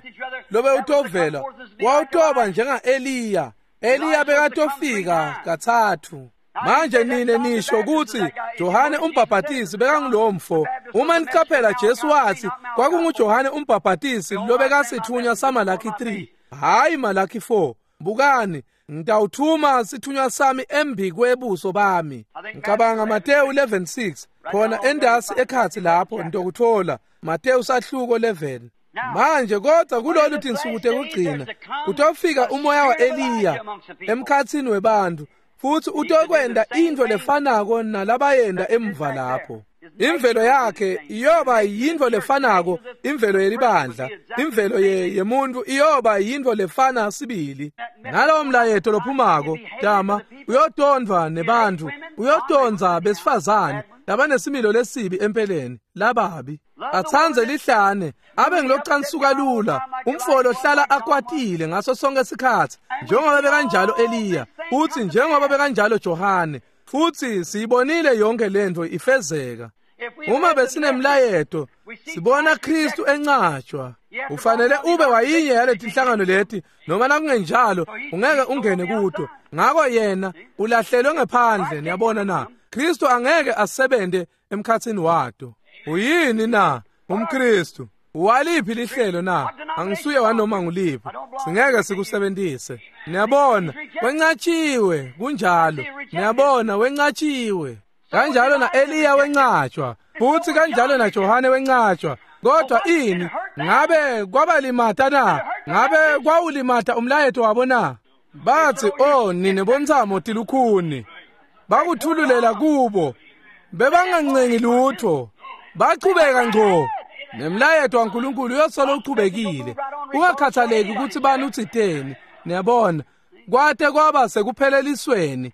lobe utovela wawutoba njenga-Eliya. Eliya bekatofika katsatfu. Manje nine nisho kutsi Johane umbhabhatisi bekangulomfo. Uma nicaphela, Jesu watsi kwakunguJohane umbhabhatisi lobekasithunywa saMalaki three, hhayi Malaki four. Bukani, ngitawuthuma sithunywa sami embi kwebuso bami. Ngicabanga Mateyu eleven six, khona endasi ekhatsi lapho nitokuthola Mateyu sahluko eleven. Manje kodwa kulolu tinsuku tekugcina kutofika umoya wa-Eliya emkhatsini webantfu, futhi utokwenda intfo lefanako nalabayenda emuva lapho. Imvelo yakhe iyoba yintfo lefanako, imvelo yelibandla, imvelo yemuntu iyoba yintfo lefana sibili. Nalowo mlayeto lophumako tama uyotondvwa nebantfu, uyotondza besifazane labanesimilo lesibi empeleni, lababi. Atsandze lihlane, abe ngilocansuka lula, umfo lohlala akwatile ngaso sonke sikhatsi, njengoba bekanjalo Eliya, futhi njengoba bekanjalo Johane. Futhi siyibonile yonke lento ifezeka. Uma besinemlayeto, sibona Kristu encatshwa. Ufanele ube wayinye yaletinhlangano leti, noma nakungenjalo ungeke ungene kuto. Ngako yena ulahlelwe ngephandle, niyabona na? Kristu angeke asebente emkhatsini wato. Uyini na umKristu? Waliphi lihlelo na? Angisuye wanoma nguliphi. Singeke sikusebentise. Niyabona, wencatshiwe, kunjalo. Niyabona, wencatshiwe. Kanjalo na Eliya wencatshwa, futhi kanjalo na Johane wencatshwa. Kodwa ini? Ngabe kwabalimata na? Ngabe kwawulimata umlayeto wabo na? Bathi, "Oh, nine bontsamo tilukhuni." Bakuthululela kubo. Bebangancengi lutho. Bachubeka ngco. Nemlayeto waNkulunkulu uyosolo uchubekile. Ungakhathaleki ukuthi bani utsiteni. Niyabona, kwate kwaba sekuphelelisweni.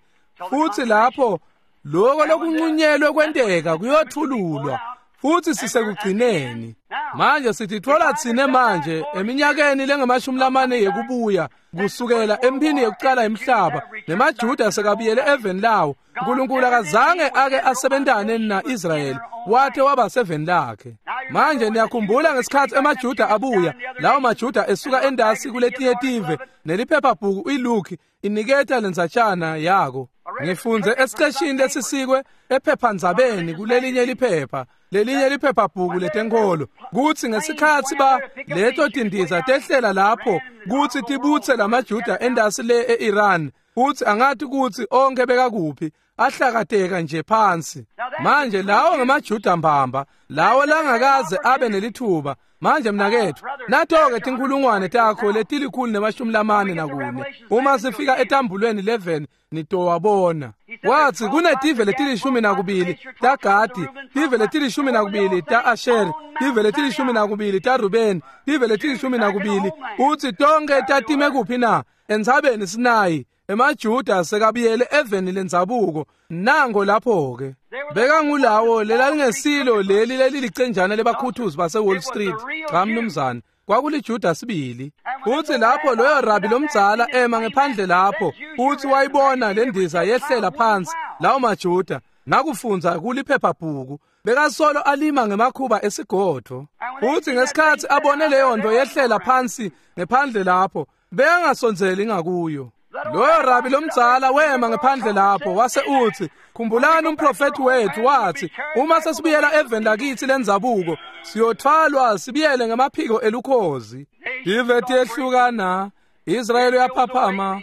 Futhi lapho lokho lokunqunyelwe kwenteka kuyothululwa. Futhi sisekugcineni. Manje sititfola tsine manje eminyakeni lengamashumi lamane yekubuya kusukela emphini yekucala emhlaba, nemaJuda sekabuyele eveni lawo. uNkulunkulu akazange ake asebentane na-Israyeli wate waba seveni lakhe. Manje niyakhumbula ngesikhathi emaJuda abuya, lawo maJuda esuka endasi kuletinye tive neliphephabhuku iLuke iniketa lendzatshana yako. Ngifunze esiqeshini lesisikwe ephephandzabeni kulelinye liphepha, lelinye liphephabhuku letenkholo, kutsi ngesikhatsi ba leto tindiza tehlela lapho kutsi tibutse lamaJuda endasi le e-Iran, kutsi angathi kutsi onke bekakuphi, ahlakateka nje phansi. Manje lawo ngemaJuda mbamba, lawo langakaze abe nelithuba. Manje mnaketfu, nato-ke tinkhulungwane takho letilikhulu nemashumi lamane nakune. Uma sifika etambulweni eleven nitowabona. Wathi kunetive letilishumi nakubili taGadi, tive letilishumi nakubili ta-Asheri, tive letilishumi nakubili taRubeni, tive letilishumi nakubili. Uthi tonke tatime kuphi na? Entsabeni Sinayi. EmaJuda sekabuyele eveni lendzabuko. Nango lapho-ke bekangulawo lelalingesilo leli lelilicenjana lebakhuthuzi base Wall Street. Cha mnumzane, kwakuliJuda sibili. Uthi lapho loyo rabi lomdzala ema ngephandle lapho, uthi wayibona lendiza yehlela phansi lawo maJuda. Nakufundza kuliphephabhuku bekasolo alima ngemakhuba esigodvo. Uthi ngesikhatsi abone leyo nto yehlela phansi ngephandle lapho, bekangasondzeli ngakuyo. Loyo rabi lomdzala wema ngephandle lapho wase uthi, khumbulani umprofethi wethu wathi uma sesibuyela eveni lakithi lendzabuko siyothwalwa sibuyele ngemaphiko elukhozi. Tive tiyehlukana, Israyeli uyaphaphama,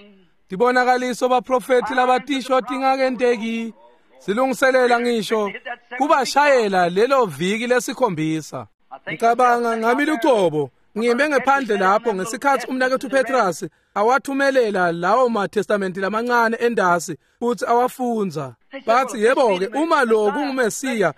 tibonakaliso baprofethi labatisho tingakenteki, silungiselela ngisho kubashayela lelo viki lesikhombisa. Ngicabanga ngami lucobo ngime ngephandle lapho ngesikhatsi umnaketfu Petrus awathumelela lawo matestamenti lamancane endasi futhi awafundza. Bathi yebo-ke uma lo kunguMesiya,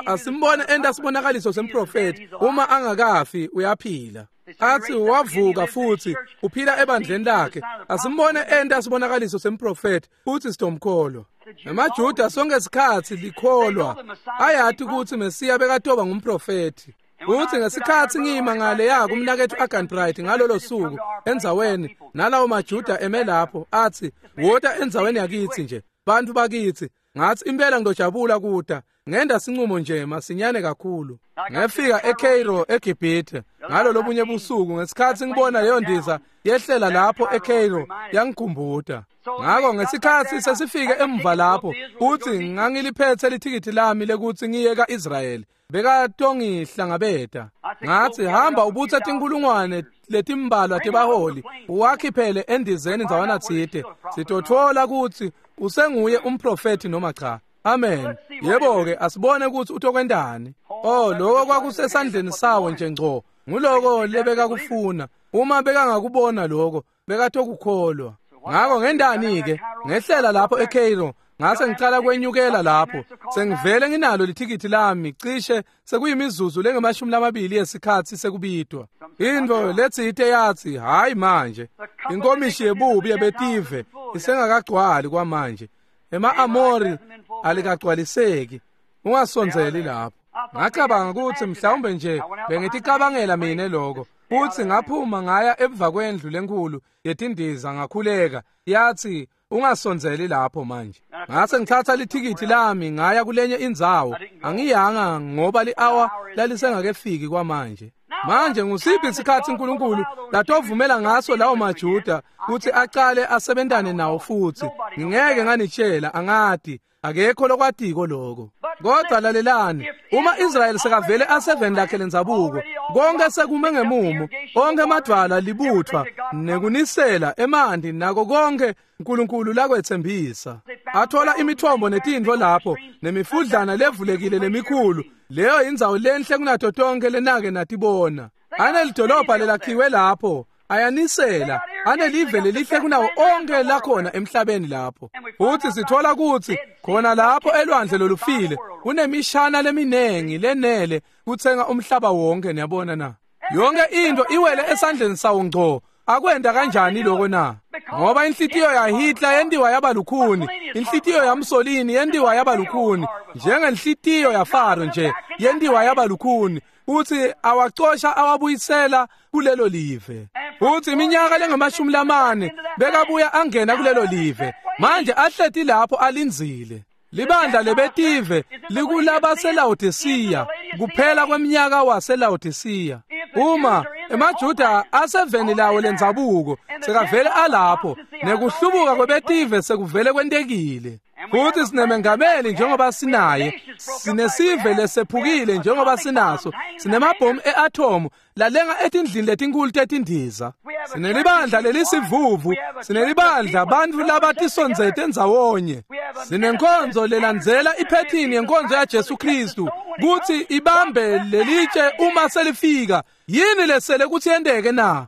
asimbone enta sibonakaliso semprofethi, uma angakafi uyaphila. Athi wavuka futhi uphila ebandleni lakhe, asimbone enta sibonakaliso semprofethi futhi sitomkholwa. EmaJuda sonke isikhatsi likholwa ayati kutsi Mesiya bekatoba ngumprofethi. Uthi ngesikhatsi ngima ngale yako umnaketfu Agan Bright ngalolo suku endzaweni nalawo maJuda eme lapho, athi wota endzaweni yakithi nje bantu bakithi. Ngathi impela ngidojabula kuda ngenda sinqumo nje masinyane kakhulu. Ngefika eCairo eGibhithe ngalo lobunye busuku ngesikhatsi ngibona leyo ndiza yehlela lapho eCairo yangikhumbuta. Ngako ngesikhatsi sesifike emva lapho, uthi ngangiliphethe lithikithi lami lekutsi ngiye ka-Israyeli, bekatongihlangabeta. Ngathi hamba ubutse tinkhulungwane letimbalwa tebaholi uwakhiphele endizeni ndzawana tsite, sitotfola kutsi usenguye umprofethi noma cha. Amen. Yebo-ke asibone kutsi utokwentani. Oh, lokho kwakusesandleni sawo nje ngco. Nguloko lebekakufuna. Uma bekangakubona lokho, bekatokukholwa. Ngako ngendani-ke ngehlela lapho eCairo, ngase ngicala kwenyukela lapho. Sengivele nginalo lithikithi lami cishe sekuyimizuzu lengemashumi lamabili yesikhatsi sekubidwa. Intfo letsite yathi hayi manje, inkomishi yebubi yebetive isengakagcwali kwamanje. Ema-Amori alikagcwaliseki, ungasondzeli lapho. Ngacabanga kutsi mhlawumbe nje bengiticabangela mine lokho. Futhi ngaphuma ngaya emva kwendlu lenkhulu yetindiza ngakhuleka, yathi ungasondzeli lapho manje. Ngase ngithatha lithikithi lami ngaya kulenye indzawo. Angiyanga ngoba li-hour lalisengakefiki kwamanje. Manje ngusiphi isikhatsi uNkulunkulu latovumela ngaso lawo maJuda kutsi acale asebentane nawo futhi? Ngingeke nganitshela, angati, akekho lokwatiko lokho. Kodwa lalelani, uma Israyeli sekavele aseveni lakhe lendzabuko, konke sekume ngemumo, onke emadvwala libuthwa nekunisela emanti nako konke uNkulunkulu lakwetsembisa. Athola imithombo netintfo lapho nemifudlana levulekile lemikhulu. Leyo indzawo lenhle kunato tonke lenake natibona. Anelidolobha lelakhiwe lapho, ayanisela, anelive lelihle kunawo onke lakhona emhlabeni lapho. Futhi sithola kutsi khona lapho elwandle lolufile kunemishana leminengi lenele kutsenga umhlaba wonke. Niyabona na? Yonke into iwele esandleni sawo ngco. Akwenda kanjani lokho na? Ngoba inhlitiyo yaHitler yendiwa yaba lukhuni, inhlitiyo yaMussolini yendiwa yaba lukhuni, njengenhlitiyo yaFaro nje yendiwa yaba lukhuni. Uthi awacosha awabuyisela kulelo live. Uthi iminyaka lengamashumi lamane bekabuya angena kulelo live. Manje ahleti lapho alindzile. Libandla lebetive likulabaseLawodisiya, kuphela kweminyaka waseLawodisiya. Uma emaJuda aseveni lawo lendzabuko sekavele alapho, nekuhlubuka kwebetive sekuvele kwentekile. Futhi sinemengameli njengoba sinaye, sinesive lesephukile njengoba sinaso, sinemabhomu e-atomu lalenga etindlini letinkulu tetindiza, sinelibandla lelisivuvu, sinelibandla bantfu labatisondzete endzawonye, sinenkonzo lelandzela iphethini yenkonzo yaJesu Kristu kutsi ibambe lelitshe uma selifika. Yini lesele kutsi yenteke na?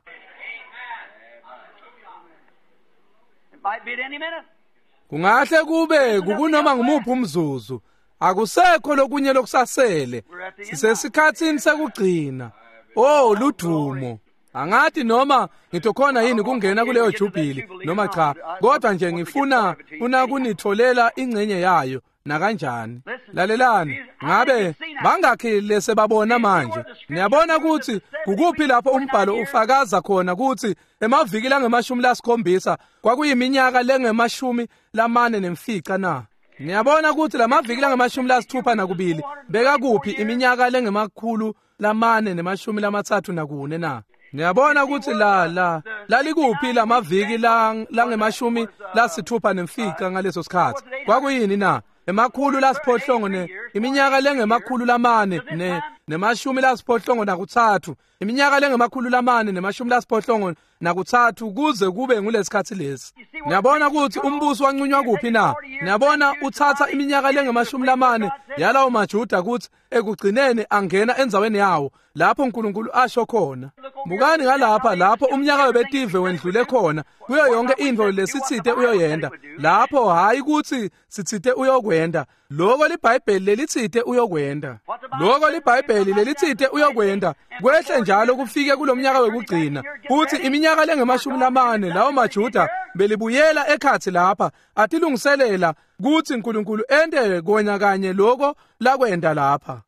Kungahle kube kukunoma ngumuphi umzuzu. Akusekho lokunye lokusasele. Sisesikhatsini sekugcina. Oh, ludumo. Angathi noma ngitokhona yini kungena kuleyo jubili noma cha, kodwa nje ngifuna funa kunitholela ingcenye yayo nakanjani. Lalelani, ngabe bangakhi lesebabona manje? Niyabona ukuthi kukuphi lapho umbhalo ufakaza khona ukuthi emaviki langemashumi lasikhombisa kwakuyiminyaka lengemashumi lamane nemfica na? Niyabona ukuthi lamaviki langemashumi lasithupha nakubili bekakuphi iminyaka lengemakhulu lamane nemashumi lamatsatfu nakune na? Niyabona ukuthi la la lalikuphi lamaviki langemashumi lasithupha nemfica ngaleso sikhathi? Kwakuyini na? Emakhulu lasiphohlongo ne iminyaka lengemakhulu lamane ne nemashumi lasiphohlongo nakutsatfu, iminyaka lengemakhulu lamane nemashumi lasiphohlongo nakutsatfu kuze kube ngulesikhathi lesi. Niyabona ukuthi umbuso wanqunywa kuphi na? Niyabona uthatha iminyaka lengemashumi lamane yalawo maJuda ukuthi ekugcineni angena endzaweni yawo lapho uNkulunkulu asho khona. Bukani ngalapha lapho umnyaka webetive wendlule khona kuyo yonke intfo lesitsite uyoyenda lapho, hayi ukuthi sitsite uyokwenda lokho liBhayibheli lelitsite uyokwenda, lokho liBhayibheli lelitsite uyokwenda kwehle njalo kufike kulomnyaka wekugcina. Futhi iminyaka lengemashumi lamane lawo maJuda belibuyela ekhathi lapha atilungiselela kuthi uNkulunkulu ente kona kanye lokho lakwenda lapha.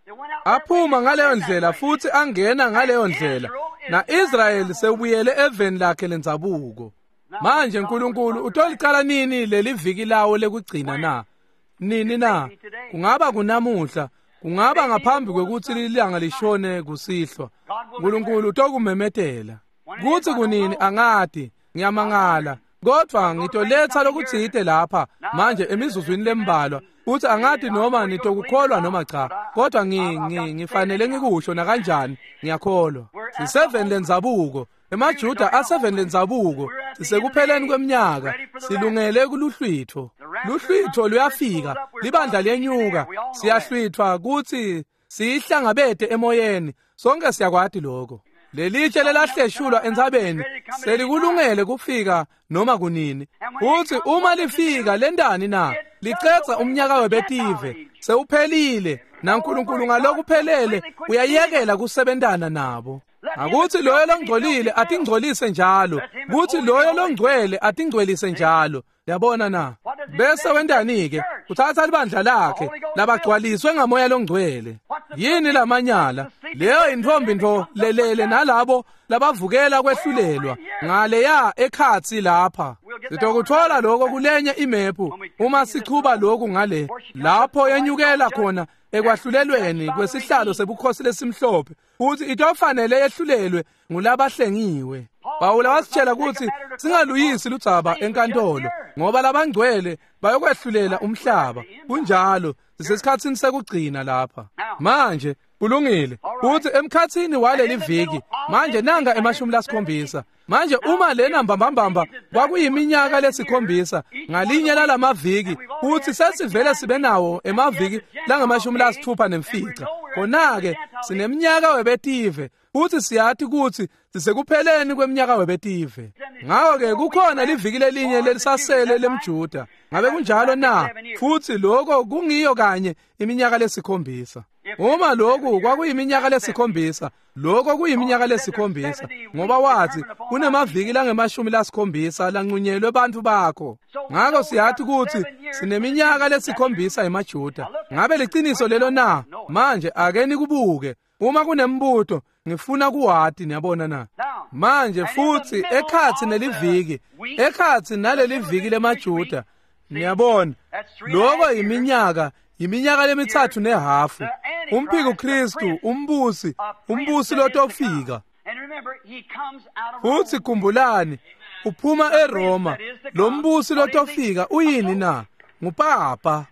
Aphuma ngaleyo ndlela futhi angena ngaleyo ndlela, na-Israyeli sewubuyele eveni lakhe lendzabuko. Manje uNkulunkulu utolicala nini leli viki lawo lekugcina na? Nini na? Kungaba kunamuhla, kungaba ngaphambi kwekuthi lilanga lishone kusihlwa. uNkulunkulu utokumemetela. Kuthi kunini angati, ngiyamangala, kodwa ngitoletha lokutsite lapha manje emizuzwini lembalwa. Uthi angati noma nitokukholwa noma cha, kodwa ngi ngifanele ngikusho nakanjani, ngiyakholwa. Siseveni lendzabuko, emaJuda aseveni lendzabuko, sisekupheleni kweminyaka, silungele kuluhlwitho. Luhlwitho luyafika, libandla liyenyuka, siyahlwithwa kuthi siyihlangabete emoyeni, sonke siyakwati lokho. Lelitshe lelahleshulwa entsabeni selikulungele kufika noma kunini. Futhi uma lifika lentani na? Licedza umnyaka webetive, sewuphelile, naNkulunkulu ngalokuphelele uyayekela kusebentana nabo. Akuthi loyo longcolile atingcolise njalo, kuthi loyo longcwele atingcwelise njalo. Yabona na? Bese wentani ke? Uthatha libandla lakhe labagcwaliswe ngamoya longcwele. Yini lamanyala? Leyo intombi nto lelele nalabo labavukela kwehlulelwa ngaleya ekhatsi lapha. Sitokuthola lokho kulenye imephu uma sichuba lokhu ngale lapho yenyukela khona ekwahlulelweni kwesihlalo sebukhosi lesimhlophe, futhi itofanele yehlulelwe ngulabahlengiwe. Pawula wasitshela ukuthi singaluyisi ludzaba enkantolo ngoba labangcwele bayokwehlulela umhlaba. Kunjalo, sisesikhatsini sekugcina lapha. Manje kulungile futhi emkhatsini waleli viki manje nanga emashumi lasikhombisa. Manje uma lena mbambambamba kwakuyiminyaka lesikhombisa ngalinye lalamaviki, futhi sesivele sibe nawo emaviki langamashumi lasithupha nemfica, khona-ke sineminyaka webetive futhi siyathi ukuthi sisekupheleni kweminyaka webetive. Ngakho-ke kukhona liviki lelinye lelisasele lemJuda. Ngabe kunjalo na? Futhi lokho kungiyo kanye iminyaka lesikhombisa. Uma lokhu kwakuyiminyaka lesikhombisa, lokho kuyiminyaka lesikhombisa, ngoba wathi kunemaviki langemashumi lasikhombisa lanqunyelwe bantu bakho. Ngakho siyathi ukuthi sineminyaka lesikhombisa emaJuda. Ngabe liciniso lelo na? Manje ake nikubuke. Uma kunembuto ngifuna kuwati, niyabona na? Manje futhi ekhatsi neliviki, ekhatsi naleli viki lemaJuda, Niyabona, lokho iminyaka iminyaka lemithathu nehafu. Umphiko Kristu, umbusi, umbusi lotofika. Futhi khumbulani, uphuma eRoma. Lo mbusi lotofika uyini na? Ngupapa.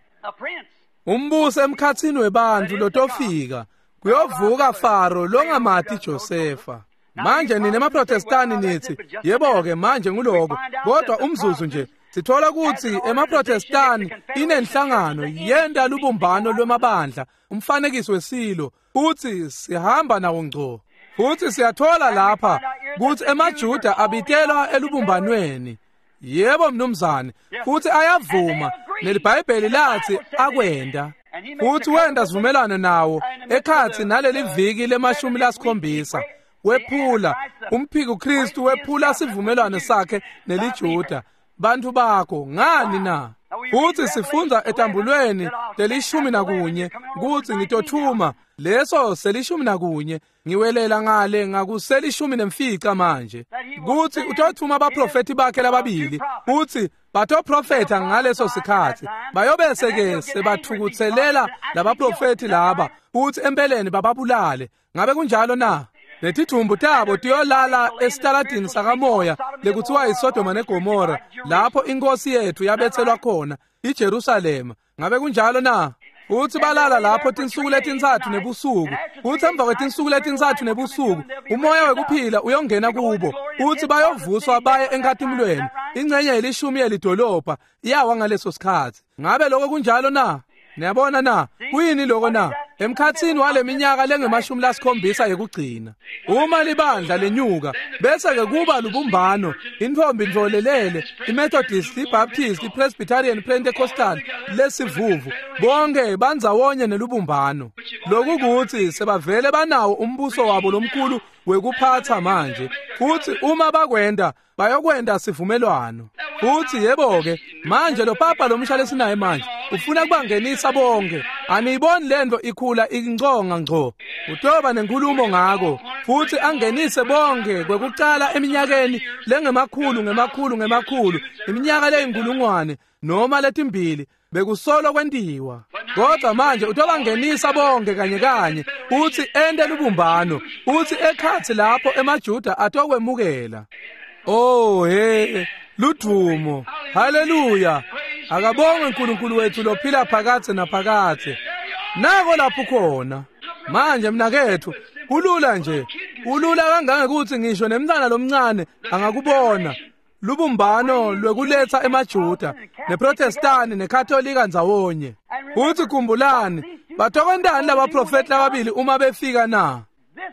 Umbusi emkhathini webantu lotofika. Kuyovuka Faro longamati Josefa. Manje nina emaProtestani nithi, yebo-ke manje nguloko, kodwa umzuzu nje. Sithola ukuthi emaProtestani inenhlangano yenta lubumbano lwemabandla, umfanekiso wesilo, futhi sihamba nawo ngco. Futhi siyathola lapha ukuthi emaJuda abitelwa elubumbanweni. Yebo mnumzane, futhi ayavuma, neliBhayibheli lathi akwenda. Futhi wenda sivumelwano nawo ekhathi naleli viki lemashumi lasikhombisa. Wephula umphiko Kristu, wephula sivumelwano sakhe neliJuda. Bantu bakho ngani na? Futhi sifundza etambulweni lelishumi nakunye kuthi ngitothuma leso selishumi nakunye, ngiwelela ngale ngakuselishumi nemfica manje, kuthi utothuma abaprofeti bakhe lababili, uthi batoprofetha ngaleso sikhathi, bayobese ke sebathukutselela labaprofeti laba, uthi empeleni bababulale. Ngabe kunjalo na? Letithumbu tabo tiyolala esitaladini sakamoya lekuthiwa iSodoma neGomora, lapho inkosi yethu yabethelwa khona, iJerusalema. Ngabe kunjalo na? Uthi balala lapho tinsuku letintsatfu nebusuku. Uthi emva kwetinsuku letintsatfu nebusuku umoya wekuphila uyongena kubo. Uthi bayovuswa baye enkatimulweni. Ingcenye yelishumi yelidolobha iyawa ngaleso sikhathi. Ngabe lokho kunjalo na? Niyabona na? Kuyini lokho na? Emkhathini wale minyaka lengemashumi lasikhombisa yekugcina, uma libandla lenyuka bese ke kuba lubumbano, intfombi ntfolelele, iMethodist, iBaptist, iPresbyterian, iPentecostal, lesivuvu, bonke bandzawonye nelubumbano. Lokhu kuthi sebavele banawo umbuso wabo lomkhulu wekuphatha manje. Futhi uma bakwenda bayokwenda sivumelwano. Futhi yebo-ke manje lo papa lomsha lesinaye manje ufuna kubangenisa bonke. Aniyiboni lento ikhula inconga ngco. Utoba nenkulumo ngako futhi angenise bonke kwekucala eminyakeni lengemakhulu ngemakhulu ngemakhulu, iminyaka leyinkulungwane noma letimbili bekusolo kwentiwa. Kodwa manje utobangenisa bonke kanye kanye, uthi ente lubumbano, uthi ekhathi lapho emaJuda atokwemukela. Oh he, ludumo, haleluya. Akabongwe uNkulunkulu wethu lophila phakathe naphakathe. Nako lapho khona. Manje mnakethu, kulula nje, kulula kangangekuthi ngisho nemntwana lomncane angakubona. Lubumbano lwekuletha emaJuda neProtestani neKatolika ndzawonye. Uthi khumbulani, batokwentani labaprofeti lababili uma befika na?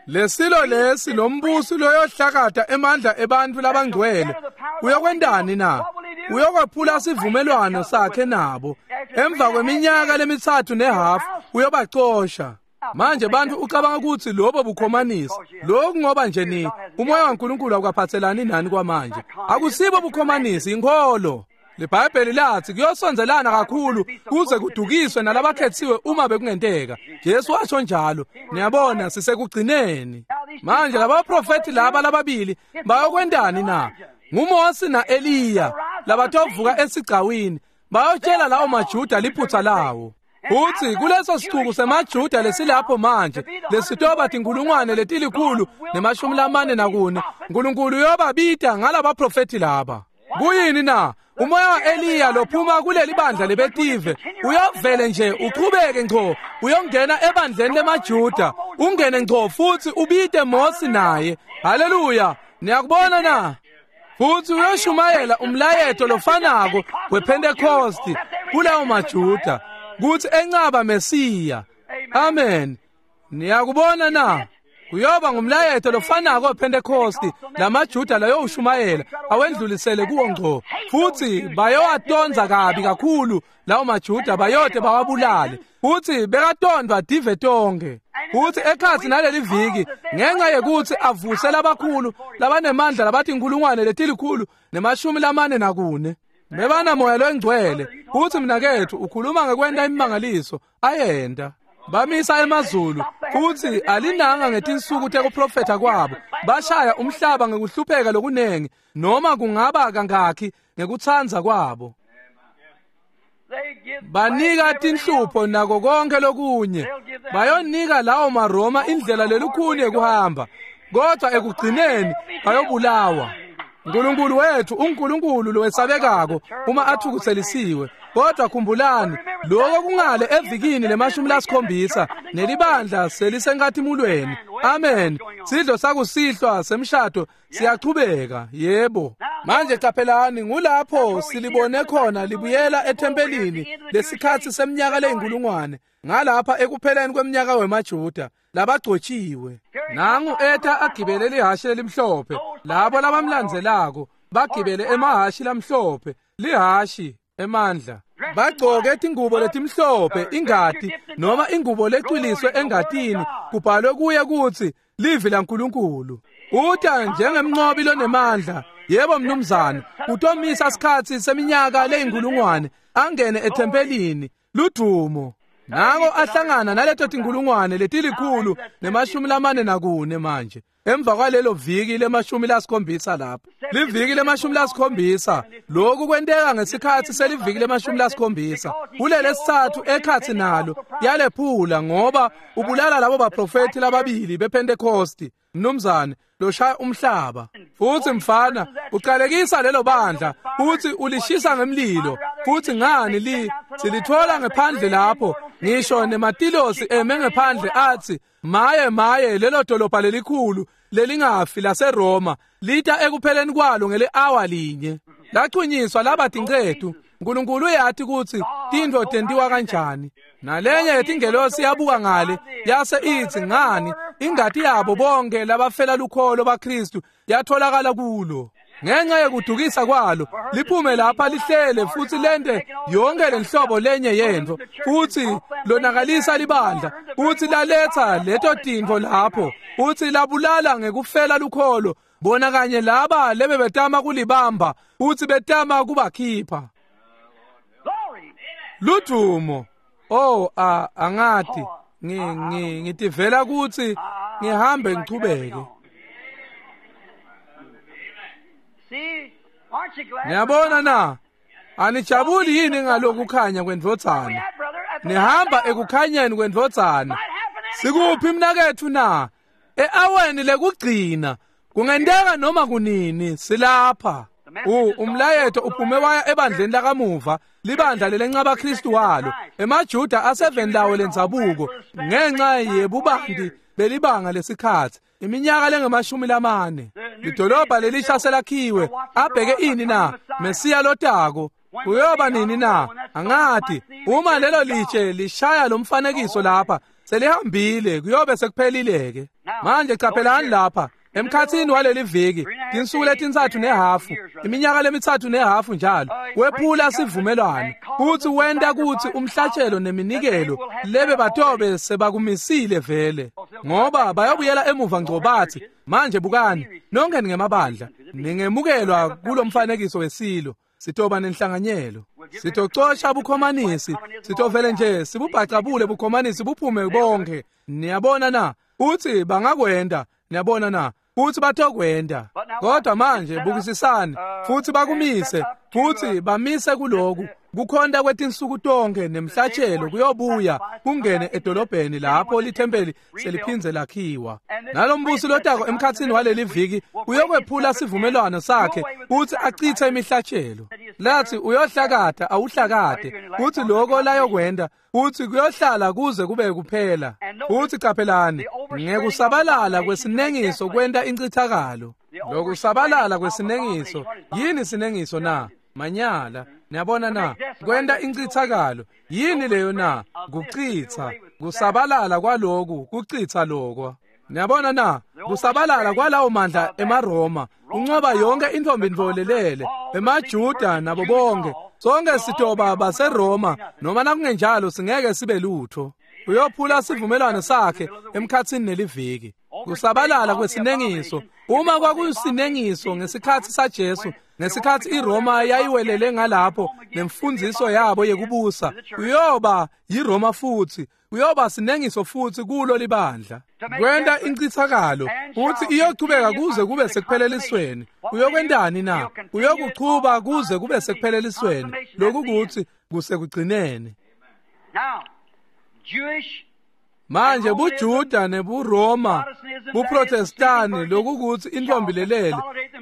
Lesilo lesi lombusi loyohlakata emandla ebantfu labangcwele uyokwentani na? Uyokwephula sivumelwano sakhe nabo. Emva kweminyaka lemitsatfu nehafu uyobacosha. Manje bantu ucabanga ukuthi lobo bukhomanisi. Lokhu ngoba nje ni umoya waNkulunkulu awukaphathelani nani kwamanje. Akusibo bukhomanisi, inkholo. LiBhayibheli lathi kuyosondelana kakhulu kuze kudukiswe nalabakhethiwe uma bekungenteka. Jesu washo njalo. Niyabona sisekugcineni. Manje labaprofeti laba lababili bayokwentani na? NguMose naEliya labatovuka esigcawini bayotshela lawo maJuda liphutha lawo. Uthi kuleso sicuku semaJuda lesilapho manje lesitoba tinkulungwane letilikhulu nemashumi lamane nakune, uNkulunkulu uyobabita ngalabaprofeti laba. Kuyini na? Umoya wa-Eliya lophuma kuleli bandla lebetive uyovele nje uchubeke ngco uyongena ebandleni lemaJuda, ungene ngco futhi ubite Mose naye. Haleluya! Niyakubona na? Futhi uyoshumayela umlayeto lofanako wePentecost kulawo maJuda kuthi encaba Mesiya. Amen. Niyakubona na? Kuyoba ngumlayeto lofanako wePentecost lamaJuda layowushumayela awendlulisele kuwo ngco, futhi bayowatonza kabi kakhulu lawo maJuda, bayote bawabulale. Futhi bekatondwa dive tonke. Futhi ekhathi naleli viki ngenxa yekuthi avuse labakhulu labanemandla labathi inkulungwane letilikhulu nemashumi lamane nakune bebana moya longcwele. Futhi mnakethu ukhuluma ngekwenta imimangaliso ayenda. Bamisa emazulu futhi alinanga ngetinsuku tekuprofetha kwabo. Bashaya umhlaba ngekuhlupheka lokunengi noma kungaba kangakhi ngekutsanza kwabo. Banika tinhlupho nako konke lokunye. Bayonika lawo maRoma indlela lelukhuni yekuhamba, kodwa ekugcineni bayobulawa. Nkulunkulu wethu uNkulunkulu lowesabekako uma athukutselisiwe. Kodwa khumbulani, lokho kungale evikini lemashumi lasikhombisa nelibandla selisenkathimulweni. Amen. Sidlo sakusihlwa semshado siyachubeka. Yebo. Manje qaphelani, ngulapho silibone khona libuyela ethempelini lesikhatsi seminyaka leyinkulungwane, ngalapha ekupheleni kweminyaka wemaJuda labagcotshiwe. Nangu eta agibele lihhashi lelimhlophe, labo labamlandzelako bagibele emahhashi lamhlophe, lihhashi emandla. Bagcoke tingubo letimhlophe, ingati noma ingubo lecwiliswe engatini, kubhalwe kuye kutsi livi laNkulunkulu. Uta njengemnqobi lonemandla. Yebo mnumzane, utomisa sikhatsi seminyaka leyinkulungwane, angene ethempelini. Ludumo. Nango ahlangana naleto tinkulungwane letilikhulu nemashumi lamane nakune manje. Emva kwalelo viki lemashumi lasikhombisa lapho. Liviki lemashumi lasikhombisa. Lokhu kwenteka ngesikhatsi seliviki lemashumi lasikhombisa. Kulelesithathu ekhatsi nalo yalephula, ngoba ubulala labo baprofeti lababili bePentecosti. Mnumzane loshaya umhlaba. Futhi mfana uqalekisa lelo bandla futhi ulishisa ngemlilo. Futhi ngani li silithola ngephandle lapho, ngisho nematilosi eme ngephandle athi maye maye lelo dolobha lelikhulu lelingafi laseRoma lita ekupheleni kwalo ngele hour linye. Lachunyiswa laba tinqethu. uNkulunkulu uyathi ukuthi tintfo tentiwa kanjani. Nalenye yetingelosi yabuka ngale yase ithi ngani ingati yabo bonke labafela lukholo baKristu yatholakala kulo. Ngenxa yekudukisa kwalo liphume lapha lihlele futhi lente yonke lenhlobo lenye yentfo, futhi lonakalisa libandla, futhi laletha leto tintfo lapho, futhi labulala ngekufela lukholo bona kanye laba lebe betama kulibamba futhi betama kubakhipha. Ludumo. Oh, a angati ngi ngi ngitivela ukuthi ngihambe ngichubeke. Niyabona na? Anijabuli yini ngalokhu kukhanya kwendvodzana? Nihamba ekukhanyeni kwendvodzana. Sikuphi mnaketfu na? E-aweni lekugcina. Kungenteka noma kunini silapha. U umlayeto uphume waya ebandleni lakamuva, libandla lelenqaba Kristu walo, emaJuda aseveni lawo lendzabuko ngenxa yebubanti belibanga lesikhatsi, iminyaka lengemashumi lamane. Lidolobha lelisha selakhiwe, abheke ini na? Mesiya lotako. Kuyoba nini na? Angati. Uma lelo litshe lishaya lomfanekiso lapha, selihambile, kuyobe sekuphelileke. Manje qaphelani lapha. Emkhatsini waleli viki, tinsuku letintsatfu nehafu, iminyaka lemitsatfu nehafu njalo, wephula sivumelwano, futhi wenta kutsi umhlatshelo neminikelo lebe batobe sebakumisile vele, ngoba bayobuyela emuva ngco bathi, manje bukani, nonke ningemabandla, ningemukelwa kulomfanekiso wesilo, sitoba nenhlanganyelo, sitocosha bukhomanisi, sitovele nje sibubhacabule bukhomanisi buphume bonke. Niyabona na? Uthi bangakwenda. Niyabona na? Futhi batokwenda. Kodwa manje bukisisani, futhi bakumise, futhi bamise kuloku kukhonta kwetinsuku tonke nemhlatshelo kuyobuya kungene edolobheni lapho lithempeli seliphindze lakhiwa. Nalombusi lotako emkhatsini waleli viki uyokwephula sivumelwano sakhe futhi achithe imihlatshelo. Lathi uyohlakata awuhlakate, futhi lokho layokwenda futhi kuyohlala kuze kube kuphela. Futhi qaphelani, ngekusabalala kwesinengiso kwenta incithakalo. Lokusabalala kwesinengiso, yini sinengiso na? Manyala. Niyabona na? Kwenta incithakalo. Yini leyo na? Kuchitha. Kusabalala kwaloku, kuchitha lokho. Niyabona na? Kusabalala kwalawo mandla emaRoma, unqoba yonke intombi ndvolelele, emaJuda nabo bonke. Sonke sitoba baseRoma, noma nakungenjalo singeke sibe lutho. Uyophula sivumelwano sakhe emkhatsini neliviki. Kusabalala kwesinengiso. Uma kwakusinengiso ngesikhatsi saJesu, ngesikhatsi iRoma yayiwelele ngalapho nemfundziso yabo yekubusa, kuyoba yiRoma futhi, kuyoba sinengiso futhi kulo libandla. Kwenta incithakalo, futhi iyochubeka kuze kube sekuphelelisweni. Uyokwentani na? Uyokuchuba kuze kube sekuphelelisweni. Lokhu kuthi Kusekugcineni. Manje buJuda nebuRoma buProtestani lokukuthi intombi lelele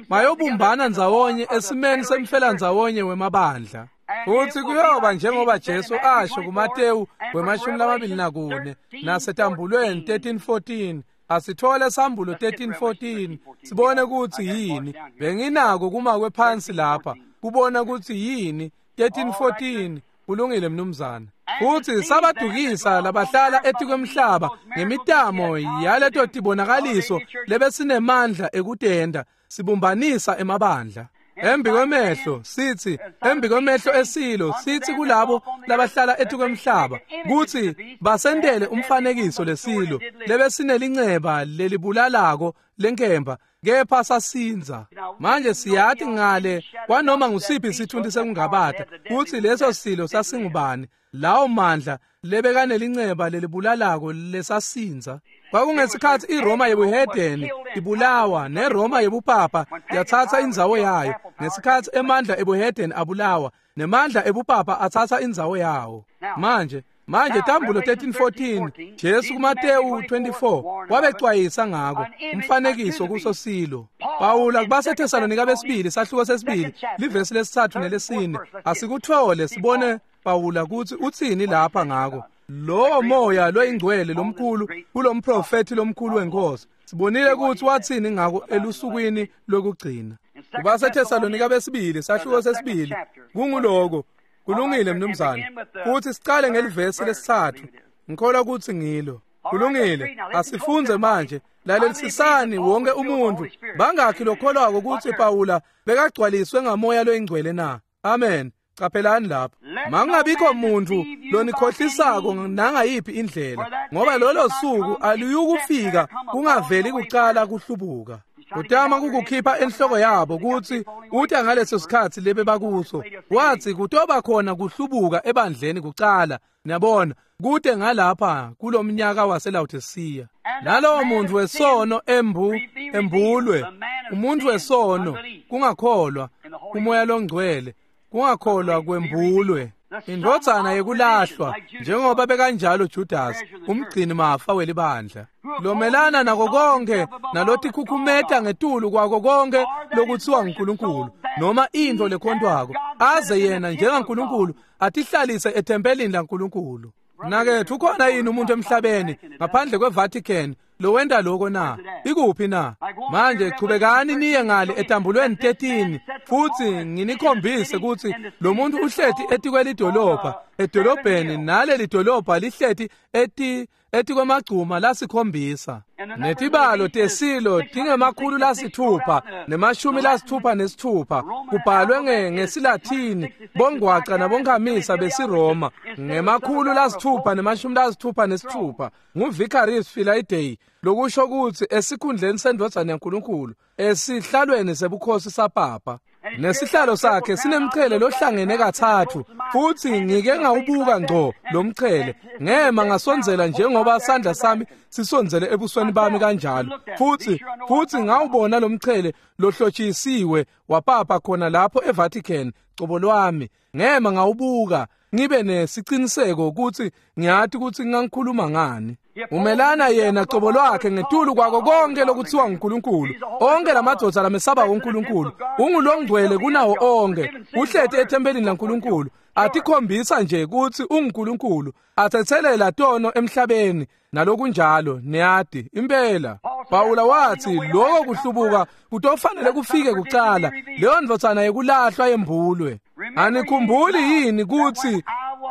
bayobumbana ndzawonye esimeni semfelandzawonye wemabandla. Futhi kuyoba njengoba Jesu asho kuMateyu wemashumi lamabili nakune nasetambulweni thirteen fourteen. Asithole sambulo thirteen fourteen sibone ukuthi yini. Benginako kuma kwephansi lapha kubona ukuthi yini thirteen fourteen. Kulungile mnumzana. Futhi sabadukisa labahlala etikwemhlaba ngemitamo yaleto tibonakaliso lebesinemandla ekutenda sibumbanisa emabandla. Embi kwemehlo sithi embi kwemehlo esilo sithi kulabo labahlala etikwemhlaba kuthi basendele umfanekiso lesilo lebesinelinxeba lelibulalako lenkemba kepha sasinza. Manje siyathi ngale kwanoma ngusiphi isithunti sekungabata kuthi leso silo sasingubani lawo mandla lebekanelinxeba lelibulalako lesasinza. Kwakungesikhathi iRoma yebuhedeni ibulawa neRoma yebupapa yathatha indzawo yayo. Ngesikhathi emandla ebuhedeni abulawa nemandla ebupapa athatha indzawo yawo. Manje manje tambulo thirteen fourteen Jesu kuMateyu twenty-four wabecwayisa ngako umfanekiso kuso silo. Pawula kubaseThesalonika besibili sahluko sesibili livesi lesithathu nelesine. Asikuthole sibone Pawula kuthi uthini lapha ngako. Lo moya loyingcwele lomkhulu kulomprofeti lomkhulu wenkosi sibonile ukuthi wathini ngako elusukwini lokugcina. KubaseThesalonika besibili sahluko sesibili kunguloko. Kulungile mnumzane. Futhi sicale ngelivesi lesithathu. Ngikholwa ukuthi ngilo. Kulungile. Asifunze manje. Lalelisisani wonke umuntu. Bangakhi lokholwako ukuthi Pawula bekagcwaliswe ngamoya loyingcwele na? Amen. Qaphelani lapho. Mangabikho muntu lonikhohlisako nangayiphi indlela, ngoba lolo suku aluyukufika kungaveli kucala kuhlubuka. Utama kukukhipha enhloko yabo ukuthi uthi ngaleso sikhathi lebe bakuso wathi kutoba khona kuhlubuka ebandleni kucala. Niyabona kude ngalapha kulomnyaka waseLaodicea. Nalowo muntu wesono embu embulwe umuntu wesono kungakholwa umoya longcwele kungakholwa kwembulwe indvodzana yekulahlwa njengoba bekanjalo Judas umgcini mafa welibandla lomelana nako konke nalotikhukhumeta ngetulu kwako konke lokuthiwa nguNkulunkulu noma into lekhontwako aze yena njengaNkulunkulu atihlalise ethempelini laNkulunkulu. Nakethu ukhona yini umuntu emhlabeni ngaphandle kweVatican lowenda lokho na? Ikuphi na? Manje chubekani niye ngale etambulweni thirteen futhi nginikhombise ukuthi lo muntu uhleti etikwelidolobha edolobheni naleli dolobha lihleti eti etikwamagcuma lasikhombisa. Netibalo tesilo tingemakhulu lasithupha nemashumi lasithupha nesithupha kubhalwe ngesiLathini bongwaca nabonkamisa besiRoma ngemakhulu lasithupha nemashumi lasithupha nesithupha nguVicarius Filii lokusho ukuthi esikhundleni sendvodzana yaNkulunkulu esihlalweni sebukhosi saPapa. Nesihlalo sakhe sinemchele lohlangene kathathu futhi ngike ngawubuka ngco lomchele ngema ngasondzela njengoba sandla sami sisondzele ebusweni bami kanjalo futhi futhi ngawubona lomchele lohlotshisiwe wapapa khona lapho eVatican cobo lwami. Ngema ngawubuka ngibe nesiciniseko ukuthi ngiyathi ukuthi ngangikhuluma ngani. Umelana yena cobo lwakhe ngetulu kwako konke lokuthiwa nguNkulunkulu. Onke lamadvodza lamesaba uNkulunkulu ungulongcwele kunawo onke uhleti ethempelini laNkulunkulu atikhombisa nje ukuthi unguNkulunkulu athethelela tono emhlabeni nalokunjalo. Niyati impela Pawula wathi lokho kuhlubuka kutofanele kufike kucala leyo ndvodzana yekulahlwa yembulwe. Anikhumbuli yini ukuthi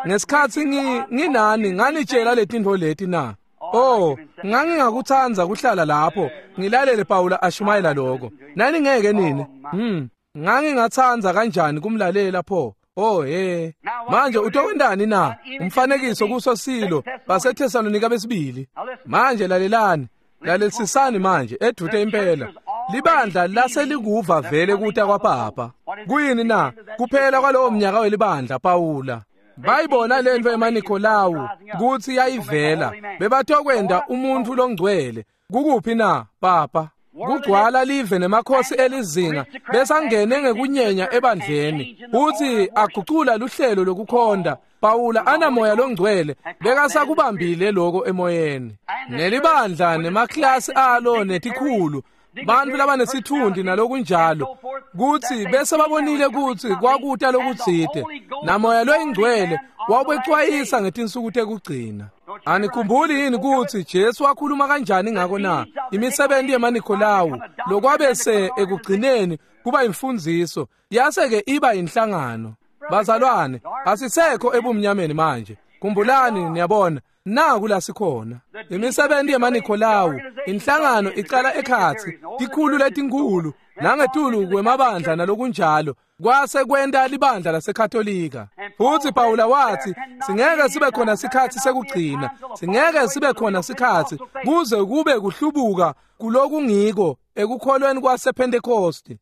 ngesikhathi nginani nganitshela letintfo leti na? Oh, ngangingakuthanda kuhlala lapho ngilalele Pawula ashumayela lokho. Nani ngeke nini? Hmm, ngangingathanda kanjani kumlalela pho? Oh he. Manje utokwendani na? Umfanekiso kuso silo baseThesalonika besibili. Manje lalelani, lalelisisani manje edute impela. Libandla laselikuva vele kuta kwaPapa. Kuyini na? Kuphela kwalowo mnyaka welibandla Pawula. Bayibona lento emaNikolawu kuthi yayivela bebatokwenda umuntu longcwele. Kukuphi na Papa? Kugcwala live nemakhosi elizinga besangene ngekunyenya ebandleni futhi agucula luhlelo lokukhonda. Pawula anamoya longcwele bekasakubambile lokho emoyeni. Nelibandla nemaklasi alo netikhulu bantu labanesithundi nalokunjalo kuthi bese babonile ukuthi kwakuta lokutsite namoya loyingcwele wawubecwayisa ngetinsuku tekugcina. Anikhumbuli yini ukuthi Jesu wakhuluma kanjani ngako na? Imisebenzi yemaNikolawu lokwabese ekugcineni kuba imfundiso yase-ke iba inhlangano. Bazalwane, asisekho ebumnyameni manje. Khumbulani, niyabona, naku la sikhona. Imisebenzi yemaNikolawu, inhlangano icala ekhatsi, tikhulu letinkulu, nangetulu kwemabandla nalokunjalo, kwase kwenta libandla laseKatolika. Futhi Pawula wathi, singeke sibe khona sikhatsi sekugcina, singeke sibe khona sikhatsi kuze kube kuhlubuka kulokungiko ekukholweni kwasePhentekosti.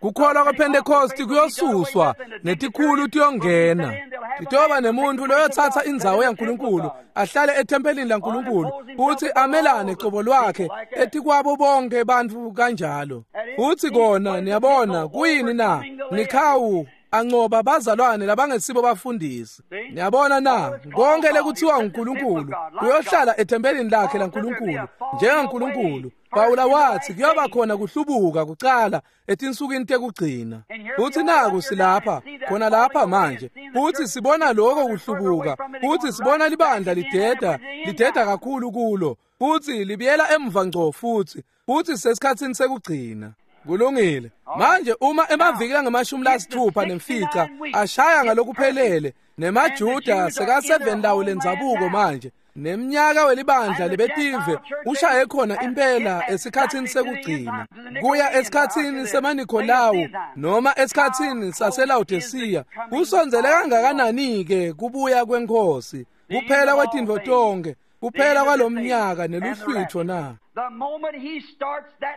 Kukholwa kwePhentekosti kuyosuswa netikhulu tiyongena. Titoba nemuntu loyothatha indzawo yaNkulunkulu ahlale ethempelini laNkulunkulu futhi amelane cobo lwakhe etikwabo bonke bantfu kanjalo. Futhi kona niyabona kuyini na? Nikhawu ancoba bazalwane labangesibo bafundisi. Niyabona na? Konke lekuthiwa uNkulunkulu kuyohlala ethempelini lakhe laNkulunkulu njengaNkulunkulu. Pawula wathi kuyoba khona kuhlubuka kucala etinsukwini tekugcina. Futhi naku silapha khona lapha manje futhi sibona lokho kuhlubuka futhi sibona libandla lideda lideda kakhulu kulo futhi libiyela emva ngco futhi futhi sesikhatsini sekugcina. Kulungile. Manje uma emaviki angamashumi lasithupha nemfica ashaya ngalokuphelele nemaJuda sekaseveni lawo lendzabuko manje neminyaka welibandla lebetive ushaye khona impela esikhatsini sekugcina kuya esikhatsini semaNikolawu noma esikhatsini saseLawodisiya. Kusondzele kangakanani-ke kubuya kweNkhosi, kuphela kwetintfo tonkhe, kuphela kwalomnyaka neluhlwitho na?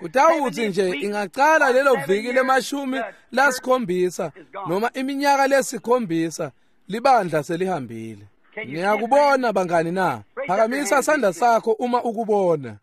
Utawutsi nje ingacala lelo viki lemashumi lasikhombisa noma iminyaka lesikhombisa libandla selihambile. Niyakubona bangani na? Phakamisa sandla sakho uma ukubona.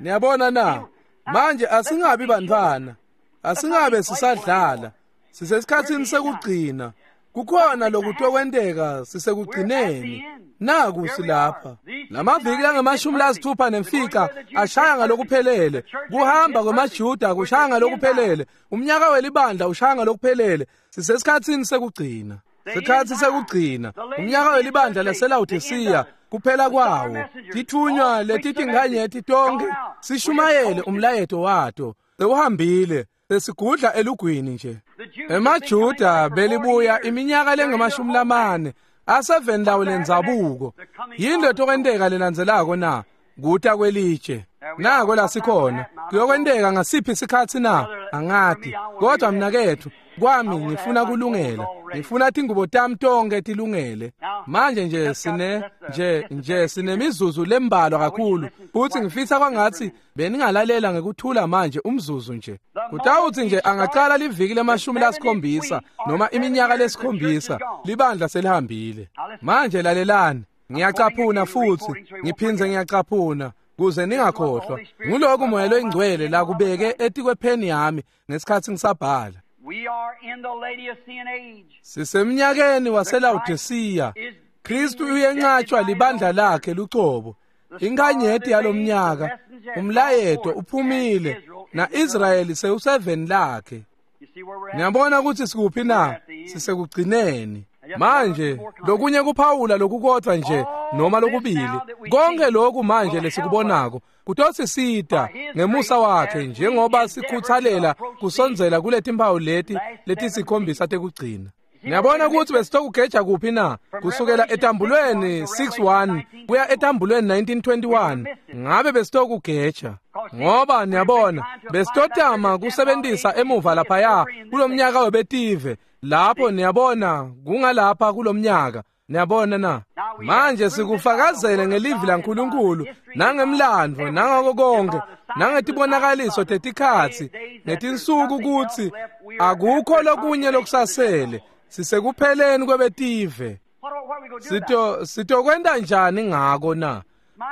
Niyabona na? Manje asingabi bantwana, asingabe sisadlala, sisesikhatsini sekugcina. Kukhona lokutokwenteka sisekugcineni. Naku silapha. Lamaviki langamashumi lasithupha nemfica ashaya ngalokuphelele. Kuhamba kwemaJuda kushaya ngalokuphelele. Umnyaka welibandla ushaya ngalokuphelele. Sisesikhatsini sekugcina. Sikhatsi sekugcina. Umnyaka welibandla laseLawodisiya kuphela kwawo. Tithunywa letitinganyeti tonke sishumayele umlayeto wato. Sewuhambile. Sesigudla elugwini nje. EmaJuda belibuya iminyaka lengamashumi lamane aseveni lawo lendzabuko. Yini letokwenteka lelandzelako na? Kuta kwelitshe. Nako la sikhona. Kuyokwenteka ngasiphi sikhatsi na? Angati. Kodwa mnaketfu kwami ngifuna kulungela. Ngifuna tingubo tami tonke tilungele. Manje nje sine nje nje sinemizuzu lembalwa kakhulu. Futhi ngifisa kwangathi beningalalela ngekuthula manje umzuzu nje. Kutawuthi nje angacala liviki lemashumi lasikhombisa noma iminyaka lesikhombisa libandla selihambile. Manje lalelani. Ngiyacaphuna futhi ngiphindze ngiyacaphuna kuze ningakhohlwa. Nguloko Moya loyingcwele la kubeke etikwepheni yami ngesikhatsi ngisabhala. Sisemnyakeni waseLawodisiya. Kristu uyenqatshwa libandla lakhe lucobo. Inkanyeti yalomnyaka umlayeto uphumile na Israyeli sewuseveni lakhe. Niyabona ukuthi sikuphi na? Sisekugcineni. Manje lokunye kuphawula lokukodwa nje noma lokubili. Konke lokhu manje lesikubonako kutosisita ngemusa wakhe njengoba sikhuthalela kusondzela kuletimpawu leti letisikhombisa tekugcina. Niyabona ukuthi besitokugeja kuphi na? Kusukela etambulweni six one kuya etambulweni nineteen twenty-one ngabe besitokugeja. Ngoba niyabona besitotama kusebentisa emuva laphaya kulomnyaka webetive lapho niyabona kungalapha kulomnyaka. Niyabona na? Manje sikufakazele ngelivi laNkulunkulu nangemlandvo nangako konke nangetibonakaliso tetikhatsi netinsuku kutsi akukho lokunye lokusasele. Sisekupheleni kwebetive. Sito sitokwenta njani ngako na?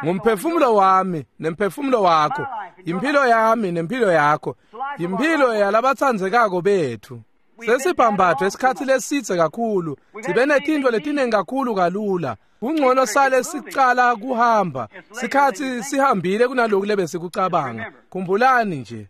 Ngumphefumulo wami nemphefumulo wakho, Impilo yami nempilo yakho, impilo yalabatsandzekako bethu. Sesibhambathwe isikhathi lesitse kakhulu, sibe netintfo letiningi kakhulu kalula. Kungcono sale sicala kuhamba, sikhathi sihambile kunaloku lebesikucabanga. Khumbulani nje.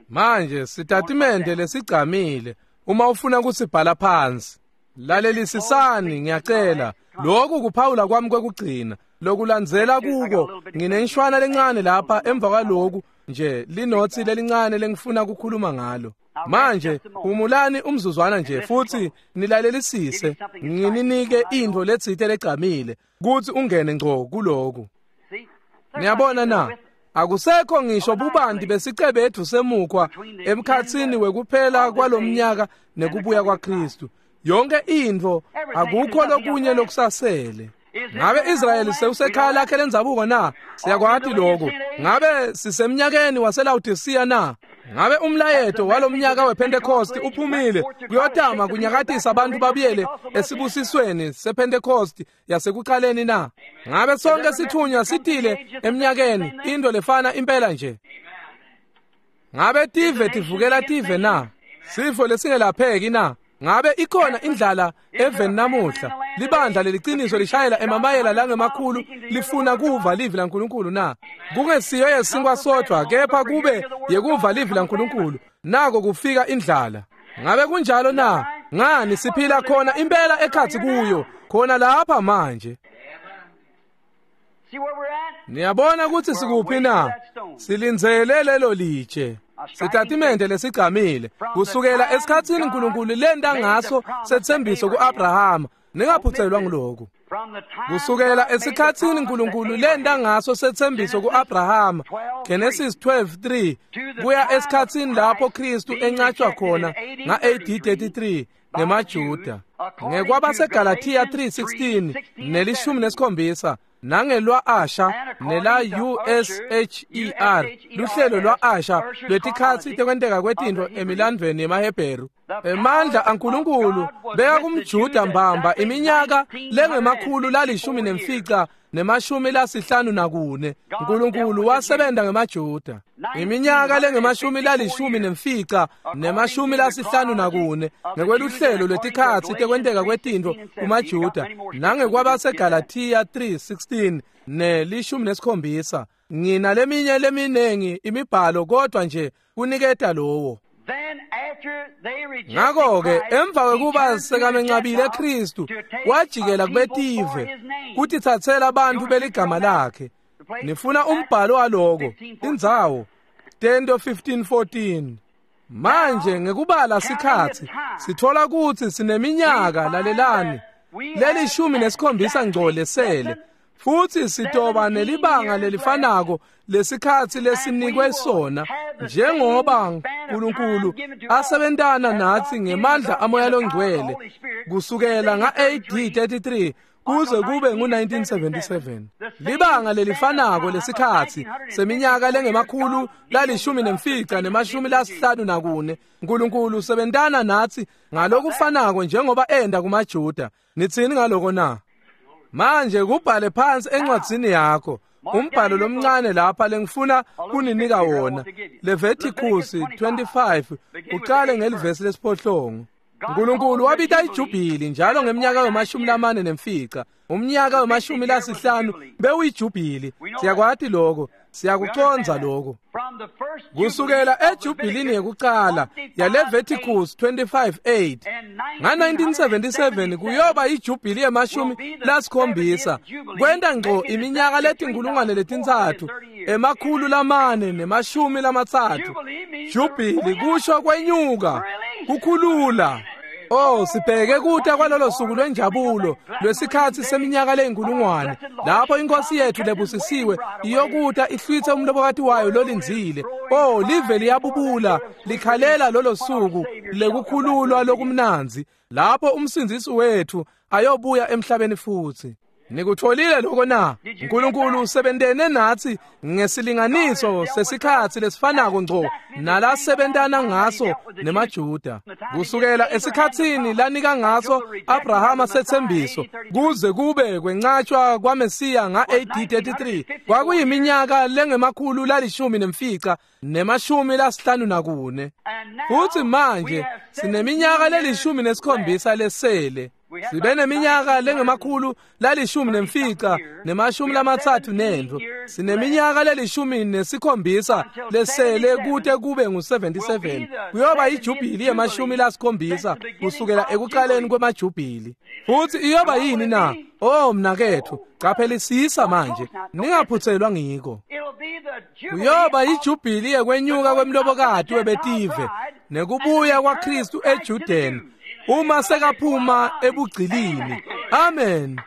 Manje sitatimende lesigcamile, uma ufuna kusibhala phansi. Lalelisisani ngiyacela. Lokhu kuphawula kwami kwekugcina. Lokulandzela kuko nginenshwana lencane lapha emva kwaloku nje linothi lelincane lengifuna ukukhuluma ngalo. Manje humulani umzuzwana nje futhi nilalelisise, ngininike intfo letsite legcamile kutsi ungene ngco kuloku. Niyabona na? Akusekho ngisho bubanti besicebethu semukhwa emkhatsini wekuphela kwalomnyaka nekubuya kwaKristu. Yonke intfo akukho lokunye lokusasele. Ngabe Israyeli sewusekhaya lakhe lendzabuko na? Siyakwati lokho. Ngabe sisemnyakeni waseLaodicea na? Ngabe umlayeto walomnyaka wePentecost uphumile kuyotama kunyakatisa abantu babuyele esibusisweni sePentecost yasekuqaleni na? Ngabe sonke sithunywa sitile eminyakeni into lefana impela nje? Ngabe tive tivukela tive na? Sifo lesingelapheki na? Ngabe ikhona indlala eveni namuhla? Libandla leliciniso lishayela emamayela langemakhulu lifuna kuva livi laNkulunkulu na? Kungesiyo yesinkwa sodwa kepha kube yekuva livi laNkulunkulu. Nako kufika indlala. Ngabe kunjalo na? Ngani siphila khona impela ekhatsi kuyo, khona lapha manje. Niyabona ukuthi sikuphi na? Silindzele lelo litshe. Sitatimende lesigcamile kusukela esikhatsini uNkulunkulu lenta ngaso setsembiso kuAbrahama. Ningaphuthelwa ngilokhu. Kusukela esikhatsini uNkulunkulu lenta ngaso setsembiso kuAbrahama, Genesis twelve three, kuya esikhatsini lapho Kristu encatshwa khona nga-A D thirty-three ngemaJuda, ngekwabaseGalatia three sixteen nelishumi nesikhombisa, nangelwa Asha nela U S H E R, luhlelo lwa Asha lwetikhatsi tekwenteka kwetintfo emilandvweni yemaHebheru. Emandla aNkulunkulu beka kumJuda mbamba iminyaka lengemakhulu lalishumi nemfica nemashumi lasihlanu nakune. uNkulunkulu wasebenza ngemaJuda iminyaka lengemashumi lalishumi nemfica nemashumi lasihlanu nakune ngekweluhlelo lwetikhatsi tekwenteka kwetintfo kumaJuda, nangekwabaseGalatia three sixteen nelishumi nesikhombisa. Ngina leminye leminengi imibhalo kodwa nje kuniketa lowo. Ngakho-ke emva kwekuba sekamencabile Kristu, wajikela kubetive kutitsatsela abantu beligama lakhe. Nifuna umbhalo waloko, indzawo Tento fifteen fourteen. Manje ngekubala sikhatsi sithola kutsi sineminyaka, lalelani, lelishumi nesikhombisa ngco lesele, futhi sitoba nelibanga lelifanako lesikhatsi lesinikwe sona njengoba uNkulunkulu asebentana natsi ngemandla amoya longcwele kusukela nga-A D thirty-three kuze kube ngu-nineteen seventy-seven. Libanga lelifanako lesikhatsi seminyaka lengemakhulu lalishumi nemfica nemashumi lasihlanu nakune, uNkulunkulu usebentana natsi ngalokufanako njengoba enda kumaJuda. Nitsini ngaloko na? Manje kubhale phansi encwadzini yakho umbhalo lomncane lapha lengifuna kuninika wona, Leviticus twenty-five, uqale ngelivesi lesiphohlongo. uNkulunkulu wabita ijubhili njalo ngeminyaka wemashumi lamane nemfica. Umnyaka wemashumi lasihlanu bewuyijubhili. Siyakwati lokho, siyakucondza lokho. Kusukela ejubhilini yekuqala yaLeviticus twenty-five eight nga-nineteen seventy-seven kuyoba ijubhili yemashumi lasikhombisa, kwenta ngco iminyaka letinkulungwane letintsatfu emakhulu lamane nemashumi lamatsatfu. Jubhili kusho kwenyuka, kukhulula. Oh, sibheke kuta kwalolo suku lwenjabulo lwesikhatsi seminyaka leyinkulungwane lapho inkosi yethu lebusisiwe iyokuta ihlwithe umlobokati wayo lolindzile. Oh, live liyabubula likhalela lolo suku lekukhululwa lokumnandzi lapho umsindzisi wethu ayobuya emhlabeni futhi. Nikutfolile lokho na? uNkulunkulu usebentene nathi ngesilinganiso sesikhatsi lesifanako ngco nalasebentana ngaso nemaJuda. Kusukela esikhatsini lanika ngaso Abrahama setsembiso kuze kube kwencatshwa kwaMesiya nga-A D thirty-three kwakuyiminyaka lengemakhulu lalishumi nemfica nemashumi lasihlanu nakune. Futhi manje sineminyaka lelishumi nesikhombisa lesele. Sibe neminyaka lengemakhulu lalishumi nemfica nemashumi lamatsatfu nentfo. Sineminyaka lelishumi nesikhombisa lesele kute kube ngu-seventy-seven. Kuyoba ijubhili yemashumi lasikhombisa kusukela ekuqaleni kwemajubhili. Futhi iyoba yini na? Oh mnaketfu, qaphelisisa manje, ningaphuthelwa ngiko. Kuyoba ijubhili yekwenyuka kwemlobokati webetive nekubuya kwaKristu eJudeni uma sekaphuma ebugcilini. Amen.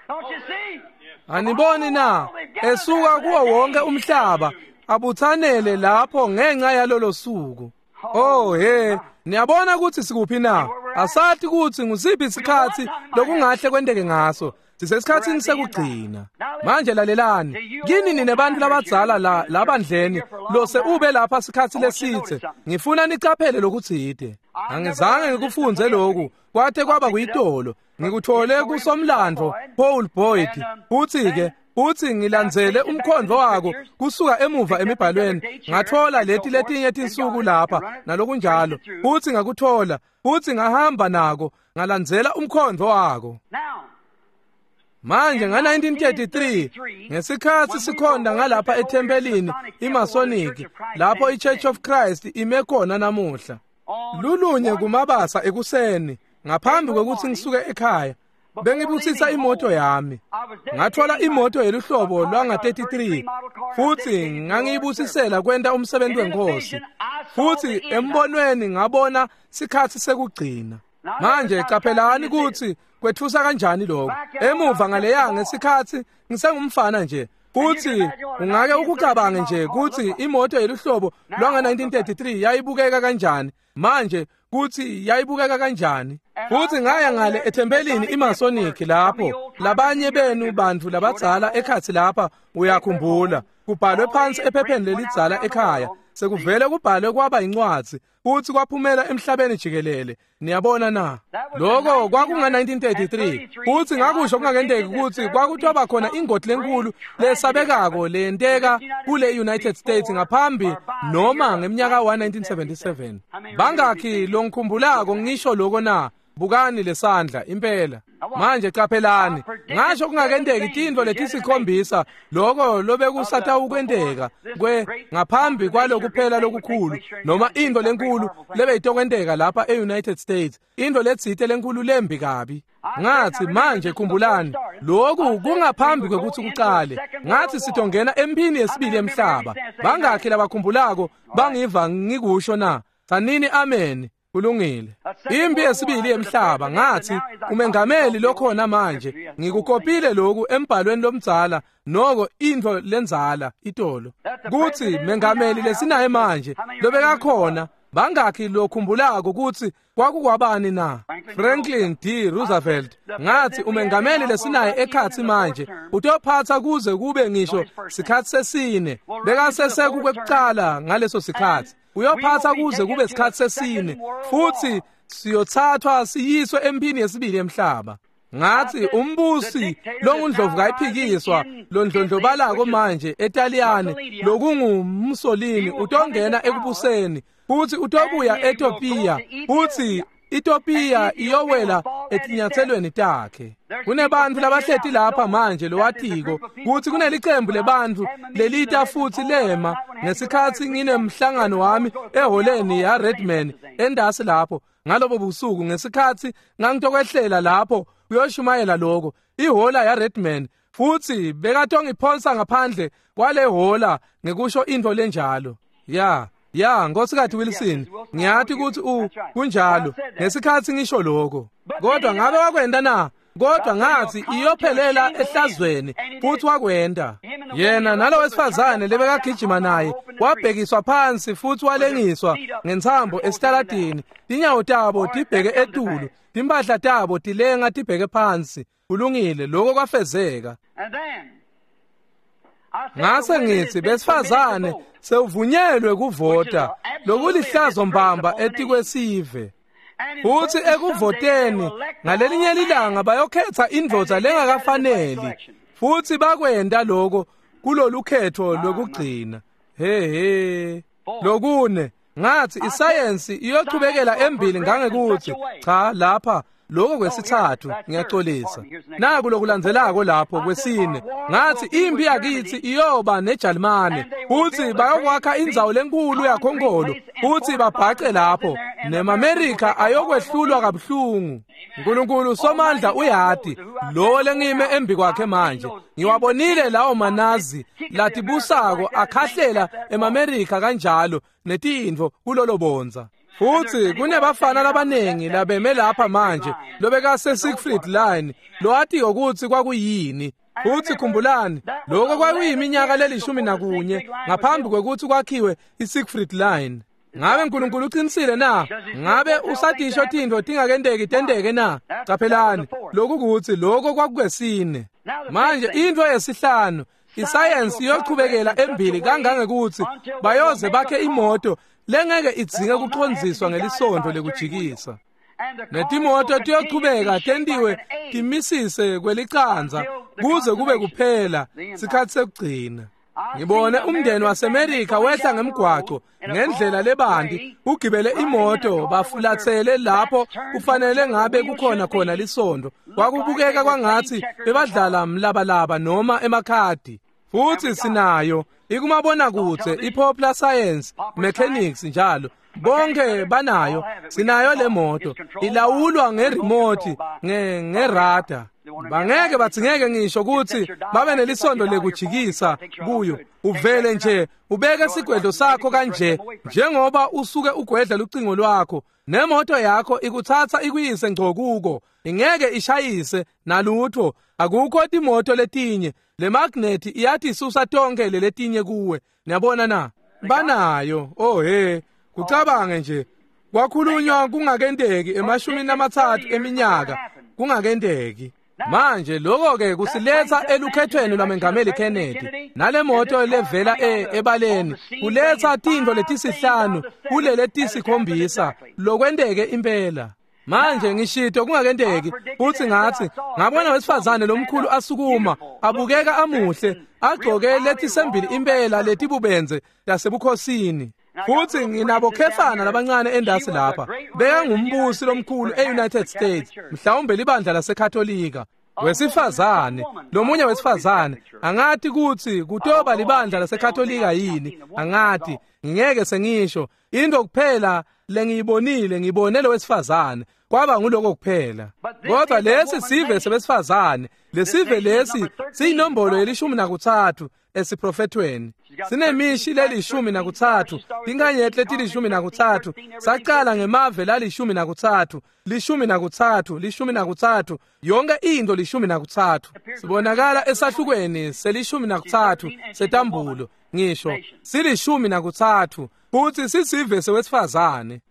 Aniboni na? Esuka kuwo wonke umhlaba abuthanele lapho ngenxa yalolo suku. Oh he, niyabona ukuthi sikuphi na? Asathi ukuthi ngusiphi isikhathi lokungahle kwenteke ngaso. Sisesikhatsini sekugcina. Manje lalelani, kini nine bantu labadzala la labandleni lose ube lapha sikhatsi lesitse. Ngifuna nicaphele lokutsite. Angizange ngikufunze lokhu kwathe kwaba kuyitolo. Ngikuthole kusomlando Paul Boyd. Uthi ke uthi ngilandzele umkhondvo wako kusuka emuva emibhalweni, ngathola leti letinye tinsuku lapha nalokunjalo. Uthi ngakuthola, uthi ngahamba nako ngalandzela umkhondvo wako. Manje nga-nineteen thirty-three ngesikhatsi sikhonda ngalapha ethempelini iMasonic lapho iChurch of Christ ime khona namuhla. Lulunye kumabasa ekuseni ngaphambi kwekutsi ngisuke ekhaya bengibusisa imoto yami. Ngathola imoto yeluhlobo lwanga thirty-three futhi ngangiyibusisela kwenta umsebenzi wenkosi. Futhi embonweni ngabona sikhatsi sekugcina. Manje qaphelani ukuthi kwethusa kanjani lokho. Emuva ngaleya ngesikhatsi ngisengumfana nje, futhi ungake ukucabange nje ukuthi imoto yeluhlobo lwanga nineteen thirty-three yayibukeka kanjani. Manje kuthi yayibukeka kanjani. Futhi ngaya ngale ethempelini iMasonic lapho labanye benu bantu labadzala ekhatsi lapha uyakhumbula kubhalwe phansi ephepheni lelidzala ekhaya sekuvele kubhalwe kwaba incwadzi futhi kwaphumela emhlabeni jikelele. Niyabona na? Lokho kwakunga nineteen thirty-three. Futhi ngakusho kungakenteki ukuthi kwakuthiwa khona ingoti lenkulu lesabekako leyenteka kule United States ngaphambi noma ngeminyaka wa nineteen seventy-seven. Bangakhi longikhumbulako ngisho lokho na? Bukani lesandla impela. Manje qaphelani, ngasho kungakenteki tintfo letisikhombisa lokho lobekusata ukwenteka kwe ngaphambi kwalokuphela lokukhulu noma into lenkulu lebeyitokwenteka lapha e-United States, into letsite lenkulu lembi kabi. Ngathi manje khumbulani, lokhu kungaphambi kwekutsi kuqale. Ngathi sitongena emphini yesibili yemhlaba. Bangakhi labakhumbulako bangiva ngikusho na? Sanini amen. Kulungile. Impi yesibili yemhlaba ngathi umengameli lokhona manje ngikukopile lokhu embhalweni lomdzala noko intfo lenzala itolo kuthi mengameli lesinaye manje lobekakhona. Bangakhi lokhumbulako ukuthi kwakukwabani na? Franklin D Roosevelt. Ngathi umengameli lesinaye ekhatsi manje utophatha kuze kube ngisho sikhatsi sesine. Bekasese kwekuqala ngaleso sikhatsi. Uyophatha kuze kube sikhatsi sesine futhi siyothathwa siyiswe emphini yesibili yemhlaba. Ngathi umbusi longundlovu kayiphikiswa londlondlobalako manje eTaliyane lokungu Mussolini utongena ekubuseni futhi utobuya eEthiopia futhi Ethiopia iyowela etinyathelweni takhe. Kunebantu labahleti lapha manje lowatiko kuthi kunelicembu lebantu lelita futhi lema ngesikhatsi nginemhlangano wami eholeni ya Redman endasi lapho ngalobo busuku ngesikhatsi ngangitokwehlela lapho kuyoshumayela lokho ihola ya Redman futhi bekatongiphonsa ngaphandle kwale hola ngekusho into lenjalo. Ya Ya, Nkosikazi Wilson, ngiyathi ukuthi u kunjalo ngesikhatsi ngisho lokho. Kodwa ngabe wakwenda na? Kodwa ngathi iyophelela ehlazweni futhi wakwenda. Yena nalo wesifazane lebekagijima naye wabhekiswa phansi futhi walengiswa ngentsambo esitaladini, tinyawo tabo tibheke etulu, timphahla tabo tilenga tibheke phansi. Kulungile, lokho kwafezeka. Ngase ngithi besifazane sewuvunyelwe kuvota, lokulihlazo mbamba etikwesive. Futhi ekuvoteni ngalelinye ilanga bayokhetha indvodza lengakafaneli, futhi bakwenda lokho kulolu khetho lokugcina. He he. Lokune ngathi isayensi iyochubekela embili ngangekuthi cha lapha lokho kwesithathu, ngiyaxolisa. Naku lokulandzelako lapho kwesine, ngathi impi yakithi iyoba neJalimane, futhi bayokwakha indzawo lenkulu yakhonkolo, futhi babhace lapho, nemaMerika ayokwehlulwa kabuhlungu. uNkulunkulu somandla uyati, lo lengime embi kwakhe manje. Ngiwabonile lawo manazi latibusako akhahlela emaMerika kanjalo netintfo kulolo bonza. Futhi kunebafana labanengi labeme lapha manje lobekase Siegfried Line lowatiyo ukuthi kwakuyini. Futhi khumbulani, lokho kwakuyiminyaka lelishumi nakunye ngaphambi kwekuthi kwakhiwe iSiegfried Line. Ngabe uNkulunkulu uqinisile na? Ngabe usadisho tintfo tingakenteki tenteke na? Caphelani, lokhu ukuthi lokho kwakukwesine. Manje into yesihlanu, isayensi iyochubekela embili kangangekuthi bayoze bakhe imoto lengeke idzinge kucondziswa ngelisondo lekujikisa. Netimoto tiyochubeka tentiwe timisise kwelicanza kuze kube kuphela sikhathi sekugcina. Ngibone umndeni waseMerika wehla ngemgwaco ngendlela lebanti ugibele imoto bafulathele lapho kufanele ngabe kukhona khona lisondo. Kwakubukeka kwangathi bebadlala mlabalaba noma emakhadi. Futhi sinayo ikumabonakudze iPopular Science Mechanics njalo bonke banayo. Sinayo le moto ilawulwa ngeremote nge ngerada. Bangeke bathingeke ngisho ukuthi babe nelisondo lekujikisa kuyo. Uvele nje ubeke sigwedlo sakho kanje njengoba usuke ugwedla lucingo lwakho, nemoto yakho ikuthatha ikuyise ngco kuko, ingeke ishayise nalutho. Akukho timoto letinye, le magnet iyathi isusa tonke leletinye kuwe. Niyabona na? Banayo. Oh he, kucabange nje kwakhulunywa kungakenteki emashumini amathathu eminyaka kungakenteki. Manje lokho ke kusiletha elukhethweni lwamengameli Kennedy nale moto levela ebaleni, kuletha tintfo letisihlanu kulele tisikhombisa lokwenteke impela. Manje ngishito kungakenteki, futhi ngathi ngabona wesifazane lomkhulu asukuma abukeka amuhle agcoke letisembili impela letibubenze lasebukhosini. Futhi nginabo khefana labancane endasi lapha, bekangumbusi lomkhulu e-United States, mhlawumbe libandla laseKatolika. Wesifazane, lomunye wesifazane, angathi kuthi kutoba libandla laseKatolika yini, angathi ngeke sengisho. Into kuphela lengiyibonile, ngibone lo wesifazane, kwaba nguloko kuphela. Kodwa lesi sive sebesifazane, lesive lesi siyinombolo yelishumi nakuthathu esiprofethweni. Sinemishi lelishumi nakuthathu, tinkanyeti letilishumi nakuthathu. Saqala ngemave lalishumi nakuthathu, lishumi nakuthathu, lishumi nakuthathu, yonke into lishumi nakuthathu. Sibonakala esahlukweni selishumi nakuthathu setambulo, ngisho silishumi nakuthathu, futhi sisive sewesifazane.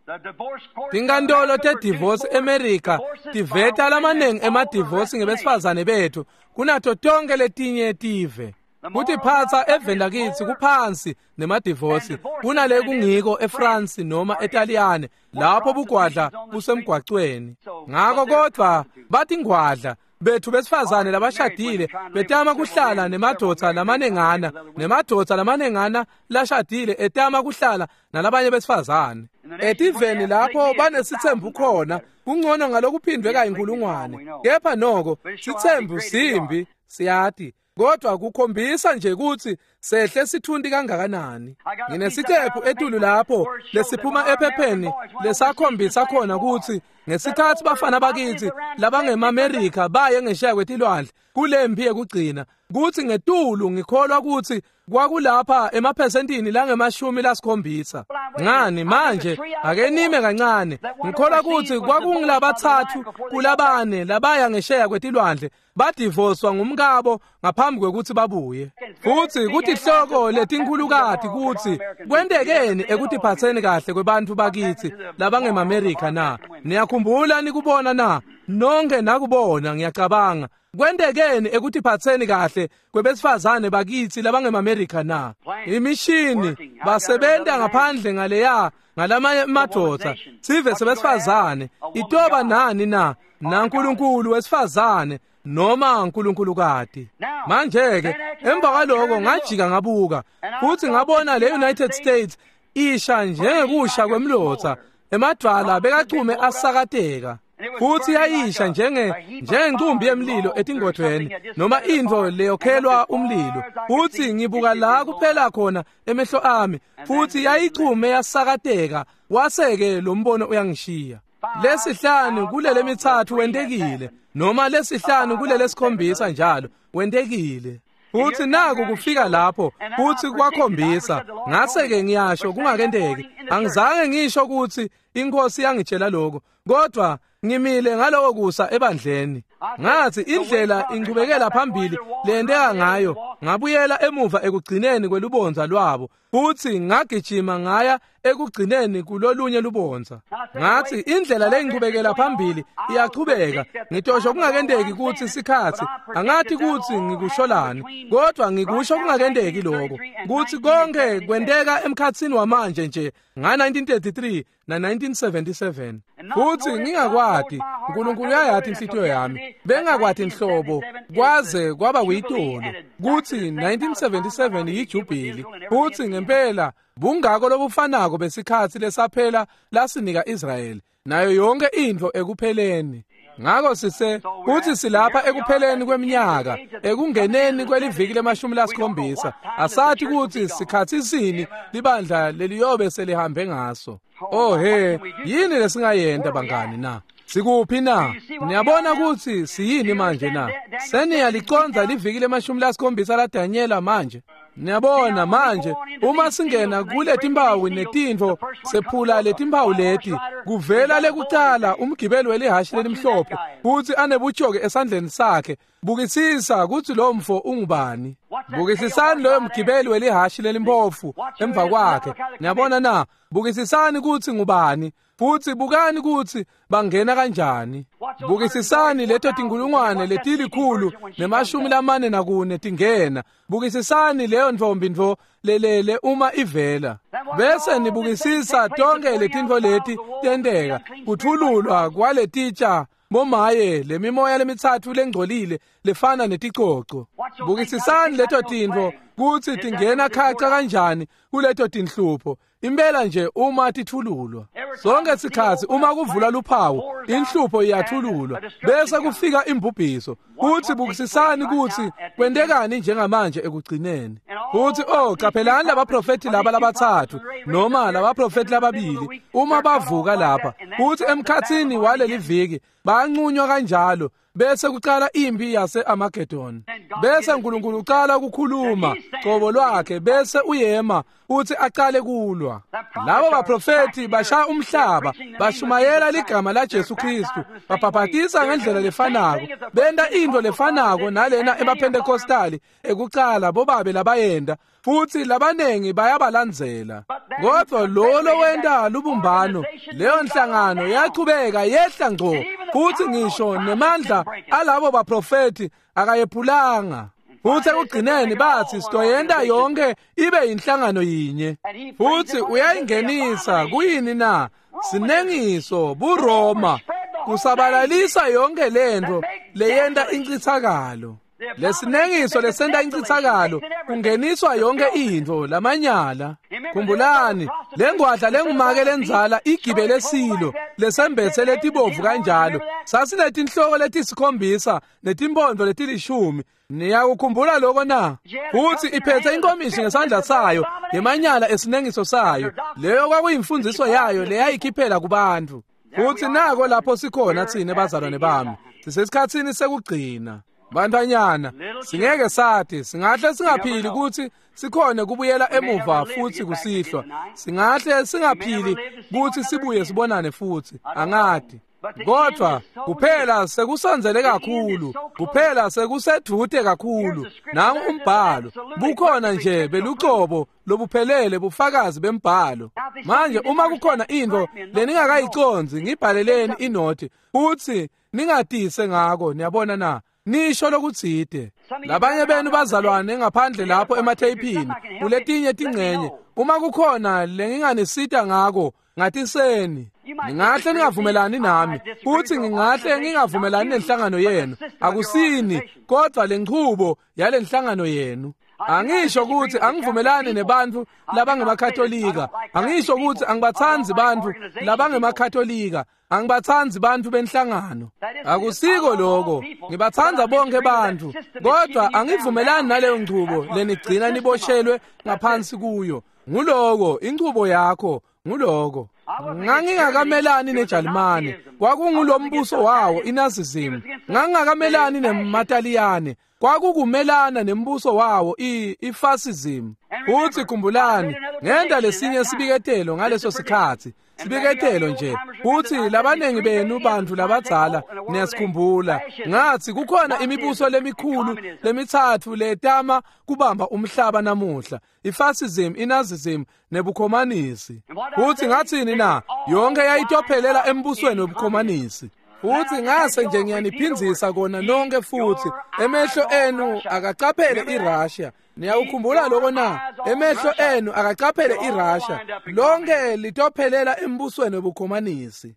Tinkantolo tedivorce eMerika tiveta lamanengi emadivorce ngebesifazane bethu kunato tonke letinye tive. Kuthi phatsa eveni lakithi kuphansi nemadivosi kunale kungiko eFrance noma eTaliyane lapho bugwadla busemgwacweni. Ngakho kodwa bathi ngwadla bethu besifazane labashadile betama kuhlala nemadvodza lamanengana, nemadvodza lamanengana lashadile etama kuhlala nalabanye besifazane. Etiveni lapho banesithembu khona kungcono ngalokuphindwe kayinkulungwane, kepha noko sithembu simbi siyati. Kodwa kukhombisa nje ukuthi sehle sithundi kangakanani. Nginesiqephu etulu lapho lesiphuma ephepheni lesakhombisa khona ukuthi ngesikhathi bafana bakithi labangemaMerika baye ngesheya kwetilwandle kulempi yekugcina, Kuthi ngetulu ngikholwa ukuthi kwakulapha emaphesentini langemashumi lasikhombisa. Ngani manje ake nime kancane. Ngikholwa ukuthi kwakungilabathathu kulabane labaya ngesheya kwetilwandle badivoswa ngumkabo ngaphambi kwekuthi babuye. Futhi kutihloko letinkhulukati kuthi kwentekeni ekutiphatseni kahle kwebantfu bakithi labangemaMerika na. Niyakhumbula nikubona na? Nonke nakubona ngiyacabanga. Kwentekeni ekutiphatseni kahle kwebesifazane bakithi labangemaMerika na? Imishini basebenta ngaphandle ngaleya ngalamanye madoda sive sebesifazane itoba nani na naNkulunkulu wesifazane noma uNkulunkulukati. Manje ke emva kwaloko ngajika ngabuka futhi ngabona le United States isha njengekusha kwemlotha, emadwala bekachume asakateka. Futhi yayisha njenge njengencumbi yemlilo etingodweni noma intfo leyokhelwa umlilo. Futhi ngibuka la kuphela khona emehlo ami, futhi yayichume yasakateka. Waseke lo mbono uyangishiya. Lesihlanu kulele mithathu wentekile, noma lesihlanu kulele sikhombisa njalo wentekile. Futhi naku kufika lapho futhi kwakhombisa. Ngase-ke ngiyasho kungakenteki, angizange ngisho ukuthi inkosi yangitshela lokho, kodwa ngimile ngaloko kusa ebandleni. Ngathi indlela inqubekela phambili lenteka ngayo, ngabuyela emuva ekugcineni kwelubonza lwabo, futhi ngagijima ngaya ekugcineni kulolunye lubonza. Ngathi indlela lengqubekela phambili iyachubeka. Ngitosho kungakenteki ukuthi sikhathi, angathi ukuthi ngikusholani, kodwa ngikusho kungakenteki lokho, kuthi konke kwenteka emkhathini wamanje nje nga nineteen thirty-three na nineteen seventy-seven. Futhi ngingakwati, uNkulunkulu uyayathi inhlitiyo yami, bengakwati inhlobo kwaze kwaba kuyitolo kuthi nineteen seventy-seven yijubili. Futhi ngempela bungako lobufanako besikhathi lesaphela lasinika Israyeli nayo yonke intfo ekupheleni. Ngako sise kuthi silapha ekupheleni kweminyaka, ekungeneni kweliviki lemashumi lasikhombisa. Asathi kuthi sikhathi sini libandla leliyobe selihambe ngaso. Oh he, yini lesingayenta bangani na? Sikuphi na? Niyabona ukuthi siyini manje na? Seniyaliconza liviki lemashumi lasikhombisa la Daniela manje. Niyabona manje uma singena kule timpawu netintfo sephula letimpawu leti, kuvela lekucala umgibeli welihashi lelimhlophe futhi anebutshoke esandleni sakhe. Bukisisa kuthi lo mfo ungubani. Bukisisani loyo mgibeli welihashi lelimpofu emva kwakhe. Niyabona na? Bukisisani kuthi ngubani, futhi bukani kuthi bangena kanjani. Bukisisani leto tinkulungwane letilikhulu nemashumi lamane nakune tingena. Bukisisani leyo ntfombi ntfo lelele uma ivela. Bese nibukisisa tonke letintfo leti tenteka, kuthululwa kwaletitsha bomaye lemimoya lemitsatfu lengcolile lefana neticoco. Bukisisani leto tintfo kutsi tingena khaca kanjani kuleto tinhlupho. Impela nje uma tithululwa sonke sikhathi, uma kuvula luphawu inhlupho iyathululwa bese kufika imbubhiso. Kuthi bukisisani kuthi kwentekani njengamanje ekugcineni. Kuthi oh qaphelani labaprofeti laba labathathu noma labaprofeti lababili uma bavuka lapha, kuthi emkhathini waleli viki banqunywa kanjalo bese kuqala impi yase Armageddon. Bese uNkulunkulu uqala ukukhuluma qobo lwakhe bese uyema uthi aqale kulwa. Labo baprofeti bashaya umhlaba, bashumayela ligama la Jesu Kristu, babhabhatisa ngendlela lefanako, benta into lefanako nalena ebaPentecostali ekuqala bobabe labayenda, futhi labanengi bayabalandzela. Kodwa lo lowenta lubumbano, leyo nhlangano yachubeka yehla ngco, futhi ngisho nemandla alabo baprofeti akayephulanga. Futhi ekugcineni bathi sitoyenta yonke ibe inhlangano yinye. Futhi uyayingenisa kuyini na? Sinengiso buRoma kusabalalisa yonke lento leyenta incithakalo. Lesinengiso lesenta incithakalo kungeniswa yonke intfo lamanyala. Khumbulani lengwadla lengumake lenzala igibele silo lesembethe letibovu kanjalo sasinetinhloko letisikhombisa netimpondo letilishumi. Niyakukhumbula lokho na? Futhi iphethe inkomishi ngesandla sayo yemanyala esinengiso sayo. Leyo kwakuyimfundiso yayo leyayikhiphela kubantu. Futhi nako lapho sikhona thina bazalwane bami, sisesikhatsini sekugcina. Bantfwanyana, singeke sathi, singahle singaphili kutsi sikhone kubuyela emuva futsi kusihlwa. Singahle singaphili kutsi sibuye sibonane futsi, angati. Kodwa kuphela sekusondzele kakhulu, kuphela sekusedvute kakhulu. Nangu umbhalo, bukhona nje belucobo lobuphelele bufakazi bembhalo. Manje uma kukhona intfo leningakayicondzi, ngibhaleleni inothi futsi ningatise ngako, niyabona na? Nisho lokutsite. Labanye benu bazalwane ngaphandle lapho ematheyiphini kuletinye tincenye, uma kukhona lenginganisita ngako, ngatiseni. Ningahle ningavumelani nami, futsi ngingahle ngingavumelani nenhlangano yenu. Akusini, kodvwa lenchubo yalenhlangano yenu. Angisho kutsi angivumelani nebantfu labangemakatolika. Angisho kutsi angibatsandzi bantfu labangemakatolika. Angibatsandzi bantfu benhlangano. Akusiko lokho. Ngibatsandza bonke bantfu, kodvwa angivumelani naleyo nchubo lenigcina niboshelwe ngaphansi kuyo. Nguloko inchubo yakho, nguloko. Ngangingakamelani neJalimane, kwakungulombuso wawo iNazism. Ngangingakamelani nemaTaliyane, kwakukumelana nembuso wawo i-fascism. Futsi khumbulani, ngenta lesinye sibiketelo ngaleso sikhatsi, sibiketelo nje. Futsi labanengi benu bantfu labadzala niyasikhumbula. Ngathi kukhona imibuso lemikhulu lemitsatfu letama kubamba umhlaba namuhla: ifascism, iNazism nebukhomanisi. Futsi ngathini na? Yonke yayitophelela embusweni webukhomanisi. Futsi ngase nje ngiyaniphindzisa kona nonke futsi, emehlo enu akacaphele iRussia. Niyawukhumbula lokho na? Emehlo enu akacaphele iRussia. Lonke litophelela embusweni webukhomanisi.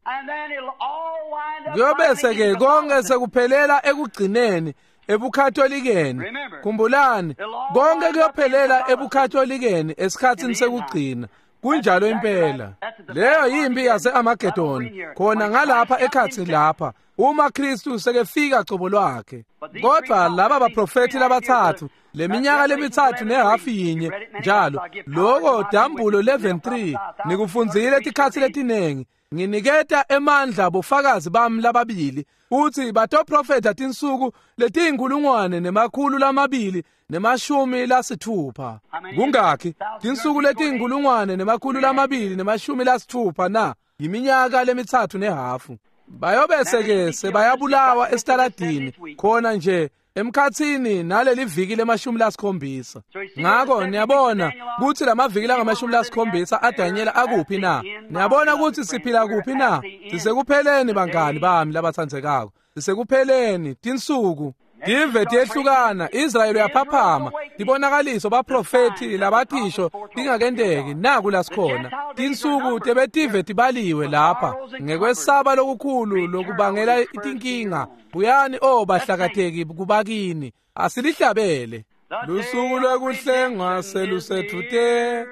Kuyobese ke konke sekuphelela ekugcineni ebukatholikeni. Khumbulani, konke kuyophelela ebukatholikeni esikhatsini sekugcina. Kunjalo impela. Leyo yimpi yase-Amagedoni, khona ngalapha ekhatsi lapha, uma Kristu sekefika cobo lwakhe. Kodwa laba baprofethi labatsatfu, leminyaka lemitsatfu nehafu yinye njalo, loko Dambulo eleven three, nikufundzile tikhatsi letinengi. Nginiketa emandla bofakazi bami lababili, futsi batoprofetha tinsuku letiyinkulungwane nemakhulu lamabili nemashumi lasitfupha. Kungakhi? Tinsuku letiyinkulungwane nemakhulu lamabili nemashumi lasitfupha na? Yiminyaka lemitsatfu nehafu. Bayobese ke sebayabulawa esitaladini khona nje emkhatsini naleli viki lemashumi lasikhombisa. Ngako niyabona kutsi lamaviki langamashumi lasikhombisa aDanyela akuphi na? Niyabona kutsi siphila kuphi na? Sisekupheleni bangani bami labatsandzekako. Sisekupheleni tinsuku. Tive tiyehlukana, Israyeli uyaphaphama, tibonakaliso baprofethi labatisho tingakenteki naku lasikhona. Tinsuku tebetive tibaliwe lapha ngekwesaba lokukhulu lokubangela tinkinga. Buyani o bahlakateki kubakini, asilihlabele. Lusuku lwekuhlengwa selusedvute,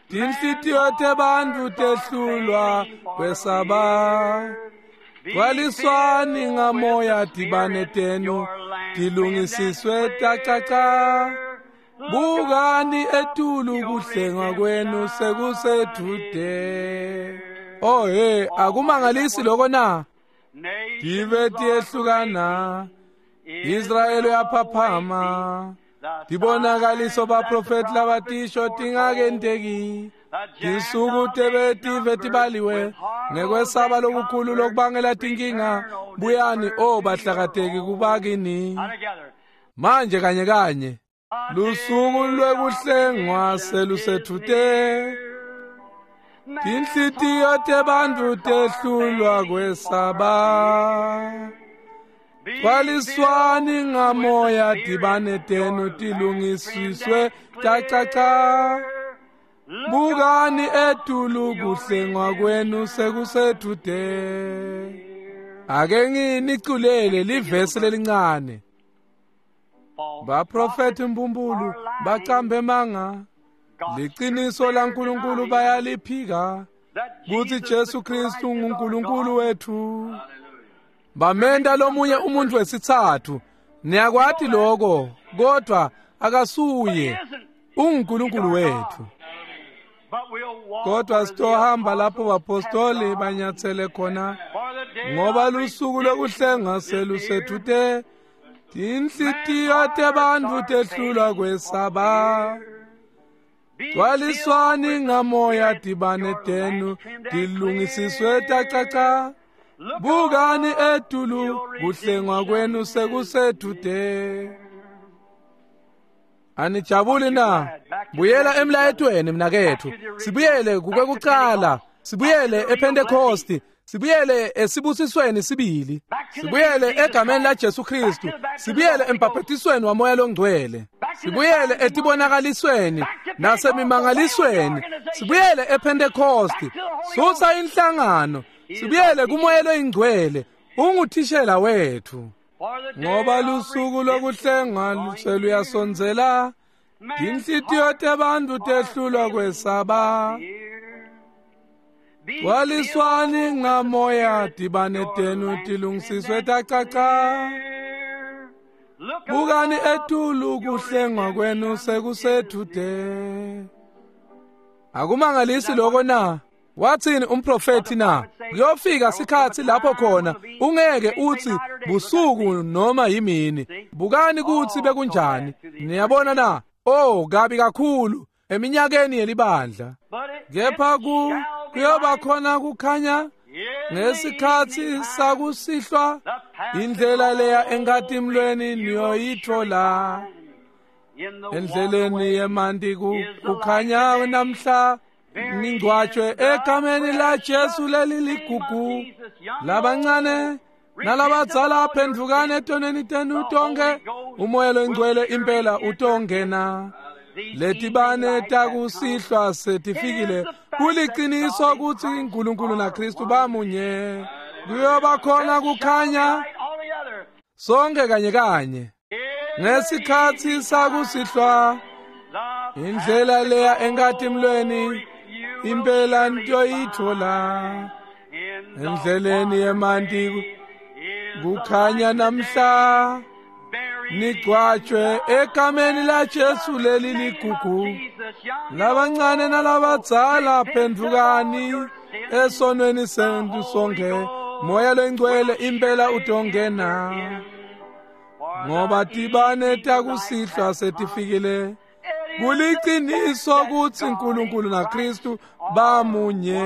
tinhlitiyo tebantfu tehlulwa kwesaba. Gcwaliswani ngamoya tibane tenu tilungisiswe tacaca. Bukani etulu kuhlengwa kwenu sekusedvute. Oh hey, akumangalisi lokho na? Tive tiyehlukana, Israyeli uyaphaphama, tibonakaliso baprofethi labatisho tingakenteki. Tinsuku tebetive tibaliwe ngekwesaba lokukhulu lokubangela tinkinga. Buyani o bahlakateki kubakini. Manje kanye kanye lusuku lwekuhlengwa selusedvute, tinhlitiyo tebantfu tehlulwa kwesaba. Gcwaliswani ngamoya tibane tenu tilungisiswe tacaca. Bukani etulu kuhlengwa kwenu sekusedvute. Ake nginiculele livesi lelincane. Baprofethi mbumbulu bacambe manga, liqiniso laNkulunkulu bayaliphika, kutsi Jesu Kristu nguNkulunkulu wethu. Bamenta lomunye umuntu wesitsatfu. Niyakwati lokho, kodwa akasuye, unguNkulunkulu wethu. Kodwa sitohamba lapho bapostoli banyatsele khona, ngoba lusuku lokuhlenga selusedvute. Tinhlitiyo tebantfu tehlulwa kwesaba. Gcwaliswani ngamoya tibane tenu tilungisiswe tacaca. Bukani etulu kuhlengwa kwenu sekuseduze. Anijabuli na? Buyela emlayetweni mnakethu. Sibuyele kukwekucala, sibuyele ePentecost, sibuyele esibusisweni sibili, sibuyele egameni la Jesu Kristu, sibuyele embhaphatisweni waMoya loNgcwele, sibuyele etibonakalisweni nasemimangalisweni, sibuyele ePentecost. Susa inhlangano, sibuyele kuMoya loyiNgcwele, unguthishela wethu. Ngoba lusuku lokuhlengwa seluyasondzela, tinhlitiyo tebantfu tehlulwa kwesaba. Gcwaliswani ngamoya tibane tenu tilungisiswe tacaca. Bukani etulu kuhlengwa kwenu sekuseduze. Akumangalisi lokho na? Wathini umprofeti na? Kuyofika sikhatsi lapho khona ungeke uthi busuku noma yimini. Bukani kutsi bekunjani. Niyabona na? Oh, kabi kakhulu eminyakeni yelibandla. Kepha ku kuyoba khona kukhanya ngesikhatsi sakusihlwa, indlela leya enkatimlweni niyoyithola. Endleleni yemanti kukhanya namhla, ningcwatshwe egameni la Jesu leli ligugu. Labancane nalabadzala phendvukani etonweni tenu tonke, uMoya loNgcwele impela utongena. Letibane takusihlwa setifikile, kuliciniso kutsi uNkulunkulu naKristu bamunye. Kuyoba khona kukhanya sonke kanye kanye ngesikhatsi sakusihlwa, indlela leya enkatimlweni impela ntoyithola. Endleleni yemanti kukhanya namhla, nigcwatshwe egameni la Jesu leli ligugu. Labancane nalabadzala phendvukani esonweni senu sonke, Moya loNgcwele impela utongena. Ngoba tibane takusihlwa setifikile, kuliciniso kutsi uNkulunkulu naKristu bamunye.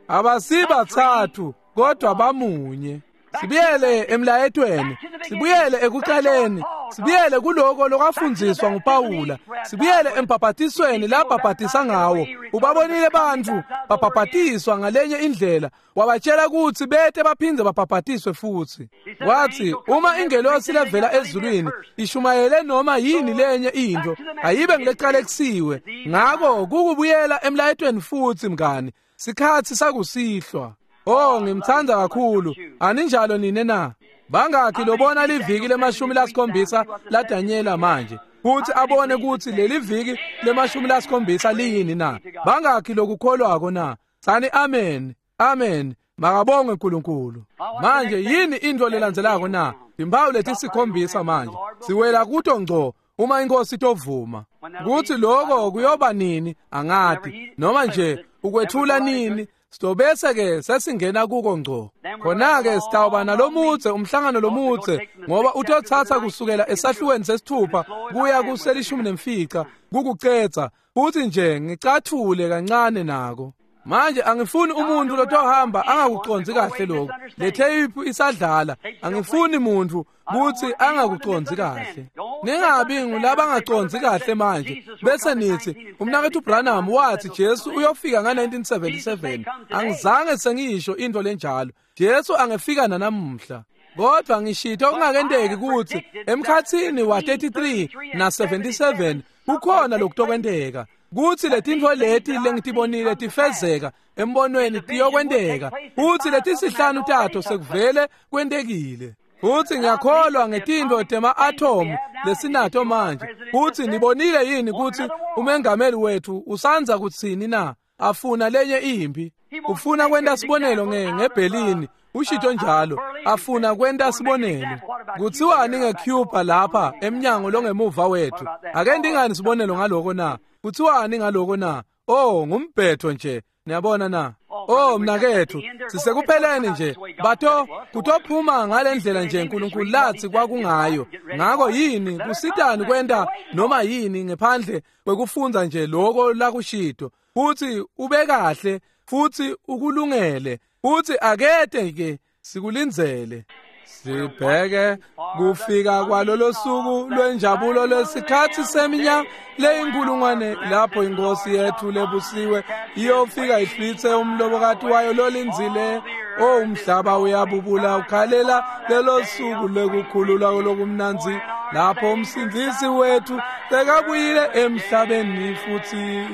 Abasibathathu kodwa bamunye. Sibuyele emlayetweni, sibuyele ekucaleni, sibuyele kuloko lokwafundziswa nguPawula, sibuyele embhaphatisweni labhaphatisa ngawo. Ubabonile bantfu babhaphatiswa ngalenye indlela, wabatshela kutsi bete baphindze babhaphatiswe futsi. Wathi uma ingelosi levela ezulwini ishumayele noma yini lenye into, ayibe ngilecalekisiwe. Ngako kukubuyela emlayetweni futsi mngani, sikhatsi sakusihlwa. Oh, ngimthanda kakhulu. Aninjalo nine na? Bangakhi lobona liviki lemashumi lasikhombisa la Daniela manje, kuthi abone kutsi leli viki lemashumi lasikhombisa liyini na? Bangakhi lokukholwako na? Tsani amen, amen. Makabongwe uNkulunkulu. Manje yini into lelandzelako na? Timpawu letisikhombisa manje siwela kuto ngco uma inkosi itovuma. Kuthi lokho kuyoba nini angati, noma nje ukwethula nini. Sitobese ke sesingena kuko ngco. Khona ke sitawuba nalomutse umhlangano lomutse, ngoba utothatha kusukela esahlukweni sesithupha kuya kuselishumi nemfica kukucetsa, futhi nje ngicathule kancane nako. Manje angifuni umuntu lotohamba angakucondzi kahle lokho. Le tape isadlala, angifuni umuntu kuthi angakucondzi kahle. Ningabi ngulabangacondzi kahle manje bese nithi umnakethu Branham wathi Jesu uyofika nga nineteen seventy-seven. Angizange sengisho into lenjalo. Jesu angefika nanamuhla. Kodwa ngishito kungakenteki kuthi emkhatsini wa thirty-three na seventy-seven kukhona lokutokwenteka. Kuthi letintfo leti lengitibonile tifezeka embonweni tiyokwenteka, kuthi letisihlanu tato sekuvele kwentekile. Futhi ngiyakholwa ngetintfo tema-atomu lesinato manje. Kuthi nibonile yini kuthi umengameli wethu usanza kutsini na? Afuna lenye impi, ufuna kwenta sibonelo ngeBerlin, ushito njalo, afuna kwenta sibonelo. Kutsiwani ngeCuba lapha emnyango longemuva wethu? Ake ndingani sibonelo ngaloko na? Kutsiwani ngaloko na? Oh, ngumbhetho nje. Niyabona na? Oh mnaketfu, sisekupheleni nje. Bato kutophuma ngalendlela nje uNkulunkulu lathi kwakungayo. Ngako yini kusitani kwenta noma yini ngephandle kwekufundza nje lokho lakushito, futhi ube kahle futhi ukulungele, futhi akete ke sikulindzele. Sibheke kufika kwalolo suku lwenjabulo lesikhathi seminyaka leyinkulungwane lapho inkosi yethu lebusiwe iyofika ihlwithe umlobokati wayo lolindzile. O umhlaba uyabubula ukhalela lelo suku lekukhululwa lokumnandzi lapho umsindzisi wethu sekabuyile emhlabeni futhi.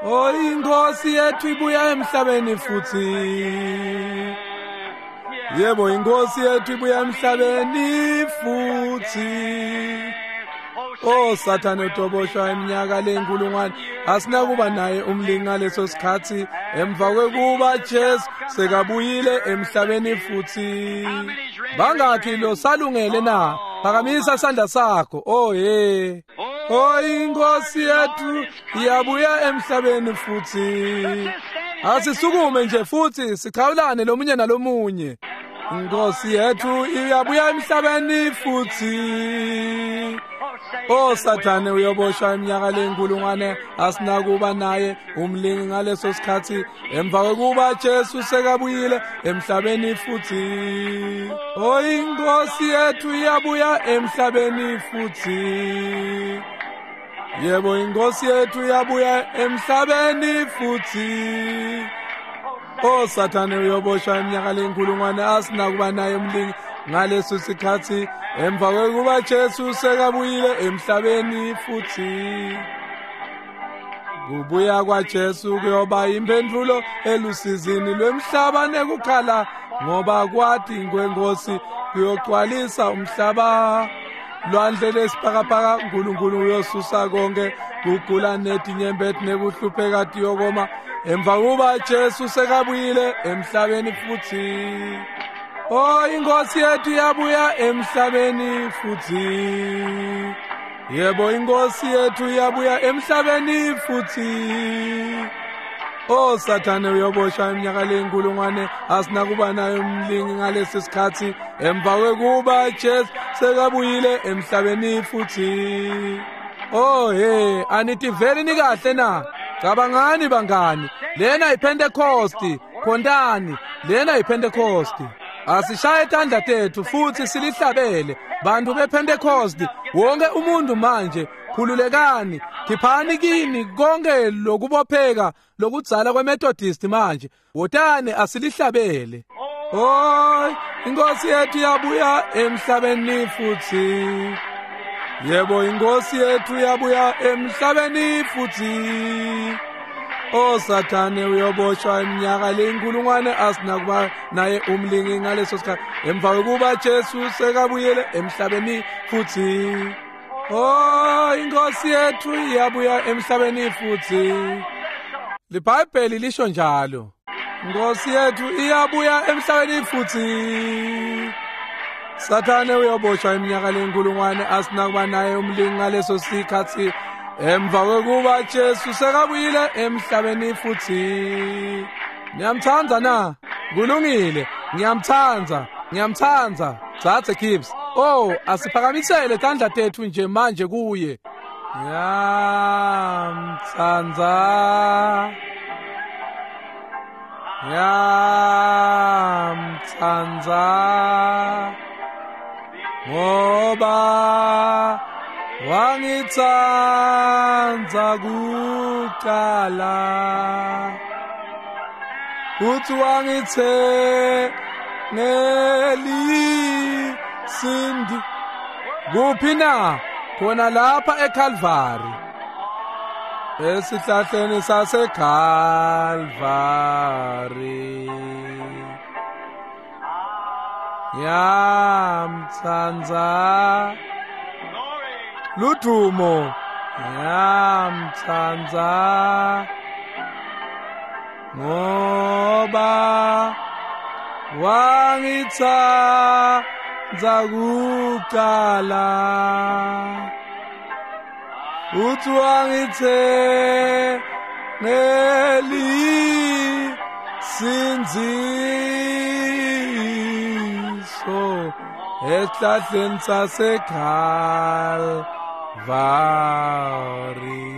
O inkosi yethu ibuya emhlabeni futhi. Yebo, inkosi yethu ibuya emhlabeni futhi. Oh Sathane utoboshwa iminyaka lenkulungwane, asinakuba naye umlingi ngaleso sikhathi emva kwekuba Jesu sekabuyile emhlabeni futhi. Bangakhi lo salungele na? Phakamisa sandla sakho. Oh hey. Oh inkosi yethu iyabuya emhlabeni futhi. Asisukume nje futhi sikhawulane lomunye nalomunye. Inkosi yethu iyabuya emhlabeni futhi. Oh Sathane uyoboshwa iminyaka lenkulungwane, asinakuba naye umlingi ngaleso sikhathi emva kwekuba Jesu sekabuyile emhlabeni futhi. Oh inkosi yethu iyabuya emhlabeni futhi. Yebo, inkosi yethu iyabuya emhlabeni futhi. Oh Sathane uyoboshwa iminyaka lenkulungwane, asinakuba naye umlingi ngaleso sikhathi emva kwekuba Jesu sekabuyile emhlabeni futhi. Kubuya kwaJesu kuyoba impendulo elusizini lwemhlaba nekukhala, ngoba kwathi kwenkosi kuyogcwalisa umhlaba. Lwandle lesibhakabhaka uNkulunkulu uyosusa konke kugula netinyembeti nekuhlupheka tiyokoma emva kuba Jesu sekabuyile emhlabeni futhi. Oh inkosi yethu iyabuya emhlabeni futhi. Yebo, inkosi yethu iyabuya emhlabeni futhi. Oh Sathane uyoboshwa iminyaka lenkulungwane, asinakuba naye umlingi ngalesi sikhathi emva kwekuba Jesu sekabuyile emhlabeni futhi. Oh hey, anitiveli nikahle na? Cabangani bangani, lena iPentecost, khontani, lena iPentecost. Asishaye tandla tethu futhi silihlabele bantu bePentecost. Wonke umuntu manje khululekani, khiphani kini konke lokubopheka lokudzala kweMethodist manje. Wotani asilihlabele. Oh inkosi yethu iyabuya emhlabeni futhi. Yebo, inkosi yethu iyabuya emhlabeni futhi. Oh Sathane uyoboshwa iminyaka lenkulungwane, asinakuba naye umlingi ngaleso sikhathi emva kwekuba Jesu sekabuyele emhlabeni futhi. Oh inkosi yethu iyabuya emhlabeni futhi. LiBhayibheli lisho njalo. Inkosi yethu iyabuya emhlabeni futhi. Sathane uyoboshwa iminyaka lenkulungwane, asinakuba naye umlingi ngaleso sikhathi emva kwekuba Jesu sekabuyile emhlabeni futhi. Ngiyamthanda na? Kulungile, ngiyamthanda, ngiyamthanda. Dzadze Gibbs. Oh, asiphakamisele tandla tethu nje manje kuye. Ngiyamthanda. Ngiyamthanda. Ngoba wangithanda kuqala, futhi wangithengelisindi. Kuphi na? Khona lapha eCalvary, esihlahleni saseCalvary. Ngiyamthanda. Ludumo. Ngiyamthanda ngoba wangithanda kuqala, uthi wangithengelisindi. Sindziso esihlahleni saseKalvari.